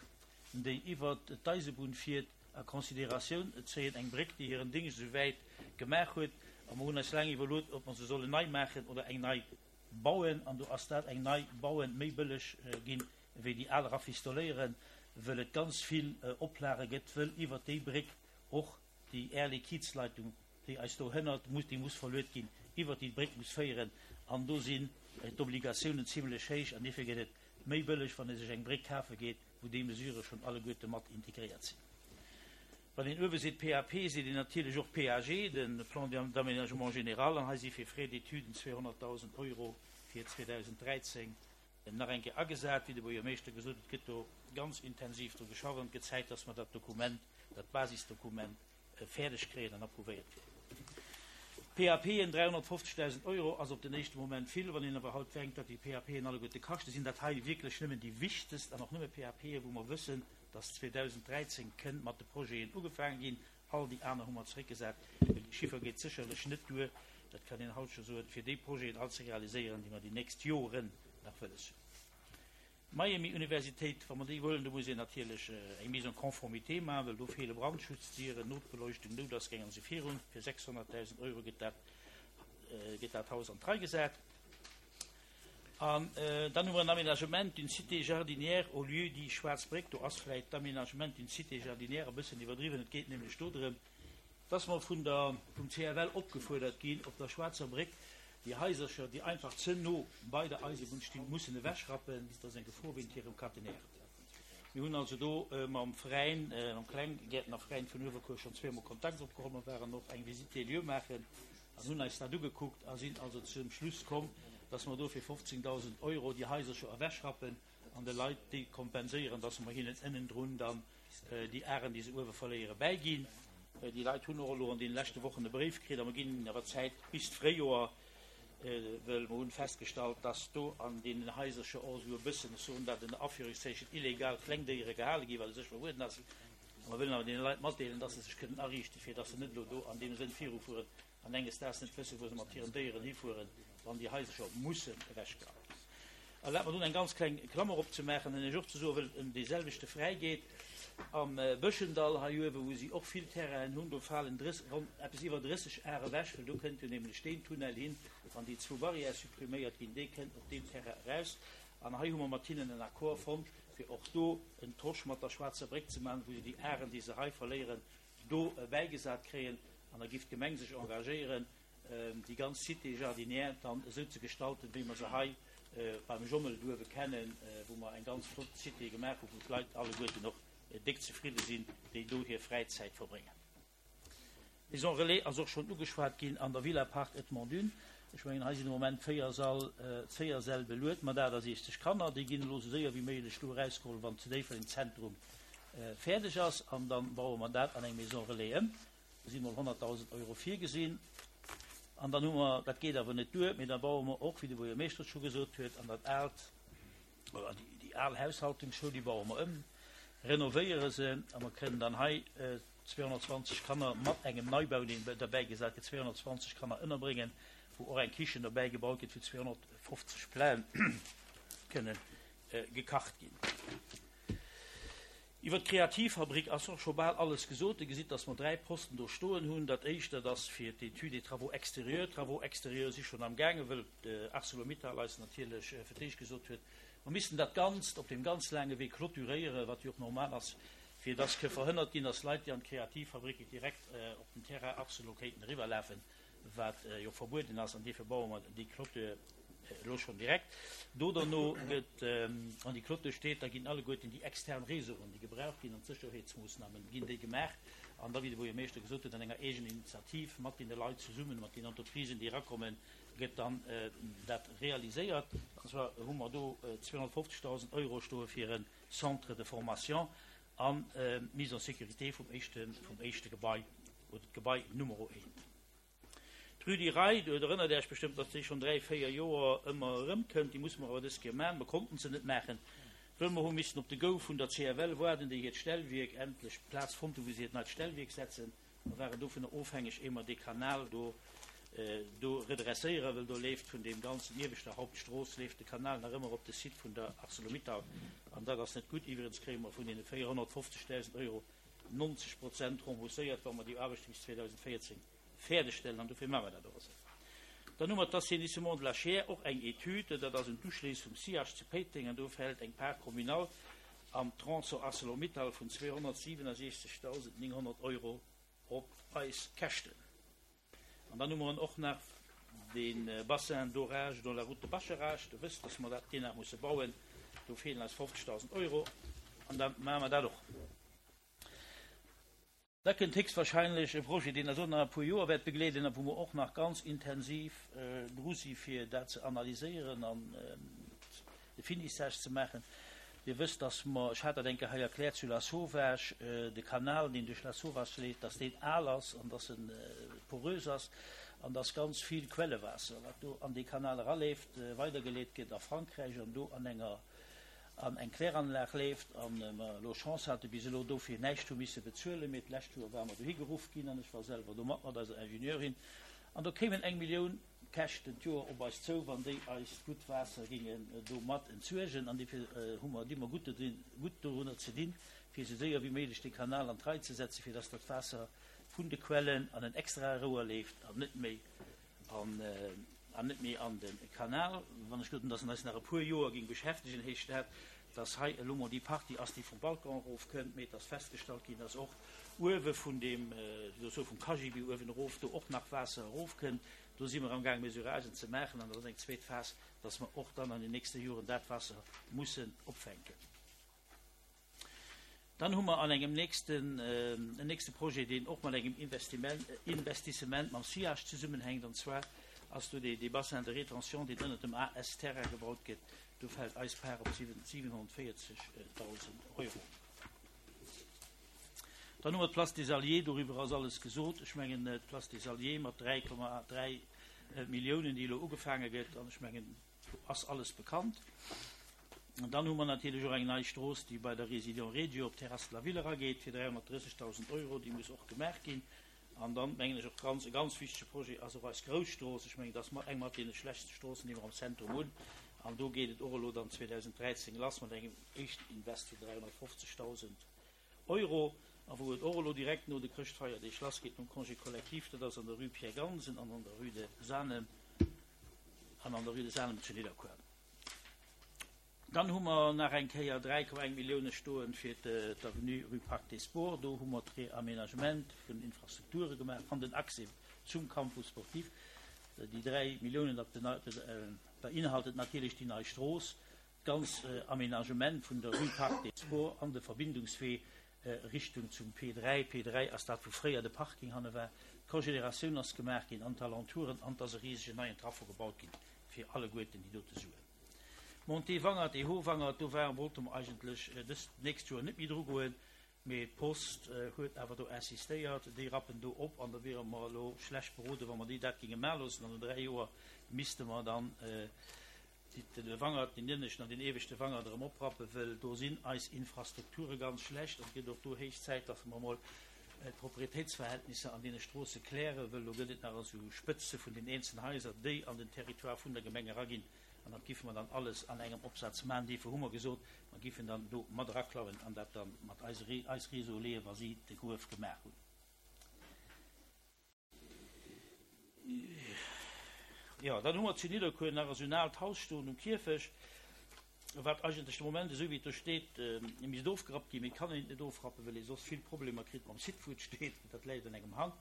déi iwwert d'Eisebunn fiert, a Consideratioun zéien. Eng Bréck, déi hiren Dingscht esouwäit gemaach huet. A mer hunn eis laang iwwerluet, ob mer se sollen nei maachen oder eng nei bauen. An do ass dat eng nei bauen méi bëlleg ginn, wéi déi al rafistoléieren, wëll et ganz vill Oplage gëtt, wëll iwwert déi Bréck och déi Air Liquides-Leitung, déi eis do hënnert, muss, déi muss verluet ginn, iwwert déi Bréck muss féieren. An do sinn d'Obligatiounen zimlech héich. An dofir gëtt et méi bëlleg, wann ee sech eng Bréck kafe geet, wou déi Mesurë schonn alleguerte mat integréiert sinn. Wann een uewe seet P A P, seet een natierlech och P A G, de Plan d'aménagement général. An hei si fir Frais d'études zweehonnertdausend Euro fir zweedausend dräizéng nach eng Kéier agesat. Wéi de Buergermeeschter gesot huet, gëtt do ganz intensiv dru geschafft an et gëtt Zäit, dass mer dat Dokument, dat Basisdokument fäerdeg kréien an approuvéiert kréien. P A P en dräihonnertfofzegdausend Euro ass op den éischte Moment vill. Wann een awer haut denkt, wat déi P A P en alleguerte kaschten, sinn dat hei wierklech nëmmen déi wichtegst an och nëmme P A P en, wou mer wëssen, dass zweedausend dräizéng kënnt mat de Projeten ugefaange ginn. All déi aner hu mer zeréckgesat, well déi Chiffer geet sécherlech net duer, dat kann een haut scho soen, fir déi Projeten all ze realiséieren, déi mer déi nächst Joren nach wëlles hunn. Miami Universitéit, wa mer déi wëllen, do muss een natierlech eng Mise en conformité maachen, well do feele Brandschutzdieren, Notbeleuchtung, Noutausgäng an esou virun. Fir sechshonnertdausend Euro gëtt dat, gëtt dat Haus an d'Rei gesat. An dann hu mer en Aménagement d'une cité jardinière au lieu-dit Schwaarz Bréck. Do ass vläicht d'Aménagement d'une cité jardinière e bëssen iwwerdriwwen. Et geet nämlech do drëm, dass mer vun der, vum C F L opgefuerdert ginn, op der Schwaarzer Bréck déi Haisercher, déi einfach ze no bei der Eisebunn stinn, mussen ewechrappen. Dat ass eng Gefor wéint hirem Caténaire. Mir hunn also do mam Veräin, mam Klenggäertnerveräin vun Uewerkuer schonn zweemol Kontakt opgeholl. Mer waren och eng Visite des lieux maachen an hunn eis dat ugekuckt a sinn also zum Schluss komm, dass mer do fir fofzéngdausend Euro déi Haisercher ewechrappen an de Leit déi kompenséieren, dass mer hinnen ënnendrun dann déi Aren, déi se uewe verléieren, bäiginn. Déi Leit hunn och elo an deene leschte Wochen e Bréif kritt a mer ginn hinnen awer Zäit bis d'Fréijoer, wëll mer hunn festgestallt, dass do an deenen Haisercher och esou e bëssen, ech soen dat ënner Aféierungszeichen, illegal Klengdéiere gehale ginn, wat u sech verbueden ass. A mer wëllen awer deene Leit matdeelen, dass se sech kënnen ariichten, fir dass se net elo do an deem Sënn virufueren an enges Daags net wëssen, wou se mat hiren Déieren hifueren, wann déi Haisercher mussen ewechgerappt ginn. Erlaabt mer dunn eng ganz kleng Klammer opzemaachen an Iech och ze soen, wëll et ëm dee selwechte Fräi geet, am Bëschendall hei uewen, wou si och vill Terrainen hunn, do falen ronn eppes iwwer drësseg Ar ewech, well do kënnt jo nämlech deen Tunnel hin, wann déi zwou Barrièrë suppriméiert ginn, dee kënnt op deem Terrain eraus. An hei hu mer mat hinnen en Accord fonnt, fir och do en Tosch mat der Schwaarzer Bréck ze maachen, wou se déi Aren, déi se hei verléieren, do bäigesat kréien. An da giff d'Gemeng sech engagéieren, déi ganz Cité jardinière dann esou ze gestalten, wéi mer se hei beim Jommel duerwe kennen, wou mer eng ganz flott Cité gemaach hunn, wou d'Leit alleguerten och déck zefridde sinn, déi do hir Fräizäit verbréngen. Maison Relais ass och schonn ugeschwat ginn an der Villa Parc Edmond Dune. Ech mengen, hei sinn de Moment véier Sall, véier Säll beluet mat achtasiechzeg Kanner. Déi ginn elo esou séier wéi méiglech do erausgeholl, wann zu Déifferdeng Zentrum fäerdeg ass, an dann baue mer dat an eng Maison Relais ëm. Do si mol honnertdausend Euro virgesinn. An dann hu mer, dat geet awer net duer, mee da baue mer och, wéi de Buergermeeschter et scho gesot huet, an dat aalt, oder déi, déi al Haushaltungsschoul, déi baue mer ëm, renovéiere se, a mer kënnen dann hei zweehonnertzwanzeg Kanner mat engem Neibau, deen derbäi gesat gëtt, zweehonnertzwanzeg Kanner ënnerbréngen, wou och eng Kichen derbäi gebaut gëtt, wou zweehonnertfofzeg Platen kënnen gekacht ginn. Iwwer d'Kreativfabrik ass och scho bal alles gesot. Dir gesitt, dass mer dräi Posten do stoen hunn. Dat éischt, dat ass fir d'Étude des travaux extérieurs. D'Travaux extérieurs si schonn amgaangen, wëll ArcelorMittal eis natierlech fir d'éischt gesot huet, mer missten dat Ganzt op deem ganz laange Wee clôturéieren, wat jo och normal ass, fir dass ke verhënnert ginn, dass Leit, déi an d'Kreativfabrik direkt op den Terrain Arcelor kéinten eriwwerlafen, wat jo verbueden ass. An dofir baue mer déi Clôture elo schonn direkt. Do derno gëtt, wann déi Clôture steet, da ginn alleguerten déi extern Réseauen, déi gebraucht ginn, an d'Sécherheetsmoossnamen, ginn déi gemaach. An da, wéi de Buergermeeschter gesot huet, an enger Eegeninitiativ mat deene Leit zesummen, mat den Entreprisen, déi erakommen, gëtt dann dat realiséiert. An zwar hu mer do zweehonnertfofzegdausend Euro stoe fir e Centre de formation an d'Mise en sécurité vum éischte, vum éischte Gebai oder d'Gebai Numero eent. D'Rue du Rail, do erënnert Iech bestëmmt, datt déi schonn dräi, véier Joer ëmmer erëmkënnt. Déi musse mer awer dës Kéier maachen. Mer konnten se net maachen, wëll mer hu missen op de Go vun der C F L waarden, déi hiert Stellwierk endlech Plaz fonnt hu wou se hiert neit Stellwierk setzen. Mer waren dovunner ofhängeg, éier mer dee Kanal do do redresséieren, wëll do leeft vun deem ganzen ieweschter Hauptstrooss leeft de Kanal nach ëmmer op de Site vun der ArcelorMittal an dat ass net gutt. Iwwregens kréie mer vun deene véierhonnertfofzegdausend Euro neunzeg Prozent rembourséiert, wa mer déi Aarbechte bis zweedausendvéierzéng fäerdegstellen, an dofir maache mer dat och esou. Dann hu mer d'Assainissement de la Chiers, och eng Etüd, dat ass un d'Uschléiss vum SIAGE zu Péiteng, an do fält eng Part communale am Tronçon ArcelorMittal vun zweehonnertsiwenundsechzegdausendnénghonnert Euro op eis Käschten. An dann hu mer och nach de Bassin d'orage dans la route de Bascharage. Der wësst, dass mer dat deen nach musse bauen. Do feelen eis fofzegdausend Euro an da maache mer dat och. Da kënnt héchstwahrscheinlech e Projet, deen eis och nach e puer Joer wäert begleeden a wou mer och nach ganz intensiv dru si fir dat ze analyséieren an de Finissage ze maachen. Dir wësst, dass mer, ech hat dat eng Kéier hei erkläert, zu Lasauvage de Kanal, deen duerch Lasauvage leeft, dass deen al ass an dass en porös ass an dass ganz vill Quellewaasser, wat do an dee Kanal eraleeft, weidergeleet gëtt a Frankräich an do an enger an eng Kläranlag leeft an mer elo Chance hate bis elo dofir näischt hu misse bezuelen, mee d'lescht Joer ware mer dohi geruff ginn an ech war selwer do mat mat eiser Ingenieurin an do kéimen eng Millioun Käschten d'Joer op eis zou, wann déi eist gutt Waasser gingen do mat entsuergen an dofir hu mer di mer gutt gutt dorunner ze dinn, fir esou séier wéi méiglech dee Kanal an d'Rei ze setzen, fir dass dat Waasser vun de Quellen an en extrae Rouer leeft an net méi an an net méi an de Kanal. Wann ech gesot hunn, dass en eis nach e puer Joer géing beschäftegen, heescht dat, dass hei elo mol déi Partie ass, déi vum Balcon erofkënnt, mee et ass festgestallt ginn, dass och uewe vun deem, wéi soll ech soen, vum Cagibi uewen erof do och nach Waasser erofkënnt. Do si mer amgaang Mesuragen ze maachen an dat ass eng zweet Phas, dass mer och dann an den nächste Joren dat Waasser mussen opfänken. Dann hu mer an engem nächsten, en nächste Projet, deen och mat engem Investissement mam SIAGE zesummenhänkt, an zwar ass do dee Bassin de rétention, deen ënnert dem A S-Terrain gebaut gëtt. Do fält eis Part op siwenhonnertvéierzegdausend Euro. Dann hu mer d'Place des Alliés, doriwwer ass alles gesot. Ech mengen, d'Place des Alliés mat dräi Komma dräi Milliounen, déi elo ugefaange gëtt, an ech mengen, do ass alles bekannt. An dann hu mer natierlech och eng nei Strooss, déi bei der Résidence Regio op d'Terrasse de la Ville erageet fir dräihonnertdrëssegdausend Euro, déi muss och gemaach ginn. An dann, mengen ech, och ganz, e ganz wichtege Projet ass och eis Grousstrooss. Ech mengen, dat ass eng mat deene schlechtste Stroossen, déi mer am Zentrum hunn. An do geet et och elo dann zweedausendräizéng lass mat engem éischten Invest vun dräihonnertfofzegdausend Euro. A wou et och elo direkt no de Chrëschtfeierdeeg lassgeet, nom Congé collectif, dat ass an der Rue Pierre Gansen an an der Rue de Sanem an an der Rue de Sanem zu Nidderkuer. Dann hu mer nach eng Kéier dräi Komma eng Millioune stoen fir d'Avenue Rue Parc des Sports. Do hu mer d'Reaménagement vun Infrastrukture gemaach an den Accès zum Campus sportif. Déi dräi Milliounen, dat beinhaltet natierlech déi nei Strooss, d'ganz Aménagement vun der Rue Parc des Sports an de Verbindungswee Richtung zum P dräi. P dräi ass dat, wou fréier de Parking hanne war. D'Cogénératioun ass gemaach ginn an d'Alentouren an et ass e risegen neien Traffo gebaut ginn fir alleguerten déi dote Suen. Montée Wangert, E H Wangert, do war wollte mer eigentlech dëst nächst Joer net méi dru goen, mee d'Post huet awer do insistéiert, déi rappen do op an da wiere mer elo schlecht beroden, wa mer déi dat géinge maache loossen. An no dräi Joer misste mer dann de Wangert, den ënneschten an den ieweschte Wangert erëm oprappen, wëll do sinn eis Infrastrukture ganz schlecht an et gëtt och do héich Zäit, dass mer emol d'Proprietéitsverhältnisser an deene Stroosse klären, wëll do gëtt et nach esou Spëtze vun den eenzelnen Haiser, déi an den Territoire vun der Gemeng eraginn. An dat giffe mer dann alles an engem Opsaz maachen. Dofir hu mer gesot, mer giffen dann do mat eraklauen an dat dann mat eis eis Réseau leeën, wa si de Gruef gemaach hunn. Jo, dann hu mer zu Nidderkuer nach esou en aalt Haus stoen um Kierfecht, wat eigentlech de Moment, esou wéi et do steet, misst ofgerappt ginn, mee et kann een et net ofrappen, well ee soss vill Problemer kritt mam Site, wou et steet. Dat läit an engem Hank.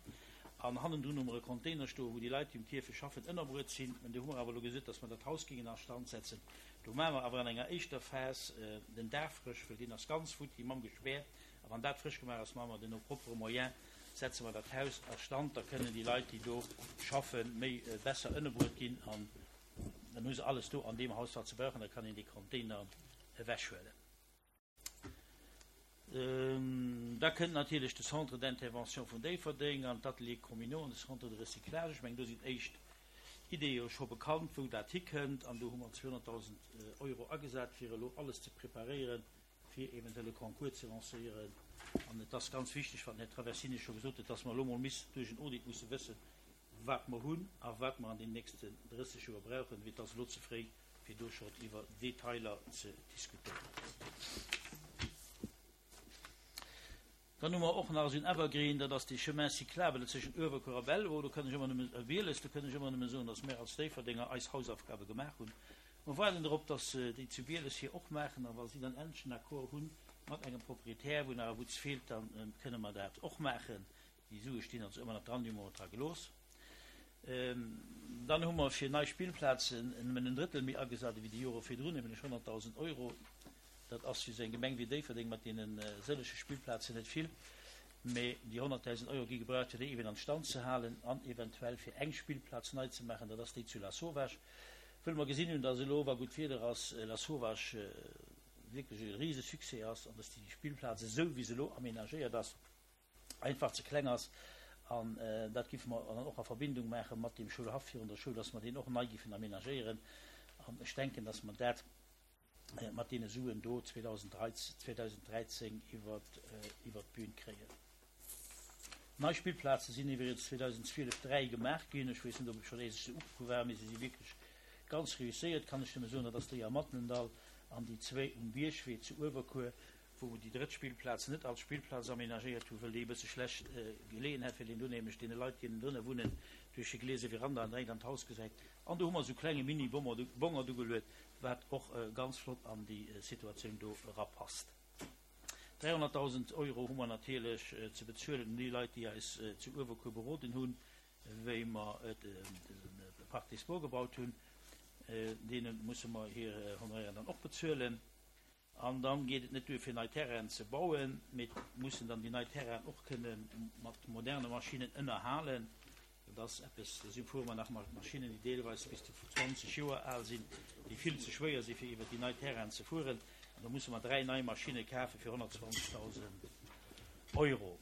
An hannendrun hu mer e Container stoen, wou déi Leit, déi um Kierfecht schaffen, ënnerbruet sinn. An do hu mer awer elo gesot, dass mer dat Haus géingen a Stand setzen. Do maache mer awer an enger éischter Phas den Daach frësch, well deen ass ganz futti mam Gespär. A wann dat frësch gemaach ass, maache mer den nos propres moyens, setze mer dat Haus a Stand. Da kënnen déi Leit, déi do schaffen, méi besser ënnerbruet ginn. An dann hu se alles do an deem Haus, wat se brauchen. Da kann een dee Container ewechhuelen. Da kënnt natierlech de Centre d'intervention vun Déifferdeng an d'Ateliers communaux an de Centre de recyclage. Ech mengen, do sinn éischt Ideeë jo scho bekannt, wou dat hikënnt. An do hu mer zweehonnertdausend Euro agesat, fir elo alles ze preparéieren, fir eventuell e Concours ze lancéieren. An et ass ganz wichteg, wat den Här Traversini scho gesot huet, dass mer elo mol miss duerch en Audit musse wëssen, wat mer hunn a wat mer an den nächsten drësseg Joer brauchen, wéi et ass elo ze fréi, fir do schonn iwwer Detailer ze diskutéieren. Dann hu mer och nach esou en Evergreen, dat ass dee Chemin cyclable zwëschen Uewerkuer a Belval. Do kann ech ëmmer nëmmen, Bieles, do kënn ech ëmmer nëmme soen, dass mär als Déifferdenger eis Hausaufgabe gemaach hunn. Mer waarden drop, dass déi zu Bieles hir och maachen, a wa si dann endlech en Accord hu mat engem Proprietär, wou nach e Wutz feelt, da kënne mer dat och maachen. Déi Sue stinn also ëmmer nach dran, déi hu mer och dra gelooss. Dann hu mer fir nei Spillplazen nëmmen en Drëttel méi agesat ewéi déi Jore virdrun, nämlech honnertdausend Euro. Dat ass fir esou eng Gemeng wéi Déifferdeng mat deene sëllege Spillplazen net vill, mee déi honnertdausend Euro gi gebraucht, fir déi eben an Stand ze halen an eventuell fir eng Spillplaz nei ze maachen, dat ass déi zu Lasauvage. Wëll mer gesinn hunn, dass elo, wa gutt Wieder ass, Lasauvage wierklech e Risesuccès ass an dass déi Spillplaz, esou wéi se elo amenagéiert ass, einfach ze kleng ass. An dat giffe mer dann och a Verbindung maache mat deem Schoulhaff virun der Schoul, dass mer deen och nei giffen amenagéieren. An ech denken, dass mer dat mat deene Suen do zweedausendräizéng iwwert d'Bün kréien. Nei Spillplaze sinn iwwregens zweedausendzwielef dräi gemaach ginn. Ech weess net, ob et scho éischt se uku war, mee se si wierklech ganz reusséiert, kann ech nëmme soen. Dat ass déi am Matnendall an déi zwéi um Biergwee zu Uewerkuer, wou mer déi drëtt Spillplaz net als Spillplaz amenagéiert hunn, well déi e bësse schlecht geleeën hätt, well een do nämlech deene Leit, déi ënnendrënne wunnen, duerch de gliese Veranda an direkt an d'Haus gesäit. An do hu mer esou klenge Mini-Bongert ugeluet, wat och ganz flott an déi Situatioun do erapasst. dräihonnertdausend Euro hu mer natierlech ze bezuelen un déi Leit, déi eis zu Uewerkuer beroden hunn, wéi mer de Parc des Sports gebaut hunn. Deene musse mer hir Honoraire dann och bezuelen. An dann geet et net duer, fir nei Terrainen ze bauen, mee et mussen dann déi nei Terrainen och kënne mat moderne Maschinnen ënnerhalen. Dat ass eppes, do si fuere mer nach mat Maschinnen, déi deelweis bis zu zwanzeg Joer al sinn, déi vill ze schwéier si fir iwwer déi nei Terrainen ze fueren. An da musse mer dräi nei Maschinne kafe fir honnertzwanzegdausend Euro.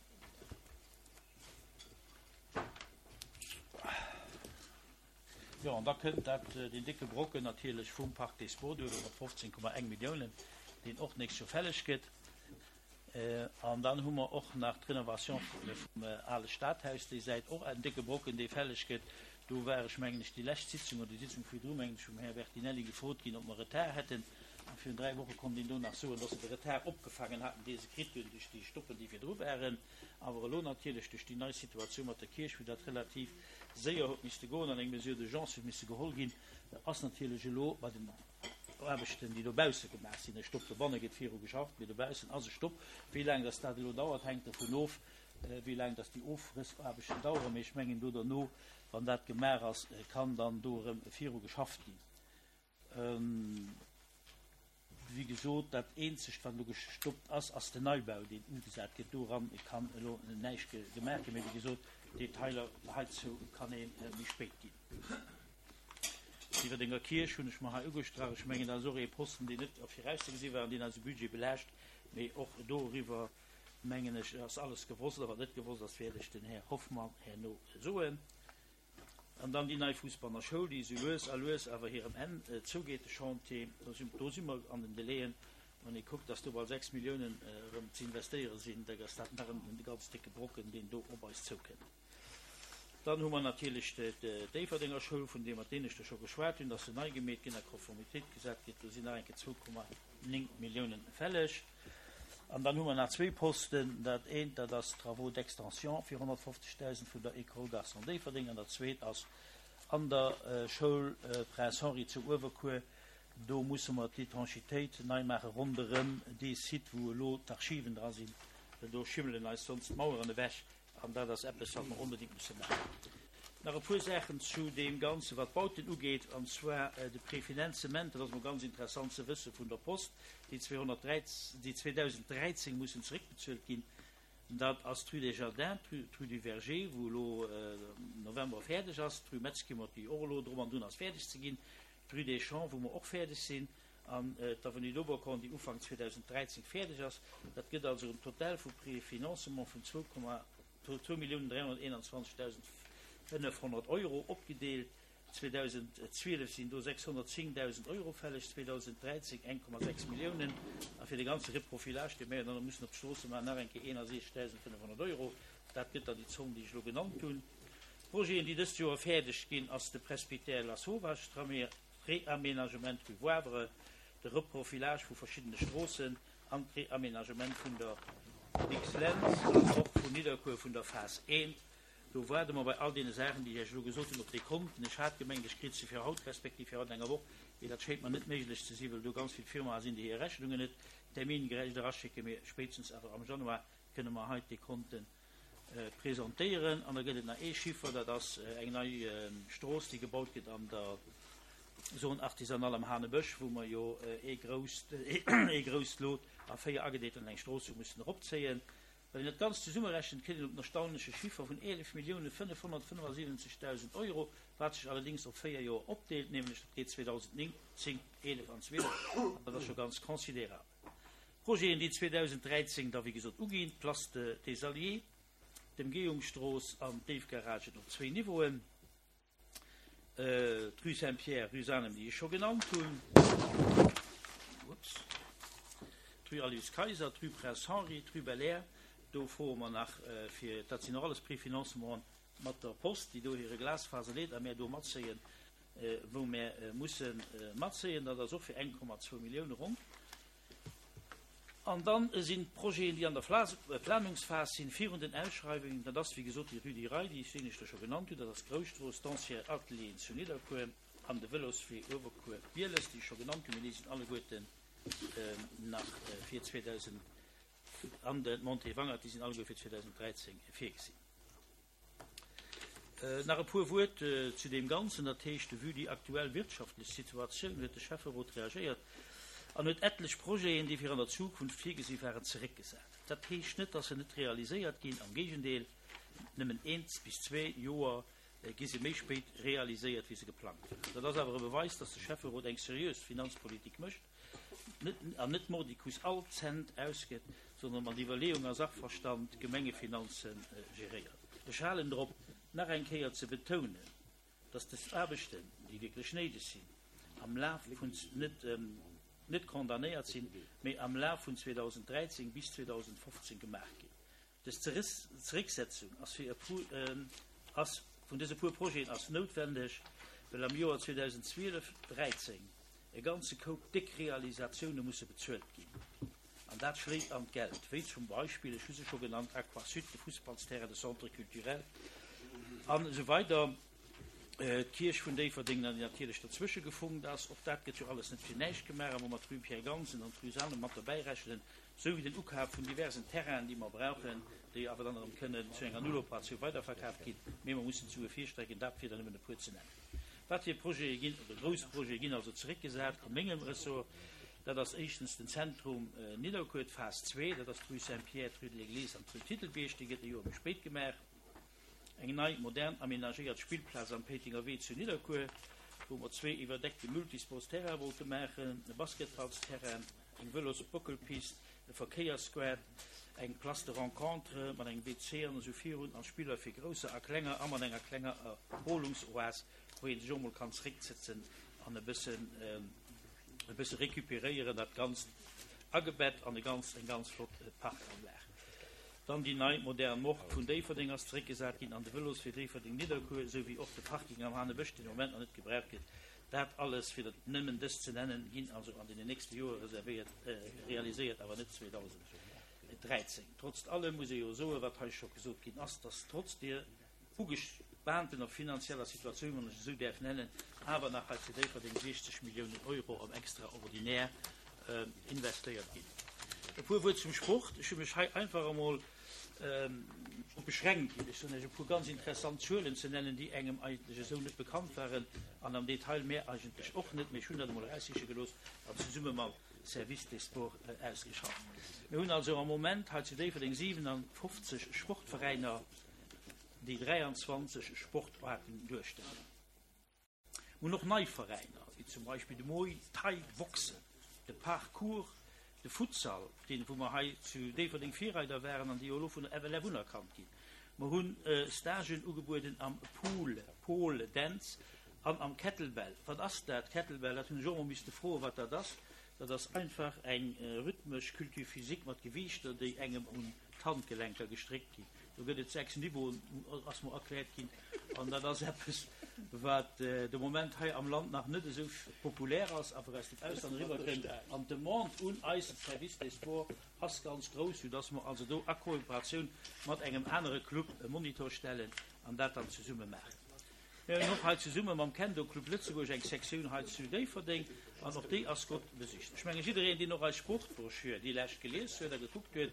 Jo, an da kënnt dat, deen décke Brocken natierlech vum Parc des Sports duerno mat fofzéng Komma eng Milliounen, deen och d'nächst Joer fälleg gëtt. An dann hu mer och nach d'Renovation vum ale Stadhaus, déi Säit, och en décke Brocken, dee fälleg gëtt. Do war ech, mengen ech, déi lescht Sitzung oder déi Sitzung virdru, mengen ech, vum Här Bertinelli gefrot ginn, ob mer Retard hätten. An virun dräi Woche konnt een do nach soen, dass se de Retard opgefaangen haten, dee se kritt hunn duerch déi Stoppen, déi virdru waren. Awer elo natierlech duerch déi nei Situatioun mat der Kierch, wou dat relativ séier huet misste goen an eng Mesure d'urgence huet misse geholl ginn, ass natierlech elo bei den Aarbechten, déi dobausse gemaach sinn, e Stopp. Dobanne gëtt viru geschafft, mee dobaussen ass e Stopp. Wéi laang dass dat elo dauert, hänkt dovun of, wéi laang dass déi Ofrëssaarbechten daueren. Mee ech mengen, do derno, wann dat gemaach ass, kann dann do erëm viru geschafft ginn. Wéi gesot, dat Eenzegt, wat elo gestoppt ass, ass den Neibau, deen ugesat gëtt. Doran kann elo näischt gemaach ginn. Mee wéi gesot, Detailer heizou kann ee méi spéit ginn. D'Iwwerdenger Kierch hunn ech mer hei ugestrach. Ech mengen, dat ass och ee Posten, deen net virauszegesi war an deen eise Budget belaascht. Mee och doriwwer, mengen ech, ass alles gewosst. A wat net gewosst ass, wäert ech den Här Hoffmann herno soen. An dann déi nei Fussbanner Schoul, déi esou lues a lues awer hirem Enn zougeet, de Chantier. Do si, do si mer an den Delaien. Wann ee kuckt, dass do bal sechs Milliounen erëm ze investéiere sinn, da ass dat nach en ganz décke Brocken, deen do op eis zoukënnt. Dann hu mer natierlech d'Déifferdenger Schoul, vun deem mer d'Éineschte scho geschwat hunn, dass se nei gemeet ginn, a Konformitéit gesat gëtt. Do sinn nach eng Kéier zwou Komma néng Milliounen fälleg. An dann hu mer nach zwee Posten. Dat eent, dat ass Travaux d'extension fir honnertfofzegdausend vun der École Garçons Déifferdeng an dat zweet ass an der Schoul Prince Henri zu Uewerkuer. Do musse mer d'Étanchitéit nei maache ronderëm dee Site, wou elo d'Archiven dra sinn, well do schimmelen eis sonst d'Maueren ewech. An dat ass eppes, wat mer onbedéngt musse maachen. Nach e puer Saachen zu deem Ganzen, wat d'Bauten ugeet, an zwar de Prefinanzement, dat ass emol ganz interessant ze wëssen, vun der Post, déi zweedausenddräizéng mussen zeréckbezuelt ginn. Dat ass d'Rue des Jardins, d'Rue du Verger, wou elo am November fäerdeg ass, d'Rue Metzkimmert, déi och elo drum an drun ass fäerdeg ze ginn, d'Rue des Champs, wou mer och fäerdeg sinn, an d'Avenue d'Oberkorn, déi Ufank zweedausenddräizéng fäerdeg ass. Dat gëtt also en Total vu Prefinancement vun zwou Komma zwou Milliounen dräihonnerteenanzwanzegdausend fënnefhonnert Euro opgedeelt. zweedausendzwielef sinn do sechshonnertzéngdausend Euro fälleg, zweedausenddräizéng eng Komma sechs Milliounen a fir de ganze Reprofilage, dee mir jo dann nach mussen op d'Stroosse maachen, nach eng Kéier eenundsechzegdausend fënnefhonnert Euro. Dat gëtt dann déi Zomm, déi ech elo genannt hunn. D'Projeten, déi dëst Joer fäerdeg ginn, ass de Presbytère Lasauvage, d'Reaménagement rue Wavre, de Reprofilage vu verschiddene Stroossen an d'Reaménagement vun der Dicks-Lentz an och vun Nidderkuer vun der Phas eent. Do waarde mer bei all deene Saachen, déi ech Iech elo gesot hunn, op déi Konten. Ech hat gemengt, ech kritt se fir haut, respektiv fir haut an enger Woch, mee dat schéint mer net méiglech ze sinn, well do ganz vill Firmae sinn, déi hir Rechnungen net termingerecht eraschécken. Mee spéitstens awer am Januar kënne mer hei d'Dekonte presentéieren. An da gëtt et nach ee Chiffer, dat ass eng nei Strooss, déi gebaut gëtt an der Zone artisanale am Hanebësch, wou mer jo ee grousst, ee grousst Lot a véier agedeelt an eng Strooss hu mussen eropzéien. Wann een dat Ganzt zesummerechent, kënnt een op den erstaunleche Chiffer vun eelef Millioune fënnefhonnertfënnefasiwwenzegdausend Euro, wat sech allerdéngs op véier Joer opdeelt, nämlech dat geet zweedausendnéng, zéng, eelef an zwielef, an dat ass scho ganz considerabel. Projeten, déi zweedausendräizéng da wéi gesot uginn, d'Place des Alliés, d'Emgehungsstrooss an d'Déifgaragen op zwéin Niveauen, d'Rue Saint-Pierre, Rue Sanem, déi ech scho genannt hunn, ups, d'Rue Aloyse Kayser, d'Rue Prince Henri, d'Rue Belair, do froe mer nach fir, dat sinn och alles Préfinancementen mat der Post, déi do hire Glasfaser leet a mär do matzéien, wou mär musse matzéien, dat ass och fir eng Komma zwou Millioune ronn. An dann sinn d'Projeten, déi an der Planungsphas sinn, virun den Ausschreiwungen, dat ass wéi gesot déi Rue du Rail, déi ech éineschter scho genannt hunn, dat ass d'Grousstrooss, d'Ancien Atelieren zu Nidderkuer an de Vëloswee Uewerkuer-Bieles, déi ech scho genannt hunn, mee déi sinn alleguerten nach fir zweedausend an de Montée Wangert, déi sinn alleguer fir zweedausend dräizéng virgesinn. Nach e puer Wuert zu deem Ganzen, dat heescht, vue déi aktuell wirtschaftlech Situatioun huet de Schäfferot reagéiert an huet etlech Projeten, déi fir an der Zukunft virgesi waren, zeréckgesat. Dat heescht net, dass se net realiséiert ginn, am Géigendeel, nëmmen eent bis zwee Joer gi se méi spéit realiséiert, wéi se geplangt waren. Dat ass awer e Beweis, dass de Schäfferot eng seriös Finanzpolitik mécht net, an net mordicus all Cent ausgëtt, sondern mat Iwwerleeung a Sachverstand d'Gemengefinanzen geréiert. Ech halen drop, nach eng Kéier ze betounen, dass dës Aarbechten, déi wierklech néideg sinn, am Laf vun net, net condamnéiert sinn, mee am Laf vun zweedausenddräizéng bis zweedausendfofzéng gemaach ginn. Dës Zerécksetzung ass fir e puer, ass vun dëse puer Projeten ass noutwendeg, well am Joer zweedausendzwielef dräizéng e ganze Koup déck Realisatioune musse bezuelt ginn. An dat schléit an d'Geld, wéi zum Beispill, ech hu se scho genannt, Aquasud, de Fussballsterrain, de Centre culturel an esou weider. D'Kierch vun Déifferdeng, déi natierlech derzwësche gefunkt ass, och dat gëtt jo alles net fir näischt gemaach, a wou mer d'Rue Pierre Gansen an d'Rue Sanem mat derbäi rechnen, sou wéi den Ukaf vun diversen Terrainen, déi mer brauchen, déi awer dann erëm kënnen zu enger Nulloperatioun weiderverkaaft ginn, mee mer mussen d'Sue virstrecken, dat fir der nëmmen e puer ze nennen. Wat fir Projete ginn, oder grouss Projete ginn also zeréckgesat a mengem Ressort, dat ass éischtens den Zentrum Nidderkuer, d'Phas zwee, dat ass d'Rue Saint-Pierre, d'Rue de l'Église an d'Rue Titelbierg, déi gëtt e Joer méi spéit gemaach. Eng nei, modern amenagéiert Spillplaz am Péitenger Wee zu Nidderkuer, wou mer zwee iwwerdeckte Multisportsterraine wollte maachen, e Basketballsterrain, eng Vëlosbockelpist, e Verkéierssquare, eng Place de rencontre mat engem W C an esou virun, an Spiller fir Grousser a Klenger a mat enger klenger Erholungsoas, wou ee sech och mol kann zerécksetzen an e bëssen, e bësse recuperéieren, dat Ganzt agebett an e ganz, eng ganz flott Parkanlag. Dann déi nei modern Morgue vun Déifferdeng ass zeréckgesat ginn an de Vëloswee Déifferdeng-Nidderkuer, esou wéi och de Parking am Hanebësch, deen am Moment nach net gebraucht gëtt. Dat alles, fir der nëmmen dës ze nennen, ginn also an den nächste Joere reservéiert, realiséiert, awer net zweedausenddräizéng. Trotz allem muss ee jo soen, wat hei scho gesot ginn ass, dass trotz deer ugespaantener finanzieller Situatioun, wann ech et esou däerf nennen, awer nach hei zu Déifferdeng siechzeg Milliounen Euro am Extraordinaire investéiert ginn. E puer Wuert zum Sport. Ech hu mech hei einfach emol drop beschränkt, ech soen Iech e puer ganz interessant Zuelen ze nennen, déi engem eigentlech esou net bekannt waren an am Detail mär eigentlech och net, mee ech hunn dat emol eraussiche gelooss an zesumme mam Service des Sports ausgeschafft. Mir hunn also am Moment hei zu Déifferdeng siwenanfofzeg Sportveräiner, déi dräianzwanzeg Sportaarten duerstellen. Mir hunn och nei Veräiner, wéi zum Beispill de Muay Thai Boxen, de Parkour, de Futsal, deen, wou mer hei zu Déifferdeng Virreider waren an déi jo elo vun der F L F unerkannt ginn. Mer hunn Stagen ugebueden am Pool, Pole Dance an am Kettlebell. Wat ass dat, Kettlebell? Dat hunn ech och emol misste froen, wat dat ass. Dat ass einfach eng rhythmesch Culture physique mat Gewiichter, déi engem un d'Handgelenker gestréckt ginn. Do gëtt et sechs Niveauen, ass mer erkläert ginn. An dat ass eppes, wat de Moment hei am Land nach net esou populär ass, awer aus dem Ausland eriwwerkënnt. An d'Demande un eise Service des Sports ass ganz grouss, soudass mer also do a Kooperatioun mat engem anere Club e Monitor stellen an dat dann zesumme maachen. Mir hunn och hei zesumme mam Kendo Club Lëtzebuerg eng Sektioun hei zu Déifferdeng an och déi ass gutt besicht. Ech menge jiddereen, deen och eis Sportbroschür déi lescht gelies huet a gekuckt huet,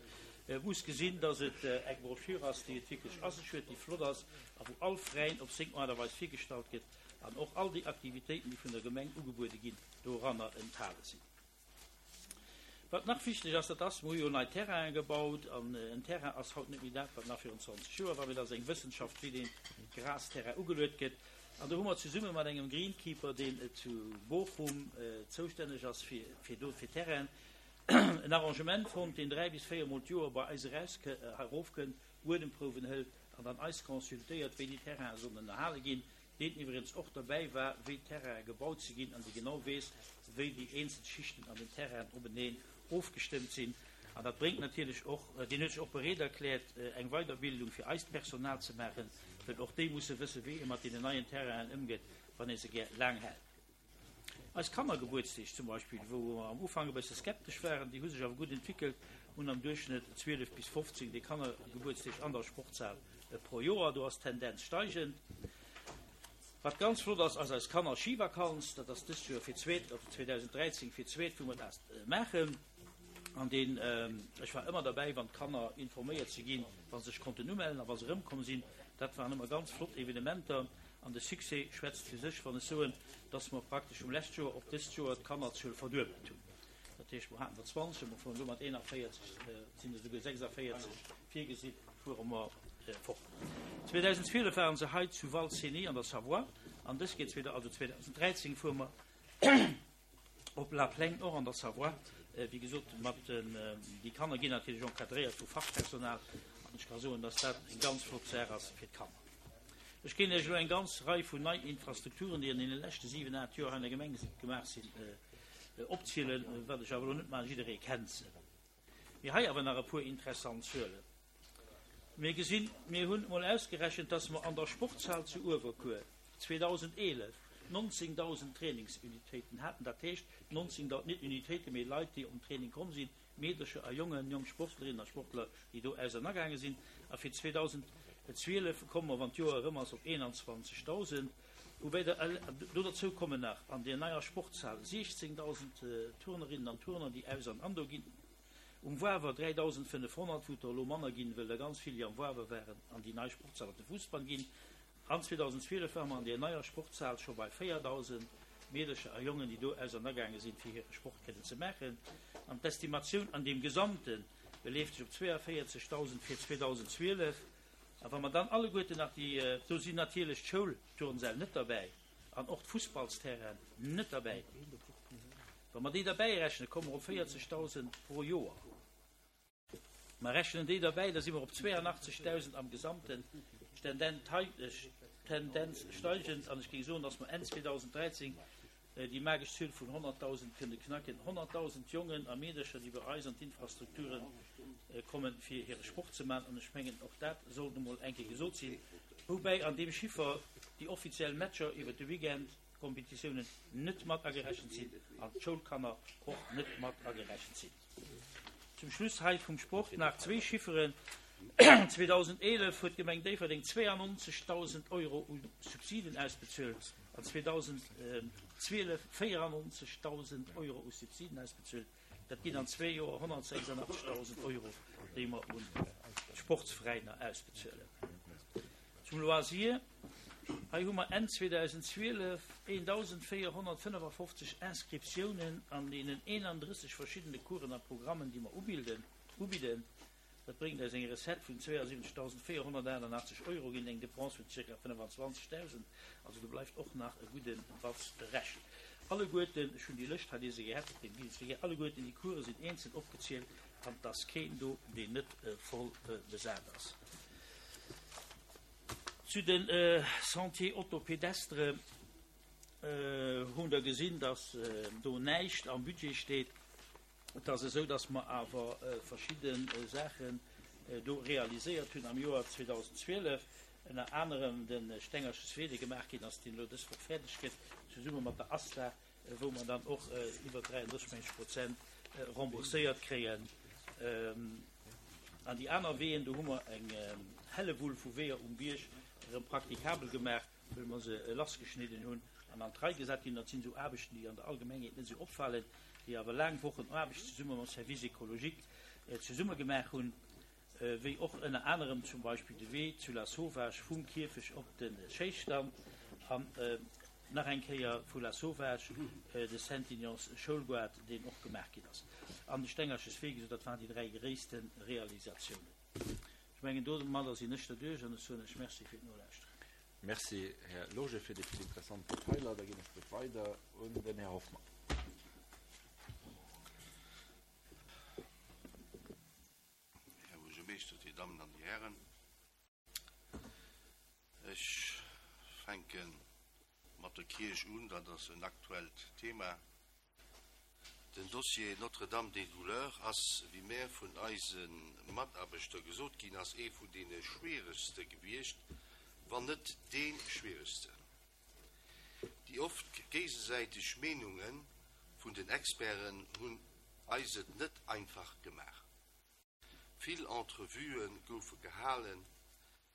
muss gesinn, dass et eng Broschür ass, déi et wierklech a sech huet, déi flott ass a wou all Veräin op seng Aart a Weis virgestallt gëtt an och all déi Aktivitéiten, déi vun der Gemeng ugebuede ginn, doranner enthale sinn. Wat nach wichteg ass, dat ass, mer hu jo nei Terrainen gebaut an en Terrain ass haut net méi dat, wat nach virun zwanzeg Joer war, mee dat ass eng Wëssenschaft, wéi dee Grasterrain ugeluet gëtt. An do hu mer zesumme mat engem Greenkeeper, deen zu Bochum zoustänneg ass fir, fir do, fir Terrainen, en Arrangement fonnt, deen dräi bis véier Mol d'Joer bei eis eraus, erofkënnt, Buedemprouwen hëlt an dann eis consultéiert, wéi déi Terrainen sollen ënnerhale ginn. deen iwwregens och derbäi war, wéi d'Terrainen gebaut si ginn an dee genau weess, wéi déi eenzel Schichten an den Terrainen openeen ofgestëmmt sinn. An dat bréngt natierlech och, deen huet sech och bereet erkläert, eng Weiderbildung fir eist Personal ze maachen, well och déi musse wëssen, wéi ee mat deenen neien Terrainen ëmgeet, wann ee se gär laang hält. Eis Kannergebuertsdeeg zum Beispill, wou mer am Ufank e bësse skeptesch waren, déi hu sech awer gutt entwéckelt, hunn am Duerchschnëtt zwielef bis fofzéng déi Kannergebuertsdeeg an der Sportshal pro Joer. Do ass d'Tendenz steigend. Wat ganz flott ass, ass eis Kanner-Schivakanz. Dat ass dëst Joer fir d'zweet, also zweedausenddräizéng fir d'zweet, wou mer dat maachen. An deen, ech war ëmmer derbäi, wann d'Kanner informéiert si ginn, wa se sech konnten umellen a wa se erëmkomm sinn. Dat waren ëmmer ganz flott Evenementer. An de Succès schwätzt fir sech, wann ech soen, dass mer praktesch vum lescht Joer op dëst Joer d'Kannerzuel verduebelt hunn. Dat heescht, mer haten der zwanzeg, mer fueren elo mat eenanvéierzeg, et sinn esouguer sechsavéierzeg virgesinn, fuere mer fort. zweedausendzwielef waren se hei zu Val Cenis an der Savoie an dës geet zweeda-, also zweedausenddräizéng fuere mer op La Plaine och an der Savoie. Wéi gesot, mat den, déi Kanner ginn natierlech encadréiert vu Fachpersonal an ech ka soen, dass dat eng ganz flott Saach ass fir d'Kanner. Ech géing Iech elo eng ganz Rei vun nei Infrastrukturen, déi an deene leschte siwen, aacht Joer hei an der Gemeng gemaach sinn, opzielen, wat ech awer elo net maachen, jidderee kennt se. Mee hei awer nach e puer interessant Zuelen. Mir gesinn, mir hunn emol ausgerechent, dass mer an der Sportshal zu Uewerkuer zweedausendeelef nonzéngdausend Trainingsunitéiten haten, dat heescht nonzéngdausend, net Unitéiten, mee Leit, déi op den Training komm sinn, Meedercher a Jongen, jonk Sportlerinnen a Sportler, déi do ausernergaange sinn. A fir zweedausendzwielef komme mer, wann d'Joer erëm ass, op eenanzwanzegdausend. Woubäi der, do derzou kommen nach an där neier Sportshal siechzéngdausend Turnerinnen an Turner, déi aus an an do ginn. Um Wawer dräidausendfënnefhonnert, wou et der elo manner ginn, wëll der ganz vill, déi am Wawer waren, an déi nei Sportshal op de Fussball ginn. An zweedausendzwielef ware mer an där neier Sportshal scho bei véierdausend Meedercher a Jongen, déi do ausernergaange sinn, fir hire Sport kënnen ze maachen. An d'Estimatioun an deem Gesamte beleeft sech op zweeavéierzegdausend fir zweedausendzwielef. A wa mer dann alleguerten nach déi, do sinn natierlech d'Schoulturnsäll net derbäi an och d'Fussballsterrainen net derbäi, wa mer déi derbäi rechnen, komme mer op véierzegdausend pro Joer. Mer rechnen déi derbäi, da si mer op zweeanachtzegdausend am Gesamten, Tendenz steigend. An ech géing soen, dass mer Enn zweedausenddräizéng déi magesch Zuel vun honnertdausend kënne knacken. Honnertdausend Jongen a Meedercher, déi bei eis an d'Infrastrukture kommen, fir hire Sport ze maachen. An ech mengen, och dat sollt emol eng Kéier gesot sinn. Woubäi an deem Chiffer déi offiziell Matcher iwwert de Weekend, d'Kompetitiounen, net mat agerechent sinn an d'Schoulkanner och net mat agerechent sinn. Zum Schluss hei vum Sport nach zwee Chifferen, zweedausendeelef huet d'Gemeng Déifferdeng zweeannonzegdausend Euro u Subsiden ausbezuelt an zweedausendzwielef véierannonzegdausend Euro u Subsiden ausbezuelt. Dat ginn an zwee Joer honnertsechsundachtzegdausend Euro, déi mer un d'Sportsveräiner ausbezuelen. Zum Loisir, Hei hu mer Enn zweedausendzwielef eendausendvéierhonnertfënnefafofzeg Inscriptiounen an deenen eenandrësseg verschiddene Coursen a Programmen, déi mer ubilden, ubidden. Dat bréngt eis eng Recette vun zweeasiwwenzegdausendvéierhonnertaachtenachtzeg Euro géint eng Dépense vun zirka fënnefazwanzegdausend. Also do bleift och nach e gudde Batz Rescht. Alleguerten, ech hunn déi Lëscht hei, déi se gehat, déi gi se gär, alleguerten déi Course sinn eenzel opgezielt an et ass keen do, deen net voll besat ass. Zu de Sentiers auto-pédestres hunn Der gesinn, dass do näischt am Budget steet. Et ass esou, dass mer awer verschidde Saachen do realiséiert hunn am Joer zweedausendzwielef, ënner anerem de Stengerches Wee, dee gemaach ginn ass, deen elo dës Woch fäerdeg gëtt, zesumme mat der ASTA, wou mer dann och iwwer dräiandrësseg Prozent rembourséiert kréien. An déi aner Weeën, do hu mer eng Hellewull vu Weeër um Bierg erëm praktikabel gemaach, wëll mer se lassgeschnidden hunn an an d'Rei gesat ginn. Dat sinn esou Aarbechten, déi an der Allgemengheet net esou opfalen, déi awer laang Wochen Aarbecht zesumme mam Service écologique zesumme gemaach hunn, wéi och ënner anerem zum Beispill de Wee zu Lasauvage vum Kierfech op de Schéisstand an nach eng Kéier vu Lasauvage de Saint-Ignace Schoulgoart, deen och gemaach ginn ass, an de Stengerches Wee. Gesot, dat waren déi dräi gréisste Realisatiounen. Ech mengen, domadder sinn ech derduerch an ech soen lech Merci fir d'Nolauschteren. Merci, Här Lorge, fir déi vill interessant Detailer. Da ginn ech d'Wuert weider un den Här Hoffmann. Här Buergermeeschter, Dir Dammen an Dir Hären, ech fänke mat der Kierch un, dat ass en aktuellt Thema. Den Dossier Notre-Dame des Douleurs ass, wéi mär vun eise Mataarbechter gesot ginn ass, ee vun deene schwieregste gewiescht, wann net dee schwieregsten. Déi oft géigesäiteg Meenunge vun den Experten hunn eis et net einfach gemaach. Vill Entrevuë goufe gehalen,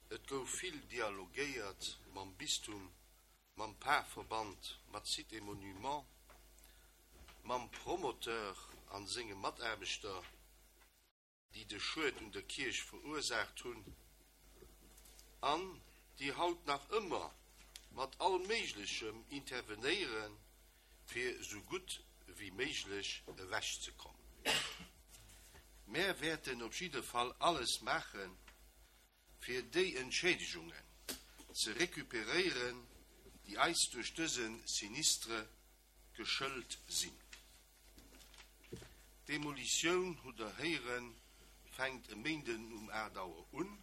et gouf vill dialogéiert mam Bistum, mam Parverband, mat Sites et Monuments, mam Promoteur a senge Mataarbechter, déi de Schued un der Kierch verursaacht hunn an déi haut nach ëmmer mat all Méiglechem intervenéieren, fir sou gutt wéi méiglech ewechzekommen. Mär wäerten op jidde Fall alles maachen, fir déi Entschädegungen ze recuperéieren, déi eis duerch dëse Sinistre geschëlt sinn. D'Demolitioun, hutt Der héieren, fänkt e Méinden um aacht Auer un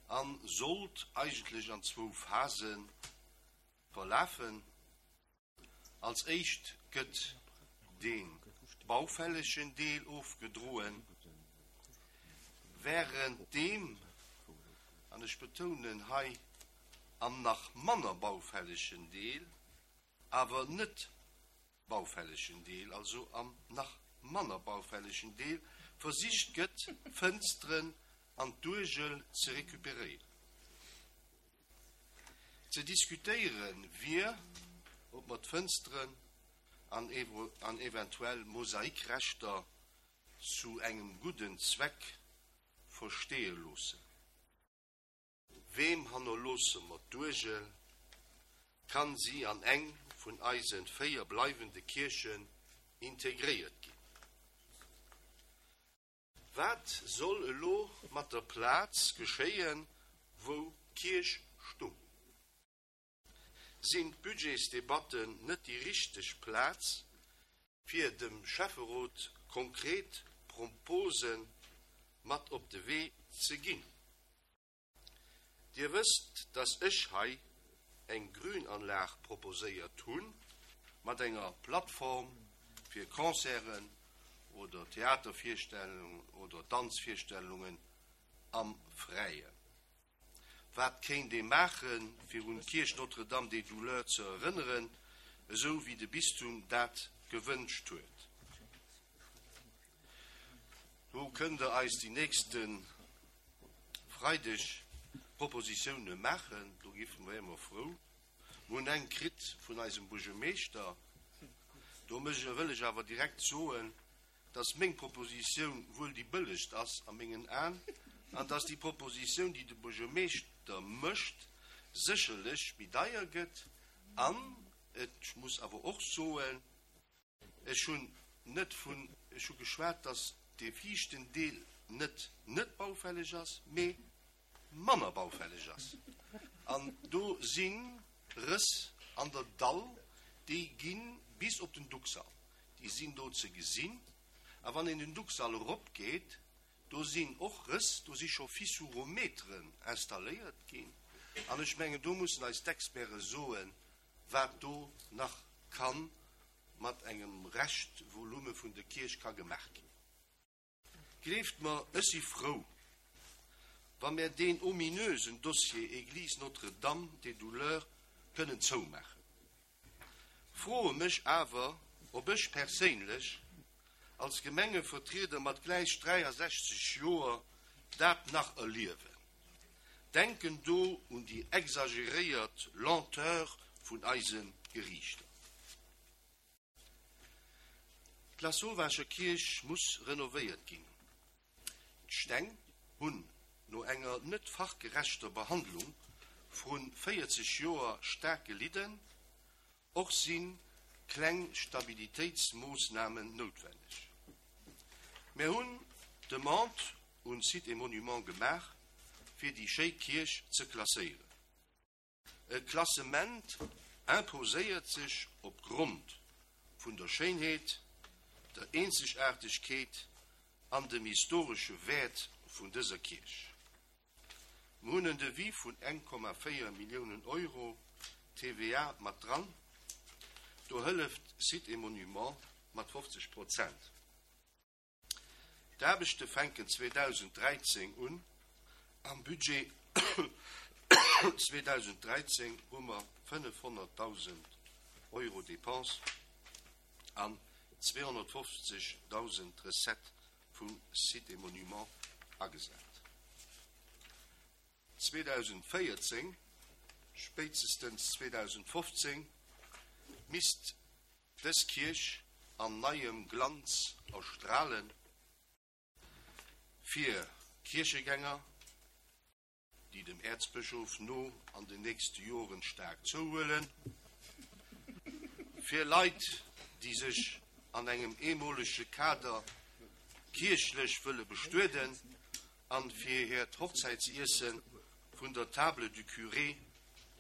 a sollt eigentlech an zwou Phase verlafen. Als éischt gëtt de baufällegen Deel ofgedroen, wärenddeem, an ech betounen hei, am nach manner baufällegen Deel, awer net baufällegen Deel, also am nach manner baufällegen Deel, versicht gëtt, d'Fënsteren an d'Uergel ze recuperéieren. Ze diskutéiere wier, ob mer d'Fënsteren an eventuell Mosaikreschter zu engem gudden Zweck versteeë loossen. Weem hannerloosse mer d'Uergel? Kann si an eng vun eise véier bleiwende Kierchen integréiert ginn? Wat soll elo mat der Plaz geschéien, wou d'Kierch stung? Sinn d'Budgetsdebatten net déi richteg Plaz, fir dem Schäfferot konkret Propose mat op de Wee ze ginn? Dir wësst, dass ech hei eng Grünanlag proposéiert hunn, mat enger Plattform fir Concerten oder Theatervirstellungen oder Danzvirstellungen am Fräien. Wat kéint ee maachen, fir un d'Kierch Notre-Dame des Douleurs ze erënneren, esou wéi de Bistum dat gewënscht huet? Do kënnt der eis déi nächste Freideg Propositioune maachen, do géife mer ëmmer frou. Mir hunn eng kritt vun eisem Buergermeeschter. Do wëll ech awer direkt soen, dass meng Propositioun wuel déi bëllegst ass a mengen Aen an dass déi Propositioun, déi de Buergermeeschter mécht, sécherlech méi deier gëtt. An ech muss awer och soen, ech hunn net vun, ech hu geschwat, dass dee viischten Deel net net baufälleg ass, mee manner baufälleg ass. An do si Rëss an der Dall, déi gi bis op den Ducksall. Déi sinn do ze gesinn. A wann een den Ducksall eropgeet, do sinn och Rëss, do si scho Fissurometeren installéiert ginn. An ech mengen, do mussen eis d'Experte soen, wat do nach ka mat engem Reschtvolume vun der Kierch ka gemaach ginn. Gleeft mer, ech si frou, wa mir deen ominösen Dossier Église Notre-Dame des Douleurs kënnen zoumaachen. Froe mech awer, ob ech perséinlech als Gemengevertrieder mat gläich dräiasechzeg Joer dat nach erliewen. Denken do un déi exageréiert Lenteur vun eise Geriichter. D'Lasauvage Kierch muss renovéiert ginn. D'Steng hunn no enger net fachgerechter Behandlung vru véierzeg Joer staark gelidden, och si kleng Stabilitéitsmoossnamen noutwenneg. Mir hunn d'Demande un Sites et Monuments gemaach, fir déi schéi Kierch ze klasséieren. E Klassement imposéiert sech opgrond vun der Schéinheet, der Eenzegaartegkeet an dem historesche Wäert vun dëser Kierch. Mir hunn en Devis vun eng Komma véier Milliounen Euro, T V A mat dran, do hëlleft Sites et Monuments mat fofzeg Prozent. D'Aarbechte fänken zweedausend dräizéng un. Am Budget zweedausend dräizéng hu mer fënnefhonnertdausend Euro Dépense an zweehonnertfofzegdausend Recette vu Sites et Monuments agesat. zweedausend véierzéng, spéitstens zweedausend fofzéng, misst dës Kierch an neiem Glanz erstralen, fir Kierchegänger, déi dem Äerzbëschof no an den nächste Joren staark zouhuelen, fir Leit, déi sech an engem eemolege Kader kierchlech wëlle bestueden an fir hiert Hochzäitsiesse vun der Table du Curé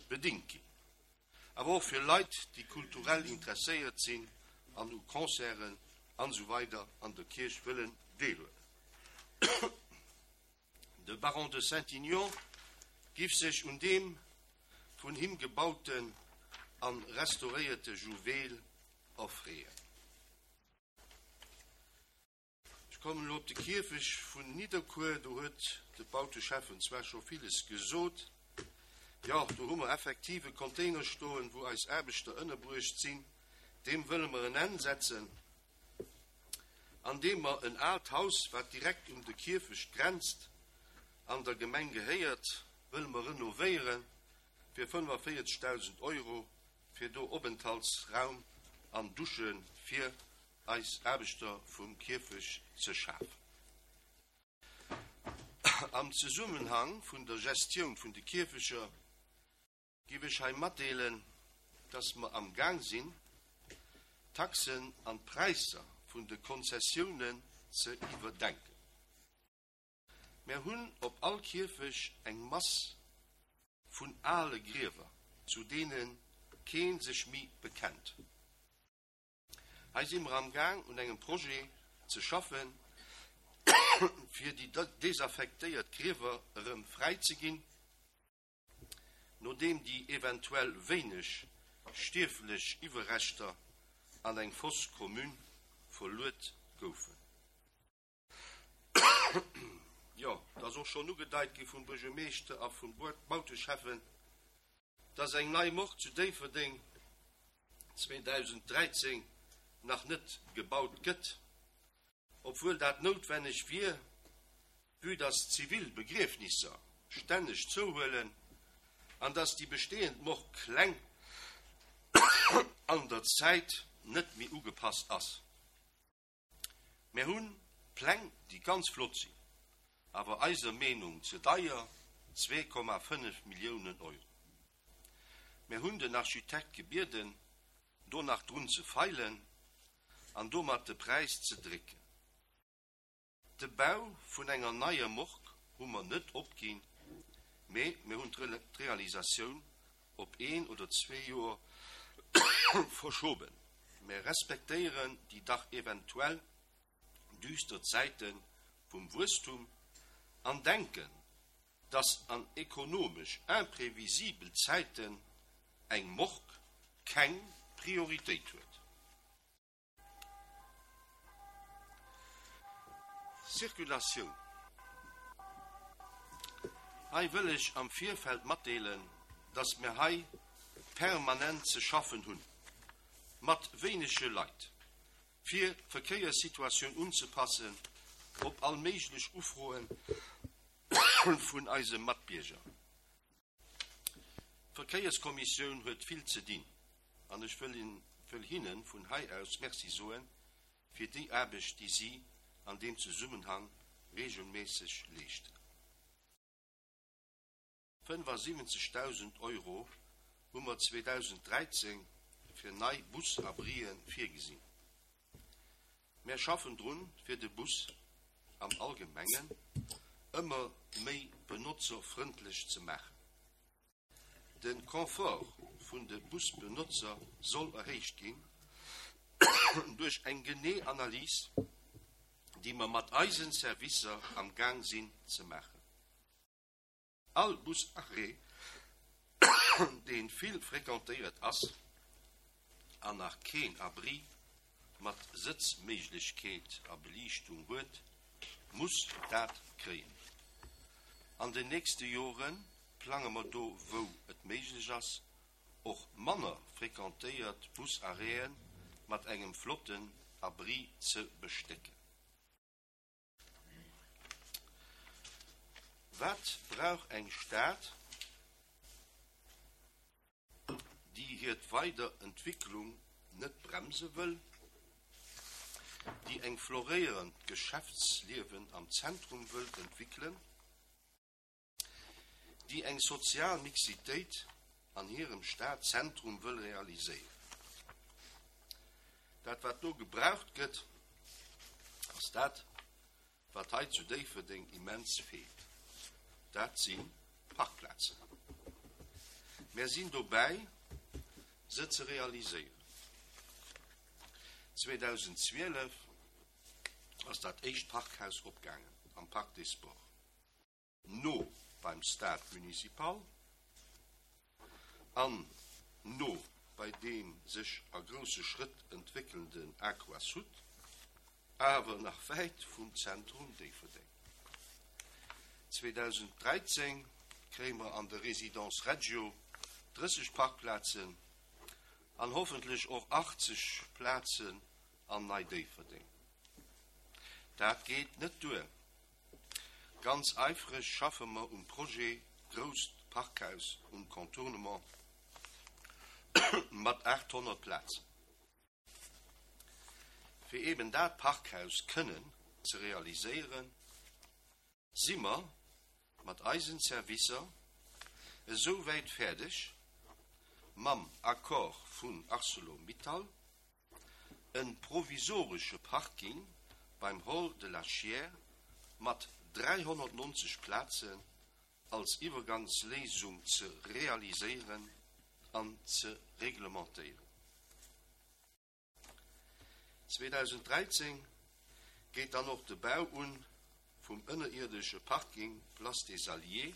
bedéngt ginn. Awer och fir Leit, déi kulturell interesséiert sinn an u Concerten an esou weider an der Kierch wëllen deelhuelen. De Baron de Saint-Aignan giff sech un deem vun him gebauten an restauréierte Juwel erfreeën. Ech kommen elo op de Kierfecht vun Nidderkuer, do huet de Bauteschäffen zwar scho villes gesot. Jo, do hu mer effektiv e Container stoen, wou eis Aarbechter ënnerbruecht sinn. Deem wëlle mer en Enn setzen, andeem mer en aalt Haus, wat direkt un de Kierfecht grenzt, an der Gemeng gehéiert, wëlle mer renovéiere fir fënnefenvéierzegdausend Euro, fir do Openthaltsraum an Dusche fir eis Aarbechter vum Kierfecht ze schafen. Am Zesummenhang vun der Gestioun vun de Kierfechter giff ech hei matdeelen, dass mer am Gaang sinn, d'Taxen an d'Präisser vun de Konzessiounen ze iwwerdenken. Mir hunn op all Kierfecht eng Mass vun ale Griewer, zu deene kee sech méi bekennt. Hei si mer am Gaang, un engem Projet ze schaffen, fir déi desaffektéiert Griewer erëm fräi ze ginn, nodeem déi eventuell wéineg stierflech Iwwerreschter an eng Fosse commune verluet goufen. Jo, et ass och schonn ugedeit gi vum Buergermeeschter a vum Bauteschäffen, dass eng nei Morgue zu Déifferdeng zweedausend dräizéng nach net gebaut gëtt, obwuel dat noutwenneg wier, vue dass zivil Begriefnisser stänneg zouhuelen an dass déi bestehend Morgue kleng an der Zäit net méi ugepasst ass. Mir hunn Pläng, déi ganz flott sinn, awer eiser Meenung ze deier, zwee Komma fënnef Milliounen Euro. Mir hunn den Architekt gebieden, do nach drun ze feilen an domat de Präis ze drécken. De Bau vun enger neier Morgue hu mer net opginn, mee mir hunn d'Realisatioun op een oder zwee Joer verschoben. Mir respektéieren déi dach eventuell düster Zäite vum Wuesstum an denken, dass an ekonomesch imprevisibel Zäiten eng Morgue keng Prioritéit huet. Circulatioun. Hei wëll ech am Virfeld matdeelen, dass mir hei permanent ze schaffen hunn, mat wéinege Leit, fir d'Verkéierssituatioun unzepassen op all méiglech Ufroe vun eise Matbierger. D'Verkéierskommissioun huet vill ze dinn an ech wëll wëll hinne vun hei aus Merci soen fir déi Aarbecht, déi si an deem Zesummenhang reegelméisseg leeschten. fënnefasiwwenzegdausend Euro hu mer zweedausend dräizéng fir nei Busabrien virgesinn. Mir schaffen drun, fir de Bus am Allgemengen ëmmer méi benotzerfrëndlech ze maachen. De Confort vun de Busbenotzer soll erhéicht ginn duerch eng genee Analys, déi mer mat eisen Servicer am Gaang sinn ze maachen. All Busarrêt, dee vill frequentéiert ass an nach keen Abri mat Sëtzméiglechkeet a Beliichtung huet, muss dat kréien. An den nächste Jore plange mer do, wou et méiglech ass, och manner frequentéiert Busarrêten mat engem flotten Abri ze bestécken. Wat brauch eng Stad, déi hir Weiderentwécklung net bremse wëll, déi eng floréierend Geschäftsliewen am Zentrum wëll entwéckelen, déi eng sozial Mixitéit an hirem Stadzentrum wëll realiséieren? Dat, wat do gebraucht gëtt, ass dat, wat hei zu Déifferdeng immens feelt. Dat si Parkplazen. Mir sinn dobäi, se ze realiséieren. zweedausend zwielef ass dat éischt Parkhaus opgaangen am Parc des Sports. No beim Stade municipal an no bei deem sech a grousse Schrëtt entwéckelnden Aquasud, awer nach wäit vum Zentrum Déifferdeng. zweedausend dräizéng kréie mer an der Résidence Reggio drësseg Parkplazen an hoffentlech och achtzeg Plazen an Nei Déifferdeng. Dat geet net duer. Ganz äifreg schaffe mer um Projet grousst Parkhaus um Contournement mat aathonnert Plazen. Fir eben dat Parkhaus kënnen ze realiséieren, si mer mat eisen Servicer esou wäit fäerdeg, mam Accord vun ArcelorMittal e provisoresche Parking beim Hall de la Chiers mat dräihonnertnonzeg Plazen als Iwwergangsléisung ze realiséieren an ze reglementéieren. zweedausend dräizéng geet dann och de Bau un vum ënnerierdesche Parking Place des Alliés,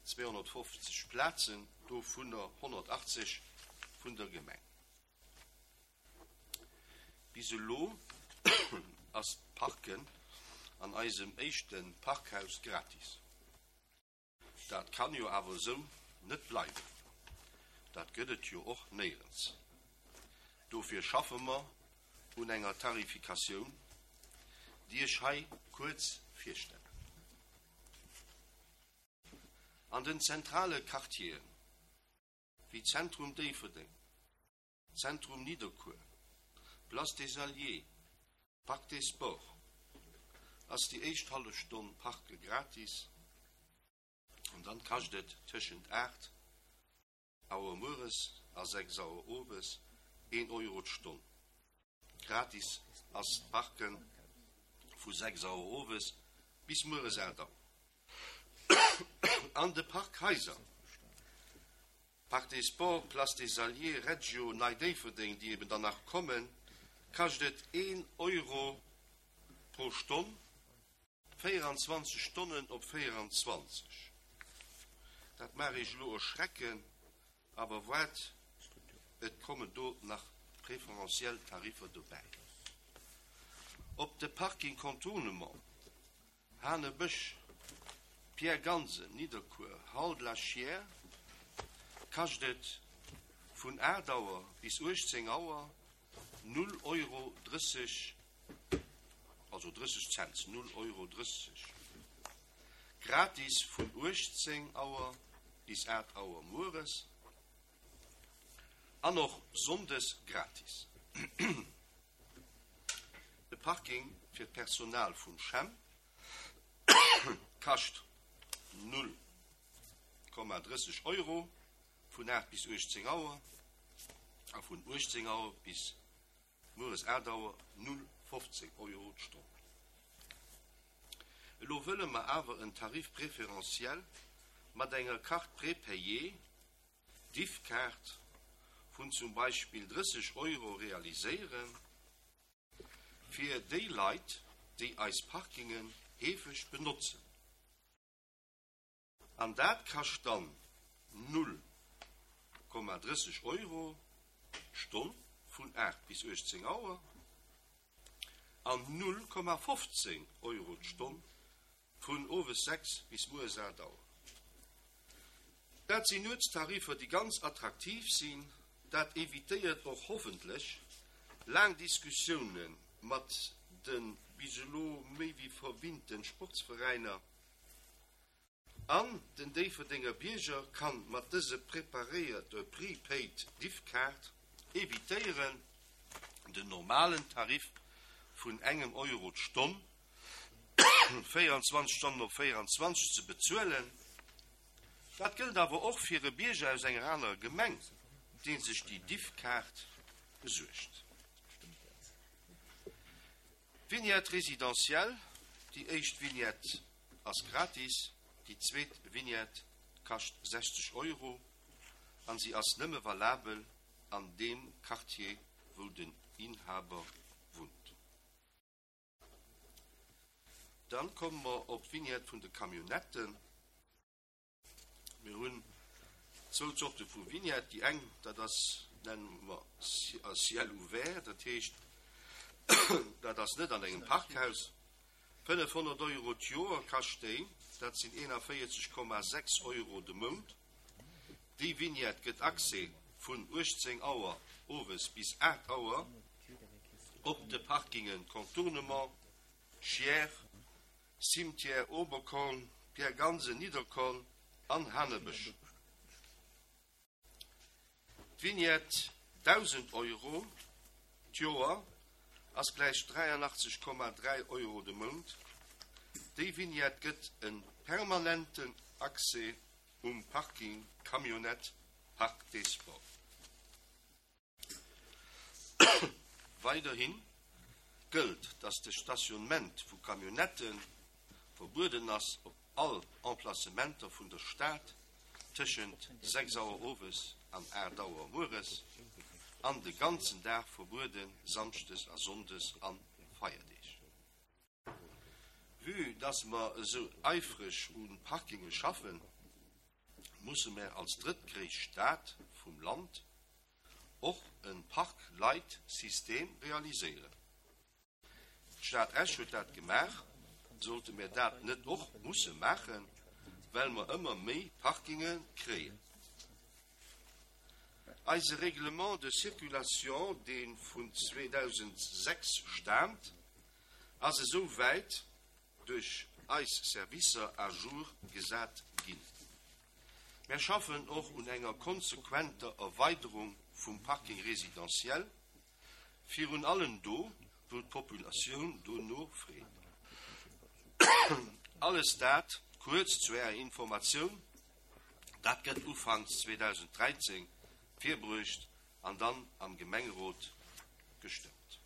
zweehonnertfofzeg Plazen, dovunner honnertachtzeg vun der Gemeng. Bis elo ass d'Parken an eisem éischte Parkhaus gratis. Dat kann jo awer esou net bleiwen. Dat gëtt et jo och néierens. Dofir schaffe mer un enger Tarifikatioun, déi ech hei kuerz virstellen. An den zentrale Quartieren, wéi Zentrum Déifferdeng, Zentrum Nidderkuer, Place des Alliés, Parc des Sports, ass déi éischt hallef Stonn Parke gratis an dann kascht et tëschent aacht Auer mueres a sechs Auer owes een Euro d'Stonn. Gratis ass d'Parke vu sechs Auer owes bis mueres aacht Auer. An de Parkhaiser, Parc des Sports, Place des Alliés, Reggio, Nei Déifferdeng, déi eben dann nach kommen, kascht et een Euro pro Stonn, véieranzwanzeg Stonnen op véieranzwanzeg. Dat mag Iech elo erschrecken, awer waart, et kommen do nach preferentiell Tariffer dobäi. Op de Parking Contournement, Hanebësch, Pierre Gansen, Nidderkuer, Hall de la Chiers, kascht et vun aacht Auer bis uechtzéng Auer null Euro drësseg, also drësseg Cents, null Euro drësseg. Gratis vun uechtzéng Auer bis aacht Auer mueres an och sonndes gratis. De Parking fir d'Personal vum CHEM kascht null Komma drësseg Euro vun aacht bis uechtzéng Auer a vun uechtzéng Auer bis mueres aacht Auer null fofzéng Euro d'Stonn. Elo wëlle mer awer en Tarif préférentiel mat enger Carte prépayée, Diffkaart, vun zum Beispill drësseg Euro realiséieren, fir déi Leit, déi eis Parkingen heefeg benotzen. An dat kascht dann null Komma drësseg Euro d'Stonn vun aacht bis uechtzéng Auer an null Komma fofzéng Euro d'Stonn vun owes sechs bis mueres aacht Auer. Dat sinn Nuetstariffer, déi ganz attraktiv sinn. Dat evitéiert och hoffentlech laang Diskussioune mat de bis elo méi wéi verwinnte Sportsveräiner. An den Déifferdenger Bierger kann mat dëse preparéierte Prepaid Diffkaart evitéieren, den normalen Tarif vun engem Euro d'Stonn, véieranzwanzeg Stonnen op véieranzwanzeg, ze bezuelen. Dat gëllt awer och fir e Bierger aus enger anerer Gemeng, dee sech déi Diffkaart besuergt. Vignette résidentielle, déi éischt Vignette ass gratis, déi zweet Vignette kascht sechzeg Euro an si ass nëmme valabel an deem Quartier, wou den Inhaber wunnt. Dann komme mer op d'Vignette vun de Camionnetten. Mir hunn zwou Zorte vu Vignette. Déi eng, dat ass, nenne mer à ciel ouvert, dat heescht, dat ass net an engem Parkhaus. fënnefhonnert Euro d'Joer kascht déi, dat sinn eenanvéierzeg Komma sechs Euro de Mount. Déi Vignette gëtt Accès vun uechtzéng Auer owes bis aacht Auer op de Parkingen Contournement, Chiers, Cimetière Oberkorn, Pierre Gansen, Nidderkorn an Hanebësch. D'Vignette dausend Euro d'Joer ass gläich dräianachtzeg Komma dräi Euro de Mount. Déi Vignette gëtt e permanenten Accès um Parking Camionnette Parc des Sports. Weiderhi gëllt, dass de Stationnement vu Camionnettë verbueden ass op all Emplacementer vun der Stad tëschent sechs Auer owes an aacht Auer mueres an de ganzen Dag verbueden samschdes a sonndes an Feierdeeg. Vue dass mer esou eifreg u Parkinge schaffen, musse mer als drëttgréisst Stad vum Land och e Park-Light-System realiséieren. D'Stad Esch huet dat gemaach, sollte mir dat net och musse maachen, well mer ëmmer méi Parkinge kréien. Eise Règlement de circulation, dee vun zweedausendsechs staamt, ass esou wäit duerch eis Servicer à jour gesat ginn. Mir schaffen och un enger konsequenter Erweiderung vum Parking résidentiel, virun allem do, wou d'Populatioun dono freet. Alles dat kuerz zu Ärer Informatioun, dat gëtt ufanks zweedausendräizéng virbruecht an dann am Gemengerot gestëmmt.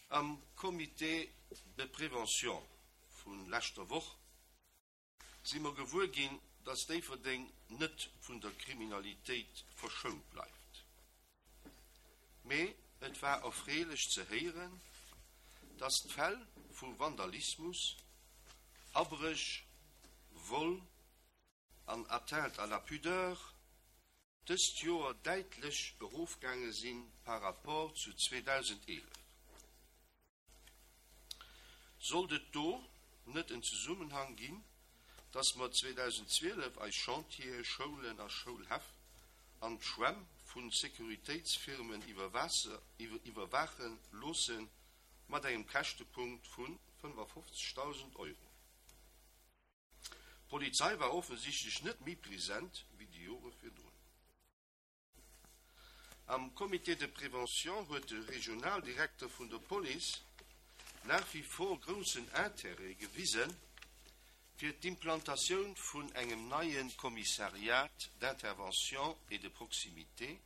Am Comité de prévention vu leschter Woch si mer gewuer ginn, dass Déifferdeng net vun der Kriminalitéit verschount bleift. Mee et war erfreelech ze héieren, dass d'Fäll vu Vandalismus, Abréch, Vol an Atteinte à la pudeur dëst Joer däitlech erofgaange si par rapport zu zweedausendeelef. Sollt et do net en Zesummenhang ginn, dass mer zweedausendzwielef eis Chantiere, Schoulen a Schoulhäff an d'Schwämm vu Sécuritéitsfirmen iwwerwaache loosse mat engem Käschtepunkt vu fënnefafofzegdausend Euro? D'Polizei war offensichtlech net méi present wéi déi Jore virdrun. Am Comité de prévention huet de Regionaldirekter vun der Police nach wie vor groussen Intérêt gewisen, fir d'Implantatioun vun engem neie Commissariat d'intervention et de proximité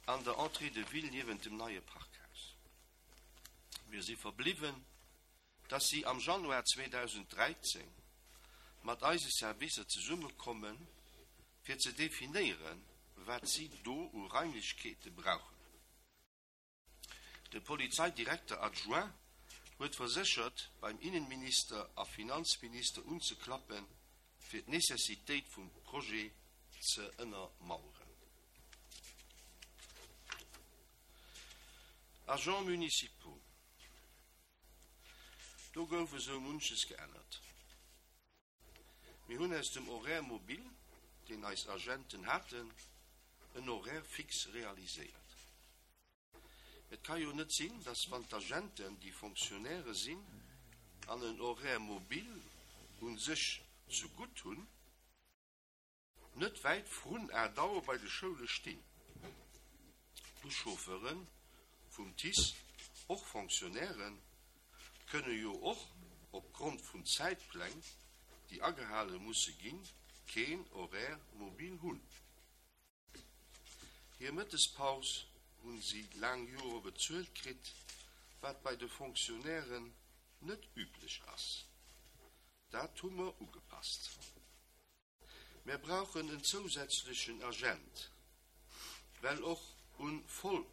an der Entrée de ville niewent dem neie Parkhaus. Mir si verbliwwen, dass si am Januar zweedausenddräizéng mat eise Servicer zesummekommen, fir ze definéieren, wat si do u Raimlechkeete brauchen. De Polizeidirekter adjoint huet verséchert, beim Innenminister a Finanzminister unzeklappen, fir d'Necessitéit vum Projet ze ënnermaueren. Agents municipaux. Do gouf esou munches geännert. Mir hunn aus dem Horaire mobile, deen eis Agenten haten, en Horaire fixe realiséiert. Et ka jo net sinn, dass wann d'Agenten, déi Fonctionnairë sinn, an en Horaire mobile u sech zegutt hunn, net wäit vrun aacht Auer bei de Schoule stinn. D'Buschauffeure vum T I C E, och Fonctionnairen, kënne jo och opgrond vun Zäitpläng, déi agehale musse ginn, keen Horaire mobile hunn. Hir Mëttespaus hunn si laang Jore bezuelt kritt, wat bei de Fonctionnairen net üblech ass. Dat hu mer ugepasst. Mir brauchen en zousätzlechen Agent, well och un Voll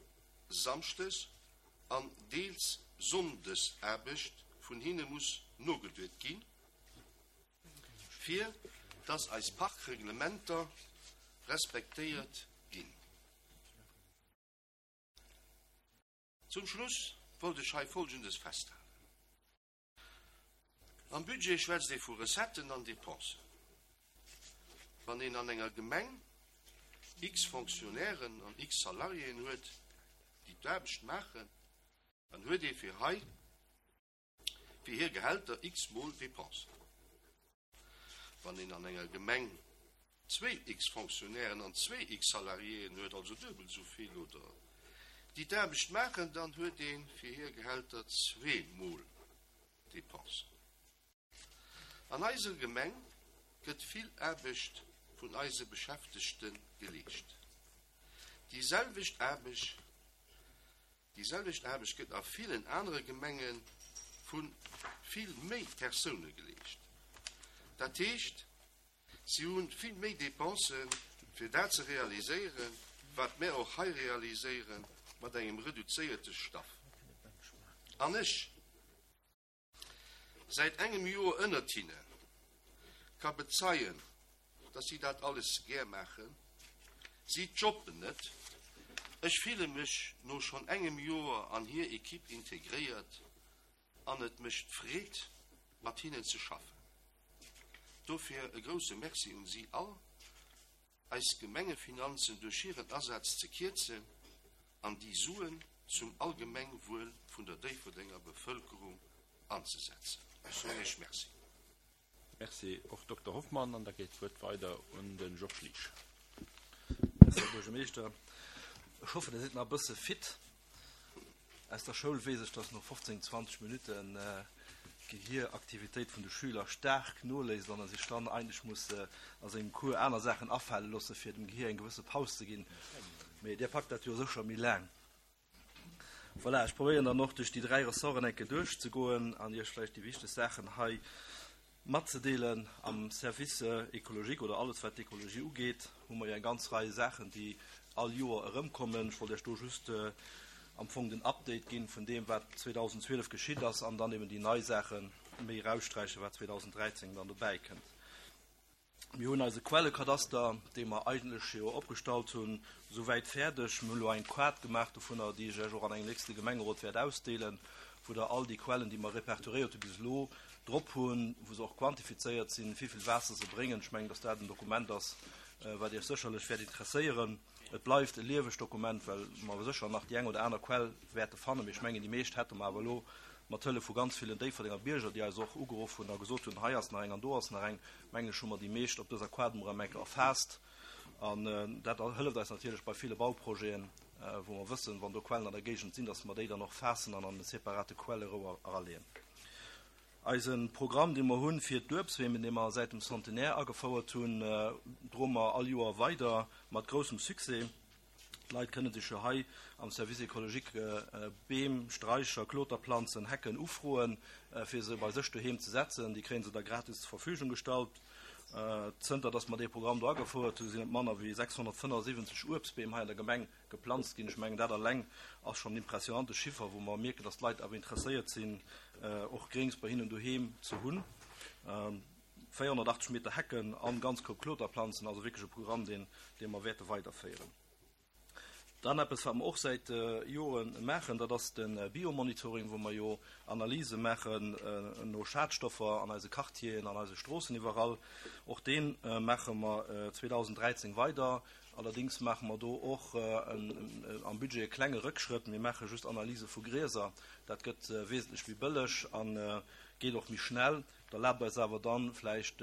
Samschdes an deels Sonndesaarbecht vun hinne muss nogeduet ginn, fir dass eis Parkreglementer respektéiert ginn. Zum Schluss wollt ech hei Folgendes festhalen. Am Budget schwätzt ee vu Recetten an Dépensen. Wann een an enger Gemeng x Fonctionnairen an x Salariéen huet, déi d'Aarbecht maachen, dann huet ee fir hei fir hir Gehälter x mol Dépensen. Wann een an enger Gemeng zwee x Fonctionnairen an zwee x Salariéen huet, also duebel esou vill oder déi d'Aarbecht maachen, dann huet ee fir hir Gehälter zwee mol Dépensen. An eiser Gemeng gëtt vill Aarbecht vun eise Beschäftegte geleescht. Déi selwecht Aarbecht, déi selwecht Aarbecht gëtt a villen anere Gemenge vu vill méi Persoune geleescht. Dat heescht, si hu vill méi Dépensen, fir dat ze realiséieren, wat mir och hei realiséieren, mat engem reduzéierte Staff. An ech, säit engem Joer ënnert hinne, ka bezeien, dass si dat alles gär maachen. Si jobben net. Ech fille mech no schonn engem Joer an hir Ekipp integréiert an et mécht Freed, mat hinnen ze schaffen. Dofir e grousse Merci un si all. Eis Gemengefinanzen duerch hiren Asaz ze kierzen an déi Suen zum Allgemengwuel vun der Déifferdenger Bevëlkerung anzesetzen. Ech soen Iech Merci. Merci och, Dokter Hoffmann. An da geet d'Wuert weider un de Georges Liesch. Merci, Här Buergermeeschter. Ech hoffen, Dir sidd nach e bësse fit. Aus der Schoul weess ech, dass no fofzéng, zwanzeg Minutten d'Gehieraktivitéit vun de Schüler staark noléisst an e sech dann eigentlech muss a sengem Cours aner Saachen afale loosse fir dem Gehier eng gewësse Paus ze ginn. Mee Dir packt dat jo sécher méi laang. Voilà, ech probéieren dann och duerch déi dräi Ressorten eng Kéier duerchzegoen an Iech vläicht déi wichteg Saachen hei matzedeelen. Am Service écologique oder alles wat d'Ekologie ugeet, hu mer jo eng ganz Rei Saachen, déi all Joer erëmkommen. Ech wollt Iech do just am Fong den Update ginn vun deem, wat zweedausendzwielef geschitt ass an dann eben déi nei Saache méi eraussträichen, wat zweedausendräizéng dann dobäi kënnt. Mir hunn eise Quellekadaster, dee mer eigentlech jo opgestallt hunn, souwäit fäerdeg. Mir hunn elo eng Kaart gemaach dovunner, déi ech Iech och an engem nächste Gemengerot wäert ausdeelen, wou Der all déi Quellen, déi mer repertoriéiert hu bis elo, drop hunn, wou se och quantifizéiert sinn, wéi vill Waasser se bréngen. Ech mengen, dass dat en Dokument ass, wat Iech sécherlech wäert interesséieren. Et bleift e liewegt Dokument, well mer sécher nach déi eng oder aner Quell wäerte fannen. Mee ech mengen, déi meescht hätte mer awer elo mat Hëllef vu ganz villen Déifferdenger Bierger, déi eis och ugeruff hunn a gesot hunn, hei ass nach eng an do ass nach eng, mengen ech, hu mer déi meescht op dëser Quadrum erëm eng Kéier erfaasst. An dat hëlleft eis natierlech bei ville Bauprojeten, wou mer wëssen, wann do Quellen an der Géigend sinn, dass mer déi dann och faassen an an e separate Quellerouer eraleeën. Eise Programm, dee mer hunn fir d'Uebstbeem, dee mer säit dem Centenaire agefouert hunn, droe mer all Joer weider mat groussem Succès. D'Leit kënne sech jo hei am Service écologique Beem, Straicher, Kloterplanzen, Hecken ufroen, fir se bei sech doheem ze setzen. Déi kréie se da gratis zur Verfügung gestallt. Zënter datt mer dee Programm do agefouert hunn, sinn et manner wéi sechshonnertfënnefundsiwwenzeg Uebstbeem hei an der Gemeng geplanzt ginn. Ech mengen, dat alleng ass schonn en impressionante Chiffer, wou mer mierken, datt d'Leit awer interesséiert sinn, och Gréngs bei hinnen doheem ze hunn. véierhonnertachtzeg Meter Hecken an ganz Koup Kloterplanzen, also wierklech e Programm, deen, dee mer wäerte weiderféieren. Dann eppes, wat mer och säit Jore maachen, dat ass de Biomonitoring, wou mer jo Analyse maachen no Schadstoffer an eise Quartieren, an eise Stroossen iwwerall. Och dee maache mer zweedausenddräizéng weider. Allerdéngs maache mer do och am Budget e klenge Rëckschrëtt. Mir maache just Analyse vu Grieser. Dat gëtt wesentlech méi bëlleg a geet och méi schnell. Dat erlaabt eis awer dann vläicht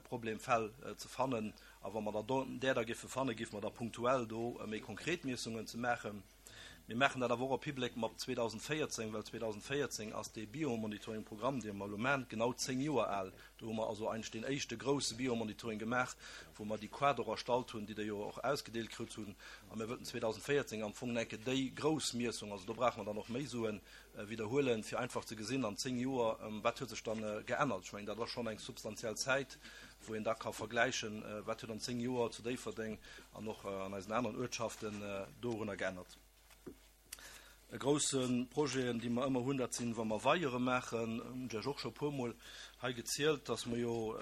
Problemfäll ze fannen. A wa mer da där da géife fannen, géife mer da punktuell do méi konkret Miessungen ze maachen. Mir maachen dat awer och op Hibléck mat zweedausendvéierzéng, well zweedausendvéierzéng ass dee Biomonitoring-Programm, dee mer elo maachen, genau zéng Joer al. Do hu mer also eigentlech deen éischte grousse Biomonitoring gemaach, wou mer déi Quader erstallt hunn, déi Der jo och ausgedeelt kritt hunn. A mir wëllten zweedausendvéierzéng am Fong enke déi grouss Miessung, also do brauche mer dann och méi Suen, widderhuelen, fir einfach ze gesinn an zéng Joer, wat huet sech dann geännert. Ech mengen, dat ass schonn eng substantiell Zäit, wou een da ka vergläichen, wat huet an zéng Joer zu Déifferdeng an och an eisen aneren Uertschaften dorunner geännert. E grousse Projeten, déi mer ëmmer hunn, dat sinn, wa mer Weiere maachen, hunn ech Iech och scho e puermol hei gezielt, dass mer jo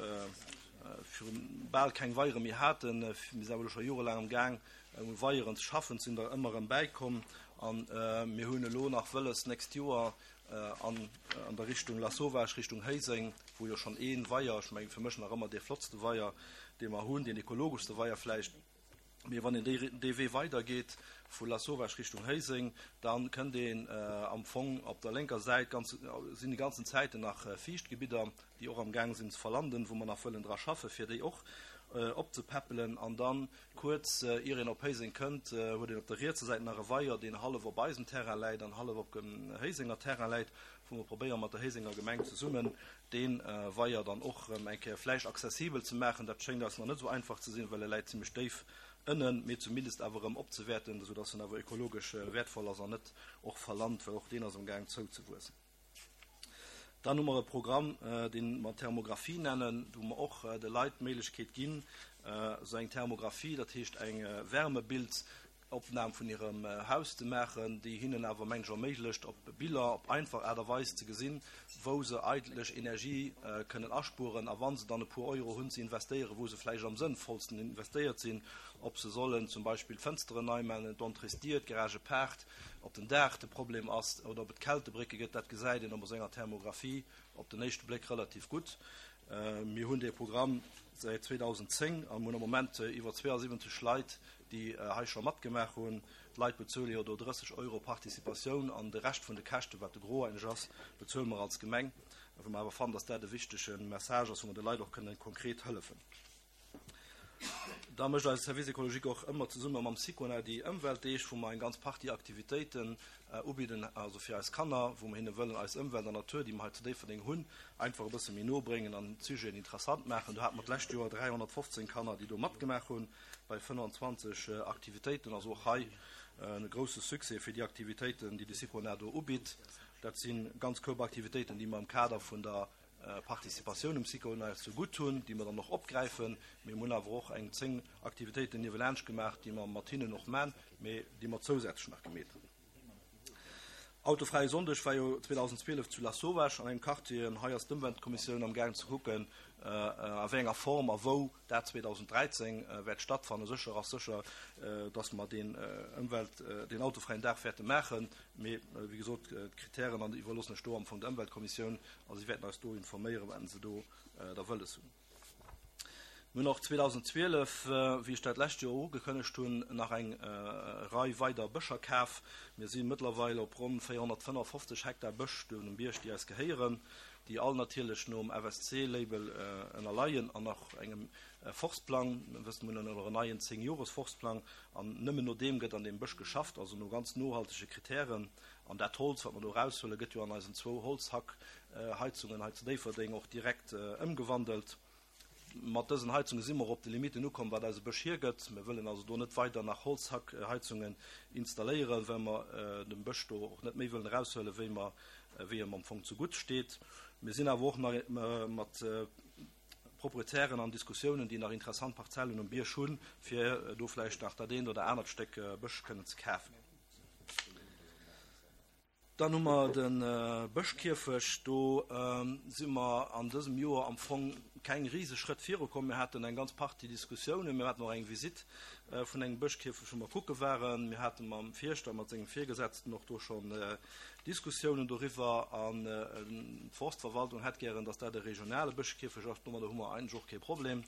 virun bal keng Weiere méi haten. Mir sinn awer elo scho jorelaang am Gaang, u Weieren ze schaffen, et sinn der ëmmer erëm bäikomm. An mir hunn elo nach wëlles, d'nächst Joer an an der Richtung Lasauvage, Richtung Héiseng, wou jo schonn ee Weier, ech mengen fir mech nach ëmmer dee flottste Weier, dee mer hunn, deen ekologeschste Weier vläicht, mee wann een déi dee Wee weidergeet vu Lasauvage Richtung Héiseng, da kënnt een am Fong op der lénker Säit ganz, sinn déi ganzen Zäiten nach Fiichtgebidder, déi och am Gaang sinn ze verlanden, wou mer nach wëllen dra schaffen, fir déi och opzepäppelen. An dann kuerz ier een op Héiseng kënnt, huet een op der rietser Säit nach e Weier, deen hallef op eisem Terrain läit an hallef op dem Héisenger Terrain läit, wou mer probéieren mat der Héisenger Gemeng zesummen dee Weier dann och erëm eng Kéier vläicht accessibel ze maachen. Dat schéngt eis nach net esou einfach ze sinn, well e läit zimlech déif ënnen, mee zumindest awer erëm opzewäerten, esou dass en awer ökologesch wäertvoll ass an net och verlant, well och deen ass am Gaang zouzewuessen. Dann hu mer e Programm, dee mer Thermographie nennen, wou mer och de Leit d'Méiglechkeet ginn, esou eng Thermographie, dat heescht eng Wärmebild, Opnam vun hirem Haus ze maachen, déi hinnen awer mengen ech erméiglecht, op Biller op einfach Aart a Weis ze gesinn, wou se eigentlech Energie kënnen aspueren a wa se dann e puer Euro hunn ze investéieren, wou se vläicht am sënnvollsten investéiert sinn, ob se sollen zum Beispill d'Fënsteren nei maachen, d'Entréesdier, d'Garagepaart, ob den Daach de Problem ass oder ob et Kältebrécke gëtt, dat gesäit een op esou enger Thermographie op den éischte Bléck relativ gutt. Mir hunn dee Programm säit zweedausendzéng a mir hunn am Moment iwwer zweeasiwwenzeg Leit, déi hei scho matgemaach hunn. D'Leit bezuele jo do drësseg Euro Participatioun an de Rescht vun de Käschten, wat de Gros eigentlech ass, bezuele mer als Gemeng, well mer awer fannen, dass dat e wichtege Message ass, wou mer de Leit och kënnen konkret hëllefen. Da mécht eise Service écologique och ëmmer zesumme mam Sicona déi Ëmweltdeeg, wou mer eng ganz Partie Aktivitéiten ubidden, also fir eis Kanner, wou mer hinne wëllen eis Ëmwelt an Natur, déi mer hei zu Déifferdeng hunn, einfach e bësse méi no bréngen an d'Sujeten interessant maachen. Do hate mer d'lescht Joer dräihonnertfofzéng Kanner, déi do matgemaach hunn bei fënnwanzwanzeg Aktivitéiten. Also och hei e grousse Succès fir déi Aktivitéiten, déi de Sicona do ubitt. Dat si ganz Koup Aktivitéiten, déi mer am Kader vun der Participatioun um Sicona ze gutt hunn, déi mer dann och opgräifen. Mir hunn awer och eng zéng Aktivitéiten niewelaanscht gemaach, déi mer mat hinnen och man, mee déi mer zousätzlech nach gemeet hunn. Autofräie Sonndeg war jo zweedausendzwielef zu Lasauvage an engem Quartier. An hei ass d'Ëmweltkommissioun am gaangen ze kucken, a wéi enger Form a wou dat zweedausenddräizéng wäert stattfannen. Sécher ass sécher, dass mer deen Ëmwelt, deen autofräien Dag wäerte maachen. Mee wéi gesot, d'Kritären an iwwerloossen ech do am Fong der Ëmweltkommissioun a si wäerten eis do informéieren, wat se do da wëlles hunn. Mir hunn och zweedausendzwielef, wéi ech dat lescht Joer ugekënnegt hunn, nach eng Rei weider Bëscher kaf. Mir si mëttlerweil op ronn véierhonnertfënnefofzeg Hektar Bësch do um Bierg, déi eis gehéieren, déi all natierlech nom F S C-Label ënnerleien an nach engem Forstplang. Mir wëssen, mir hunn elo en neien zéng-Jores-Forstplang an nëmmen no deem gëtt an deem Bësch geschafft, also no ganz nohaltege Kritären. An dat Holz, wat mer do eraushuelen, gëtt jo an eisen zwou Holzhackheizungen hei zu Déifferdeng och direkt ëmgewandelt. Mat dësen Heizungen si mer op de Limiten ukomm, wat eise Bësch hiergëtt. Mir wëllen also do net weider nach Holzhackheizungen installéieren, well mer dem Bësch do och net méi wëllen eraushuelen, wéi mer, wéi em am Fong zegutt steet. Mir sinn awer och nach mat Proprietären an Diskussiounen, déi nach interessant Parzellen um Bierg hunn, fir do vläicht nach dat eent oder anert Stéck Bësch kënnen ze kafen. Dann hu mer de Bëschkierfecht. Do si mer an dësem Joer am Fong keng rieseg Schrëtt virukomm. Mir haten eng ganz Partie Diskussiounen. Mir haten och eng Visite vun engem Bëschkierfecht, wou mer kucke waren. Mir haten mam Fierschter, mat sengem Virgesetzten och do schonn Diskussiounen doriwwer. An d'Forstverwaltung hätt gären, dass dat e regionale Bëschkierfecht ass. Domadder hu mer eigentlech och kee Problem.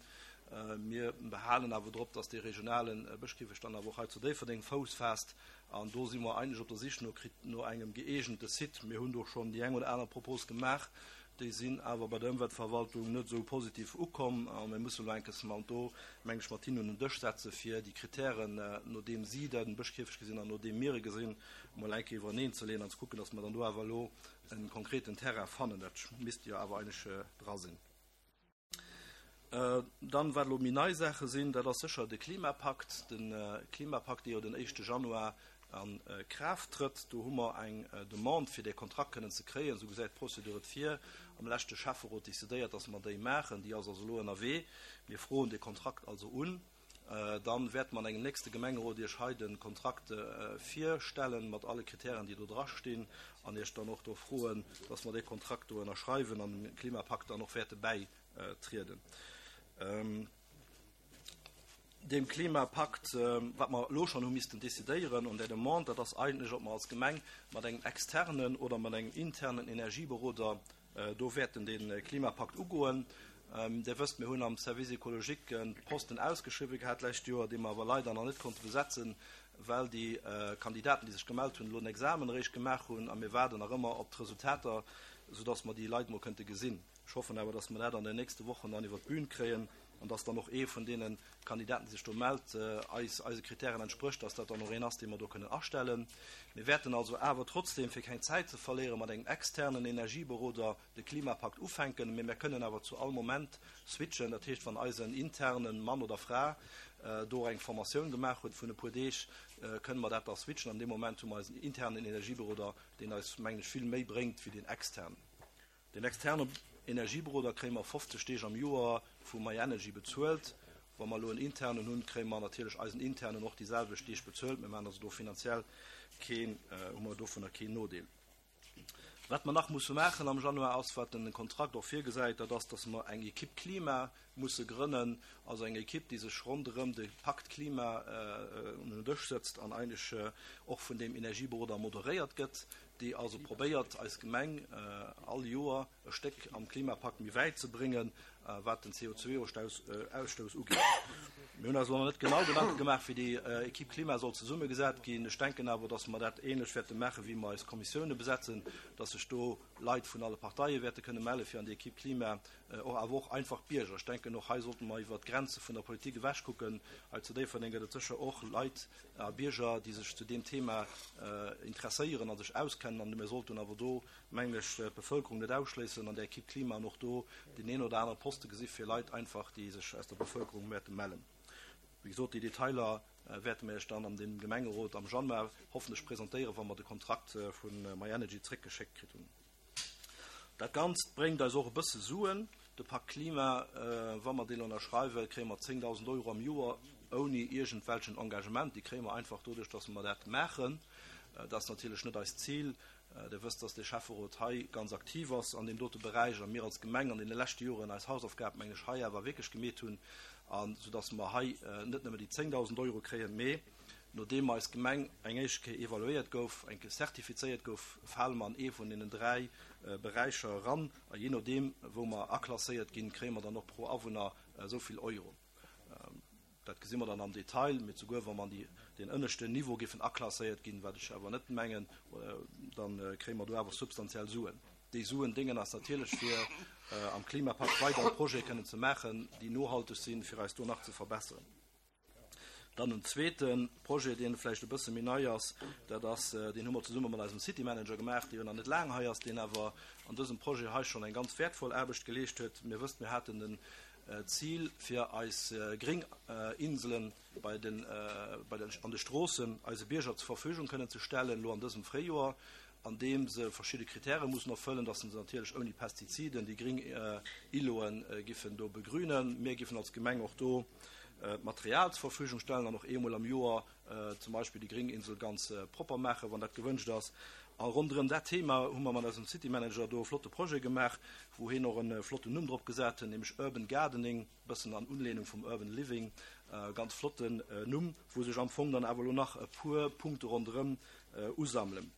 Mir behalen awer drop, dass dee regionale Bëschkierfecht dann awer och hei zu Déifferdeng Fouss faasst. An do si mer eigentlech op der Sich no Krit-, no engem gëeegente Site. Mir hunn do schonn déi eng oder aner Propos gemaach. Déi sinn awer bei der Ëmweltverwaltung net esou positiv ukomm. A mir mussen elo enkems mal do, meng ech, mat hinnen un den Dësch setzen, fir déi Kritären, no deem si den Bëschkierfecht gesinn an no deem mir e gesinn, mol eng Kéier iwwereneen ze leeën an ze kucken, dass mer dann do awer elo en konkreten Terrain fannen. Dat misst jo awer eigentlech dra sinn. Dann, wat elo méi nei Saache sinn, dat ass sécher de Klimapakt. Den Klimapakt, dee jo den éischte Januar an Kraaft trëtt. Do hu mer eng Demande, fir dee Kontrakt kënnen ze kréien. Esou gesäit d'Procédure et vir. Am leschte Schäfferot decidéiert, dass mer déi maachen. Déi ass also elo ënnerwee. Mir froen de Kontrakt also un. Dann wäerte mer an engem nächste Gemengerot Iech hei den Kontrakt virstellen, mat alle Kritären, déi do dra stinn, an Iech dann och do froen, dass mer dee Kontrakt do ënnerschreiwen an dem Klimapakt dann och wäerte bäitrieden. Dem Klimapakt, wat mer elo schonn hu missten decidéieren an der Demande, dat ass eigentlech, ob mer als Gemeng mat engem externen oder mat engem internen Energieberoder do wäerten den Klimapakt ugoen. Dir wësst, mir hunn am Service écologique en Posten ausgeschriwwen gehat d'lescht Joer, dee mer awer leider nach net konnte besetzen, well déi Kandidaten, déi sech gemellt hunn, elo en Examen eréischt gemaach hunn a mir waarden nach ëmmer op d'Resultater, sodass mer déi Leit mol kënnte gesinn. Ech hoffen awer, dass mer dat an den nächste Wochen dann iwwer d'Bühn kréien an dass dann och ee vun deenen Kandidaten, déi sech do mellt, eis, eise Kritären entsprécht, dass dat dann och een ass, dee mer do kënnen astellen. Mir wäerten also awer trotzdem, fir keng Zäit ze verléieren, mat engem externen Energieberoder de Klimapakt ufänken, mee mir kënnen awer zu all Moment switchen. Dat heescht, wann eisen internen Mann oder Fra do eng Formatioun gemaach huet vun e puer Deeg, kënnen mer dat da switchen. An dem Moment hu mer eisen internen Energieberoder, deen eis, mengen ech, vill méi bréngt wéi den externen. Den externen Energieberoder kréie mer fofzeg Deeg am Joer vu MyEnergy bezuelt. Wa mer elo en Internen hunn, kréie mer natierlech eisen Internen och déi selwecht Deeg bezuelt. Mir maachen also do finanziell keen, hu mer dovunner keen Nodeel. Wat mer nach musse maachen am Januar ass, wat den Kontrakt och virgesäit, dat ass, dass mer eng Equipe Klima musse grënnen, also eng Equipe, déi sech ronderëm de Pakt Klima un den Dësch sëtzt an eigentlech och vun deem Energieberoder moderéiert gëtt, déi also probéiert, eis Gemeng all Joer e Stéck am Klimapakt méi wäit ze bréngen, wat den C O zwei Ausstouss ugeet. Mir hunn eis elo nach net genau Gedanke gemaach, wéi déi Equipe Klima soll zesummegesat ginn. Ech denken awer, dass mer dat ähnlech wäerte maachen, wéi mer eis Kommissioune besetzen, dass sech do Leit vun alle Parteie wäerte kënne melle fir an déi Equipe Klima, och awer och einfach Bierger. Ech denken, och hei sollte mer iwwer d'Grenze vun der Politik ewech kucken. Hei zu Déifferdeng gëtt et sécher och Leit a Bierger, déi sech zu deem Thema interesséieren a sech auskennen. An mir sollten awer do, mengen ech, d'Bevëlkerung net ausschléissen an der Equipe Klima an och do den een oder anere Poste gesi fir Leit einfach, déi sech aus der Bevëlkerung wäerte mellen. Wéi gesot, déi Detailer wäerte mir iech dann an dem Gemengerot am Januar hoffentlech presentéieren, wa mer de Kontrakt vun MyEnergy zréckgeschéckt kritt hunn. Dat Ganzt bréngt eis och e bësse Suen. De Pakt Klima, wa mer deen ënnerschreiwen, kréie mer zéngdausend Euro am Joer ouni iergendwelchen Engagement. Déi kréie mer einfach doduerch, dass mer dat maachen. Dat ass natierlech net eist Zil. Dir wësst, dass de Schäfferot hei ganz aktiv ass an deem dote Beräich a mir als Gemeng an deene leschte Joren eis Hausaufgab, mengen ech, hei awer wierklech gemeet hunn, an soudass mer hei net nëmme déi zéngdausend Euro kréien, mee nodeem eis Gemeng eng éischt Kéier evaluéiert gouf, eng Kéier zertifizéiert gouf, fale mer an ee vun deenen dräi Beräicher eran. A je nodeem, wou mer aklasséiert ginn, kréie mer dann och pro Awunner esou vill Euro. Dat gesi mer dann am Detail, mee souguer wa mer an deen ënneschten Niveau géifen aklasséiert ginn, wat ech awer net mengen, dann kréie mer do awer substantiell Suen. Déi Suen déngen eis natierlech fir am Klimapakt weider Projete kënnen ze maachen, déi nohalteg sinn, fir eis do nach ze verbessern. Dann en zweete Projet, deen vläicht e bësse méi nei ass, dat ass, deen hu mer zesumme mat eisem City Manager gemaach, dee jo nach net laang hei ass, deen awer an dësem Projet hei schonn eng ganz wertvoll Aarbecht geleescht huet. Mir wësst, mir haten den Zil fir eis gréng Inselen bei den, bei den, an de Stroossen eise Bierger zur Verfügung kënnen ze stellen, lo an dësem Fréijoer, an deem se verschidde Kritäre mussen erfëllen, dass se natierlech ouni Pestiziden déi gréng Iloen giffen do begrünen. Mir giffen als Gemeng och do Material zur Verfügung stellen an och eemol am Joer zum Beispill déi gréng Insel ganz propper maachen, wann dat gewënscht ass. A ronderëm dat Thema hu mer mat eisem City Manager do e flotte Projet gemaach, wou hien och en flotten Numm drop gesat huet, nämlech Urban Gardening, bëssen an Unlehnung vum Urban Living, ganz flotten Numm, wou sech am Fong dann awer elo nach e puer Punkte ronderëm usammelen.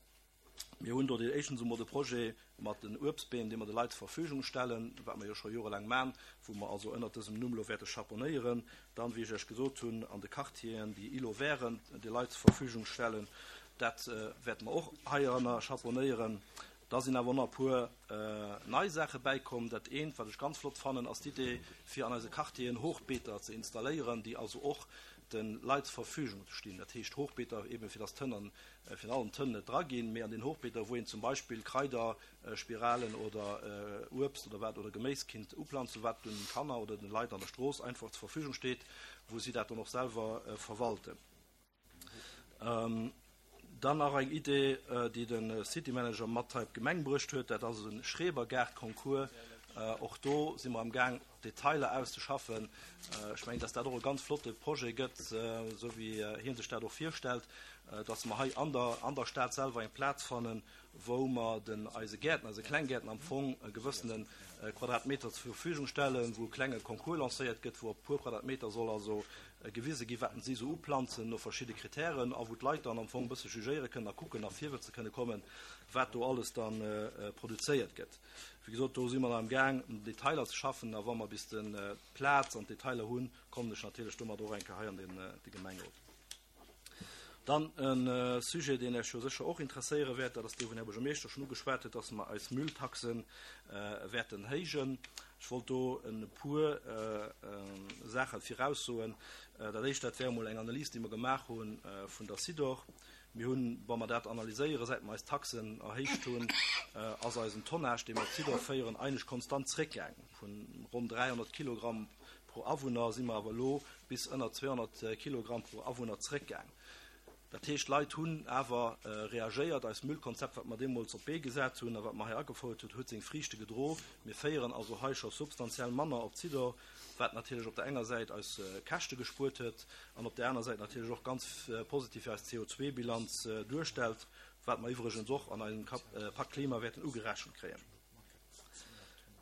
Mir hunn do den éischten emol de Projet mat den Uebstbeem, dee mer de Leit zur Verfügung stellen, wat mer jo scho jorelaang maachen, wou mer also ënnert dësem Numm lo wäerte chaponéieren. Dann, wéi ech iech gesot hunn, an de Quartieren, déi Îlots verten, de Leit zur Verfügung stellen, dat wäerte mer och heiranner chaponéieren. Da sinn awer nach e puer nei Saache bäikomm. Dat eent, wat ech ganz flott fannen, ass d'Idee, fir an eise Quartieren Hochbeeter ze installéieren, déi also och den Leit zur Verfügung ze stinn. Dat heescht Hochbeeter eben fir dass d'Tënn an, fir allen Tënn net dra ginn, mee an den Hochbeeter, wou een zum Beispill Kraider, Spiralen oder Uebst oder wat oder Geméis kinnt uplanzen, wat den Kanner oder den Leit an der Strooss einfach zur Verfügung steet, wou si dat dann och selwer verwalten. Dann nach eng Idee, déi den City Manager mat hei op d'Gemeng bruecht huet, dat ass en Schrebergaart-Concours. Och do si mer am Gaang, Detailer auszeschaffen. Ech mengen, dass dat och e ganz flotte Projet gëtt, esou wéi hien sech dat och virstellt, dass mer hei an der, an der Stad selwer eng Plaz fannen, wou mer den eise Gäerten, eise Klenggäerten am Fong e gewëssene Quadratmeter zur Verfügung stellen, wou e klenge Concours lancéiert gëtt, wou op puer Quadratmeter soll also gewise gi, wat si sou uplanzen no verschidde Kritären a wou d'Leit dann am Fong e bësse jugéiere kënnen a kucken a virwëtze kënne kommen, wat do alles dann produzéiert gëtt. Wéi gesot, do si mer am Gaang, um Detailer ze schaffen, a wa mer bis den Plaz an d'Detailer hunn, kommen ech natierlech domat och eng Kéier hei an den, de Gemengerot. Dann en Sujet, deen Iech jo sécher och interesséiere wäert, dat ass dee, wou den Här Buergermeeschter schonn ugeschwat huet, dass mer eis Mülltaxen wäerten héijen. Ech wollt do e puer Saache viraussoen. Dat éischt, dat wär emol eng Analys, déi mer gemaach hu vun der Sidor. Mir hunn, wa mer dat analyséieren, säit mer eis Taxen erhéicht hunn, ass eisen Tonnage, dee mer op Sidor féieren, eigentlech konstant zréckgaangen. Vun ronn dräihonnert Kilogramm pro Awunner si mer awer elo bis ënner zweehonnert Kilogramm pro Awunner zréckgaangen. Dat heescht, d'Leit hunn awer reagéiert. Eist Müllkonzept, wat mer deemools op d'Bee gesat hunn a wat mer hei agefouert hunn, huet seng Friichte gedro. Mir féieren also hei scho substantiell manner op Zidor, wat natierlech op der enger Säit eis Käschte gespuert huet an op där aner Säit natierlech och ganz positiv fir eis C O zwei Bilanz duerstellt, wat mer iwwregens och an eisem Pakt Klima wäerten ugerechent kréien.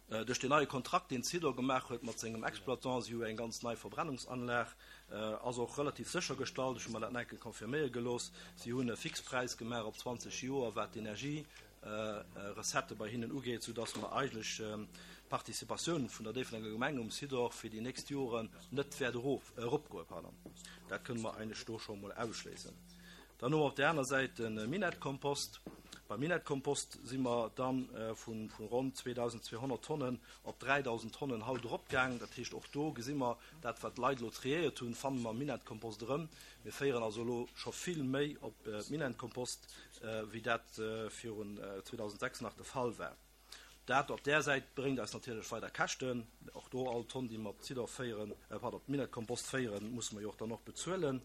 Duerch den neie Kontrakt, deen Zidor gemaach huet mat sengem Exploitant, si hu eng ganz nei Verbrennungsanlag, ass och relativ séchergestallt, ech hu mer dat nach eng Kéier confirméiere gelooss, si hunn e Fixpräis gemaach op zwanzeg Joer, wat d'Energie-Recettë bei hinnen ugeet, soudass mer eigentlech d'Participatioun vun der Déifferdenger Gemeng um Zidor fir déi nächst Joren net wäert eropgoen. Pardon. Dat kënne mer eigentlech do scho mol ausschléissen. Dann hu mer op där aner Säit de Minettkompost. Beim Minettkompost si mer dann vun, vun ronn zweedausendzweehonnert Tonnen op dräidausend Tonnen haut eropgaang. Dat heescht, och do gesi mer, dat, wat d'Leit elo triéiert hunn, fanne mer Minettkompost erëm. Mir féieren also elo scho vill méi op Minettkompost, wéi dat virun zweedausendsechs nach de Fall war. Dat op där Säit bréngt eis natierlech weider Käschten. Och do all Tonn, déi mer op Zidor féieren, pardon, op Minettkompost féieren, musse mer jo och dann och bezuelen.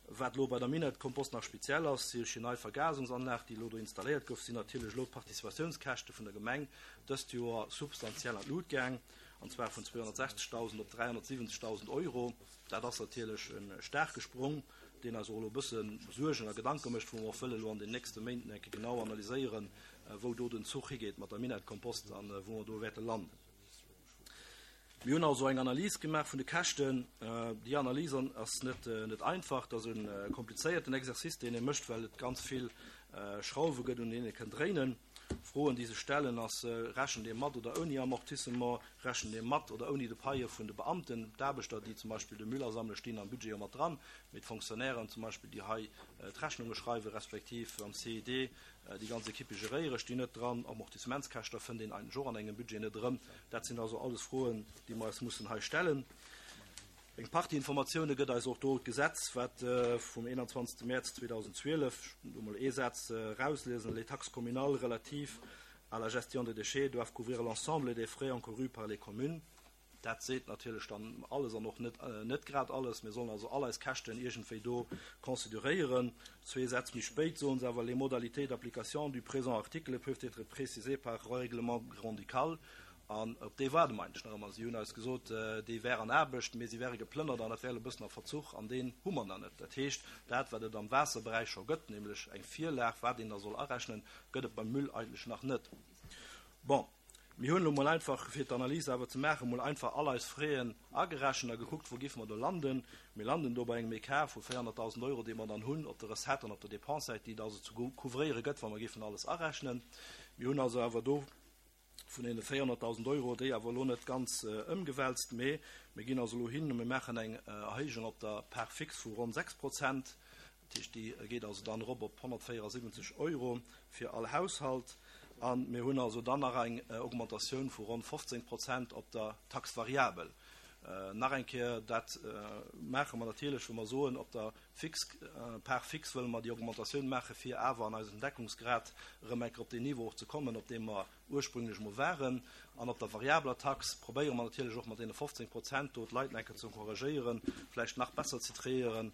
Wat elo bei der Minettkompost nach speziell ass, si duerch déi nei Vergasungsanlag, déi elo do installéiert gouf, sinn natierlech elo d'Participatiounskäschte vun der Gemeng dëst Joer substantiell an d'Lut gaang, an zwar vun zweehonnertsechzegtausend op dräihonnertsiwwenzegtausend Euro. Dat ass natierlech e staarke Sprong, deen eis och elo e bësse Suergen a Gedanke mécht, wou mer och wëlle elo an den nächste Méinten eng Kéier genau analyséieren, wou do den Zuch higeet mat der Minettkompost an wou mer do wäerte landen. Mir hunn also eng Analys gemaach vun de Käschten. Déi Analys ass net, net einfach, dat ass e komplizéierten Exercice, deen ee mécht, well et ganz vill Schrauwe gëtt, un deenen ee kënnt dréinen. Froen, déi sech stellen, ass, rechent ee mat oder ouni Amortissement, rechent ee mat oder ouni de Paie vun de Beamten, d'Aarbechter, déi zum Beispill de Müll asammele, stinn am Budget jo mat dran, mee d'Fonctionnairen zum Beispill, déi hei d'Rechnunge schreiwen, respektiv am C I D déi ganz Equipe geréiere, stinn net dran. Amortissementskäschter fënnt een eigentlech och an engem Budget net erëm. Dat sinn also alles Froen, déi mer eis mussen hei stellen. Eng Partie Informatioune gëtt eis och do d'Gesetz, wat vum einundzwanzigsten März zweedausendzwielef, do mol ee Satz rauslesen, les taxes communales relatives à la gestion des déchets doivent couvrir l'ensemble des frais encourus par les communes. Dat seet natierlech dann alles an och net, net grad alles. Mir sollen also all eis Käschten iergendwéi do consideréieren. Zwee Sätz méi spéit soen se awer, les modalités d'application du présent article peuvent être précisées par règlement grand-ducal. An op dee waarde mer eigentlech nach ëmmer. Si hunn eis gesot, déi wär an Aarbecht, mee si wäre geplënnert an dat wär e bëssen a Verzuch, an deen hu mer nach net. Dat heescht, dat, wat et am Waasserberäich scho gëtt, nämlech eng Virlag, wat een da soll arechnen, gëtt et beim Müll eigentlech nach net. Bon, mir hunn elo mol einfach, fir d'Analyse awer ze maachen, mol einfach all eis Fräen agerechent a gekuckt, wou géife mer do landen. Mir landen do bei engem Écart vu véierhonnerttausend Euro, dee mer dann hunn op der Recette an op der Dépense-Säit, déi et also zu couvréiere gëtt, wa mer géifen alles arechnen. Mir hunn also awer do vun deene véierhonnerttausend Euro, déi awer elo net ganz ëmgewälzt, mee mir ginn also elo hin und mir maachen eng Erhéijung op der Part fixe vu ronn sechs Prozent. Dat heescht, déi geet also dann erop op honnertvéierundsiwwenzeg Euro fir all Haushalt. An mir hunn also dann nach eng Augmentatioun vu ronn fofzéng Prozent op der Taxe variabel. Nach eng Kéier, dat maache mer natierlech, wou mer soen, op der Fix, Part fixe wëlle mer déi Augmentatioun maache, fir awer an eisem Deckungsgrad erëm eng Kéier op den Niveau och ze kommen, op deem mer ursprünglech mol waren. An op der variabler Tax probéiere mer natierlech och mat deene fofzéng Prozent do d'Leit eng Kéier ze encouragéieren, vläicht nach besser ze triéieren,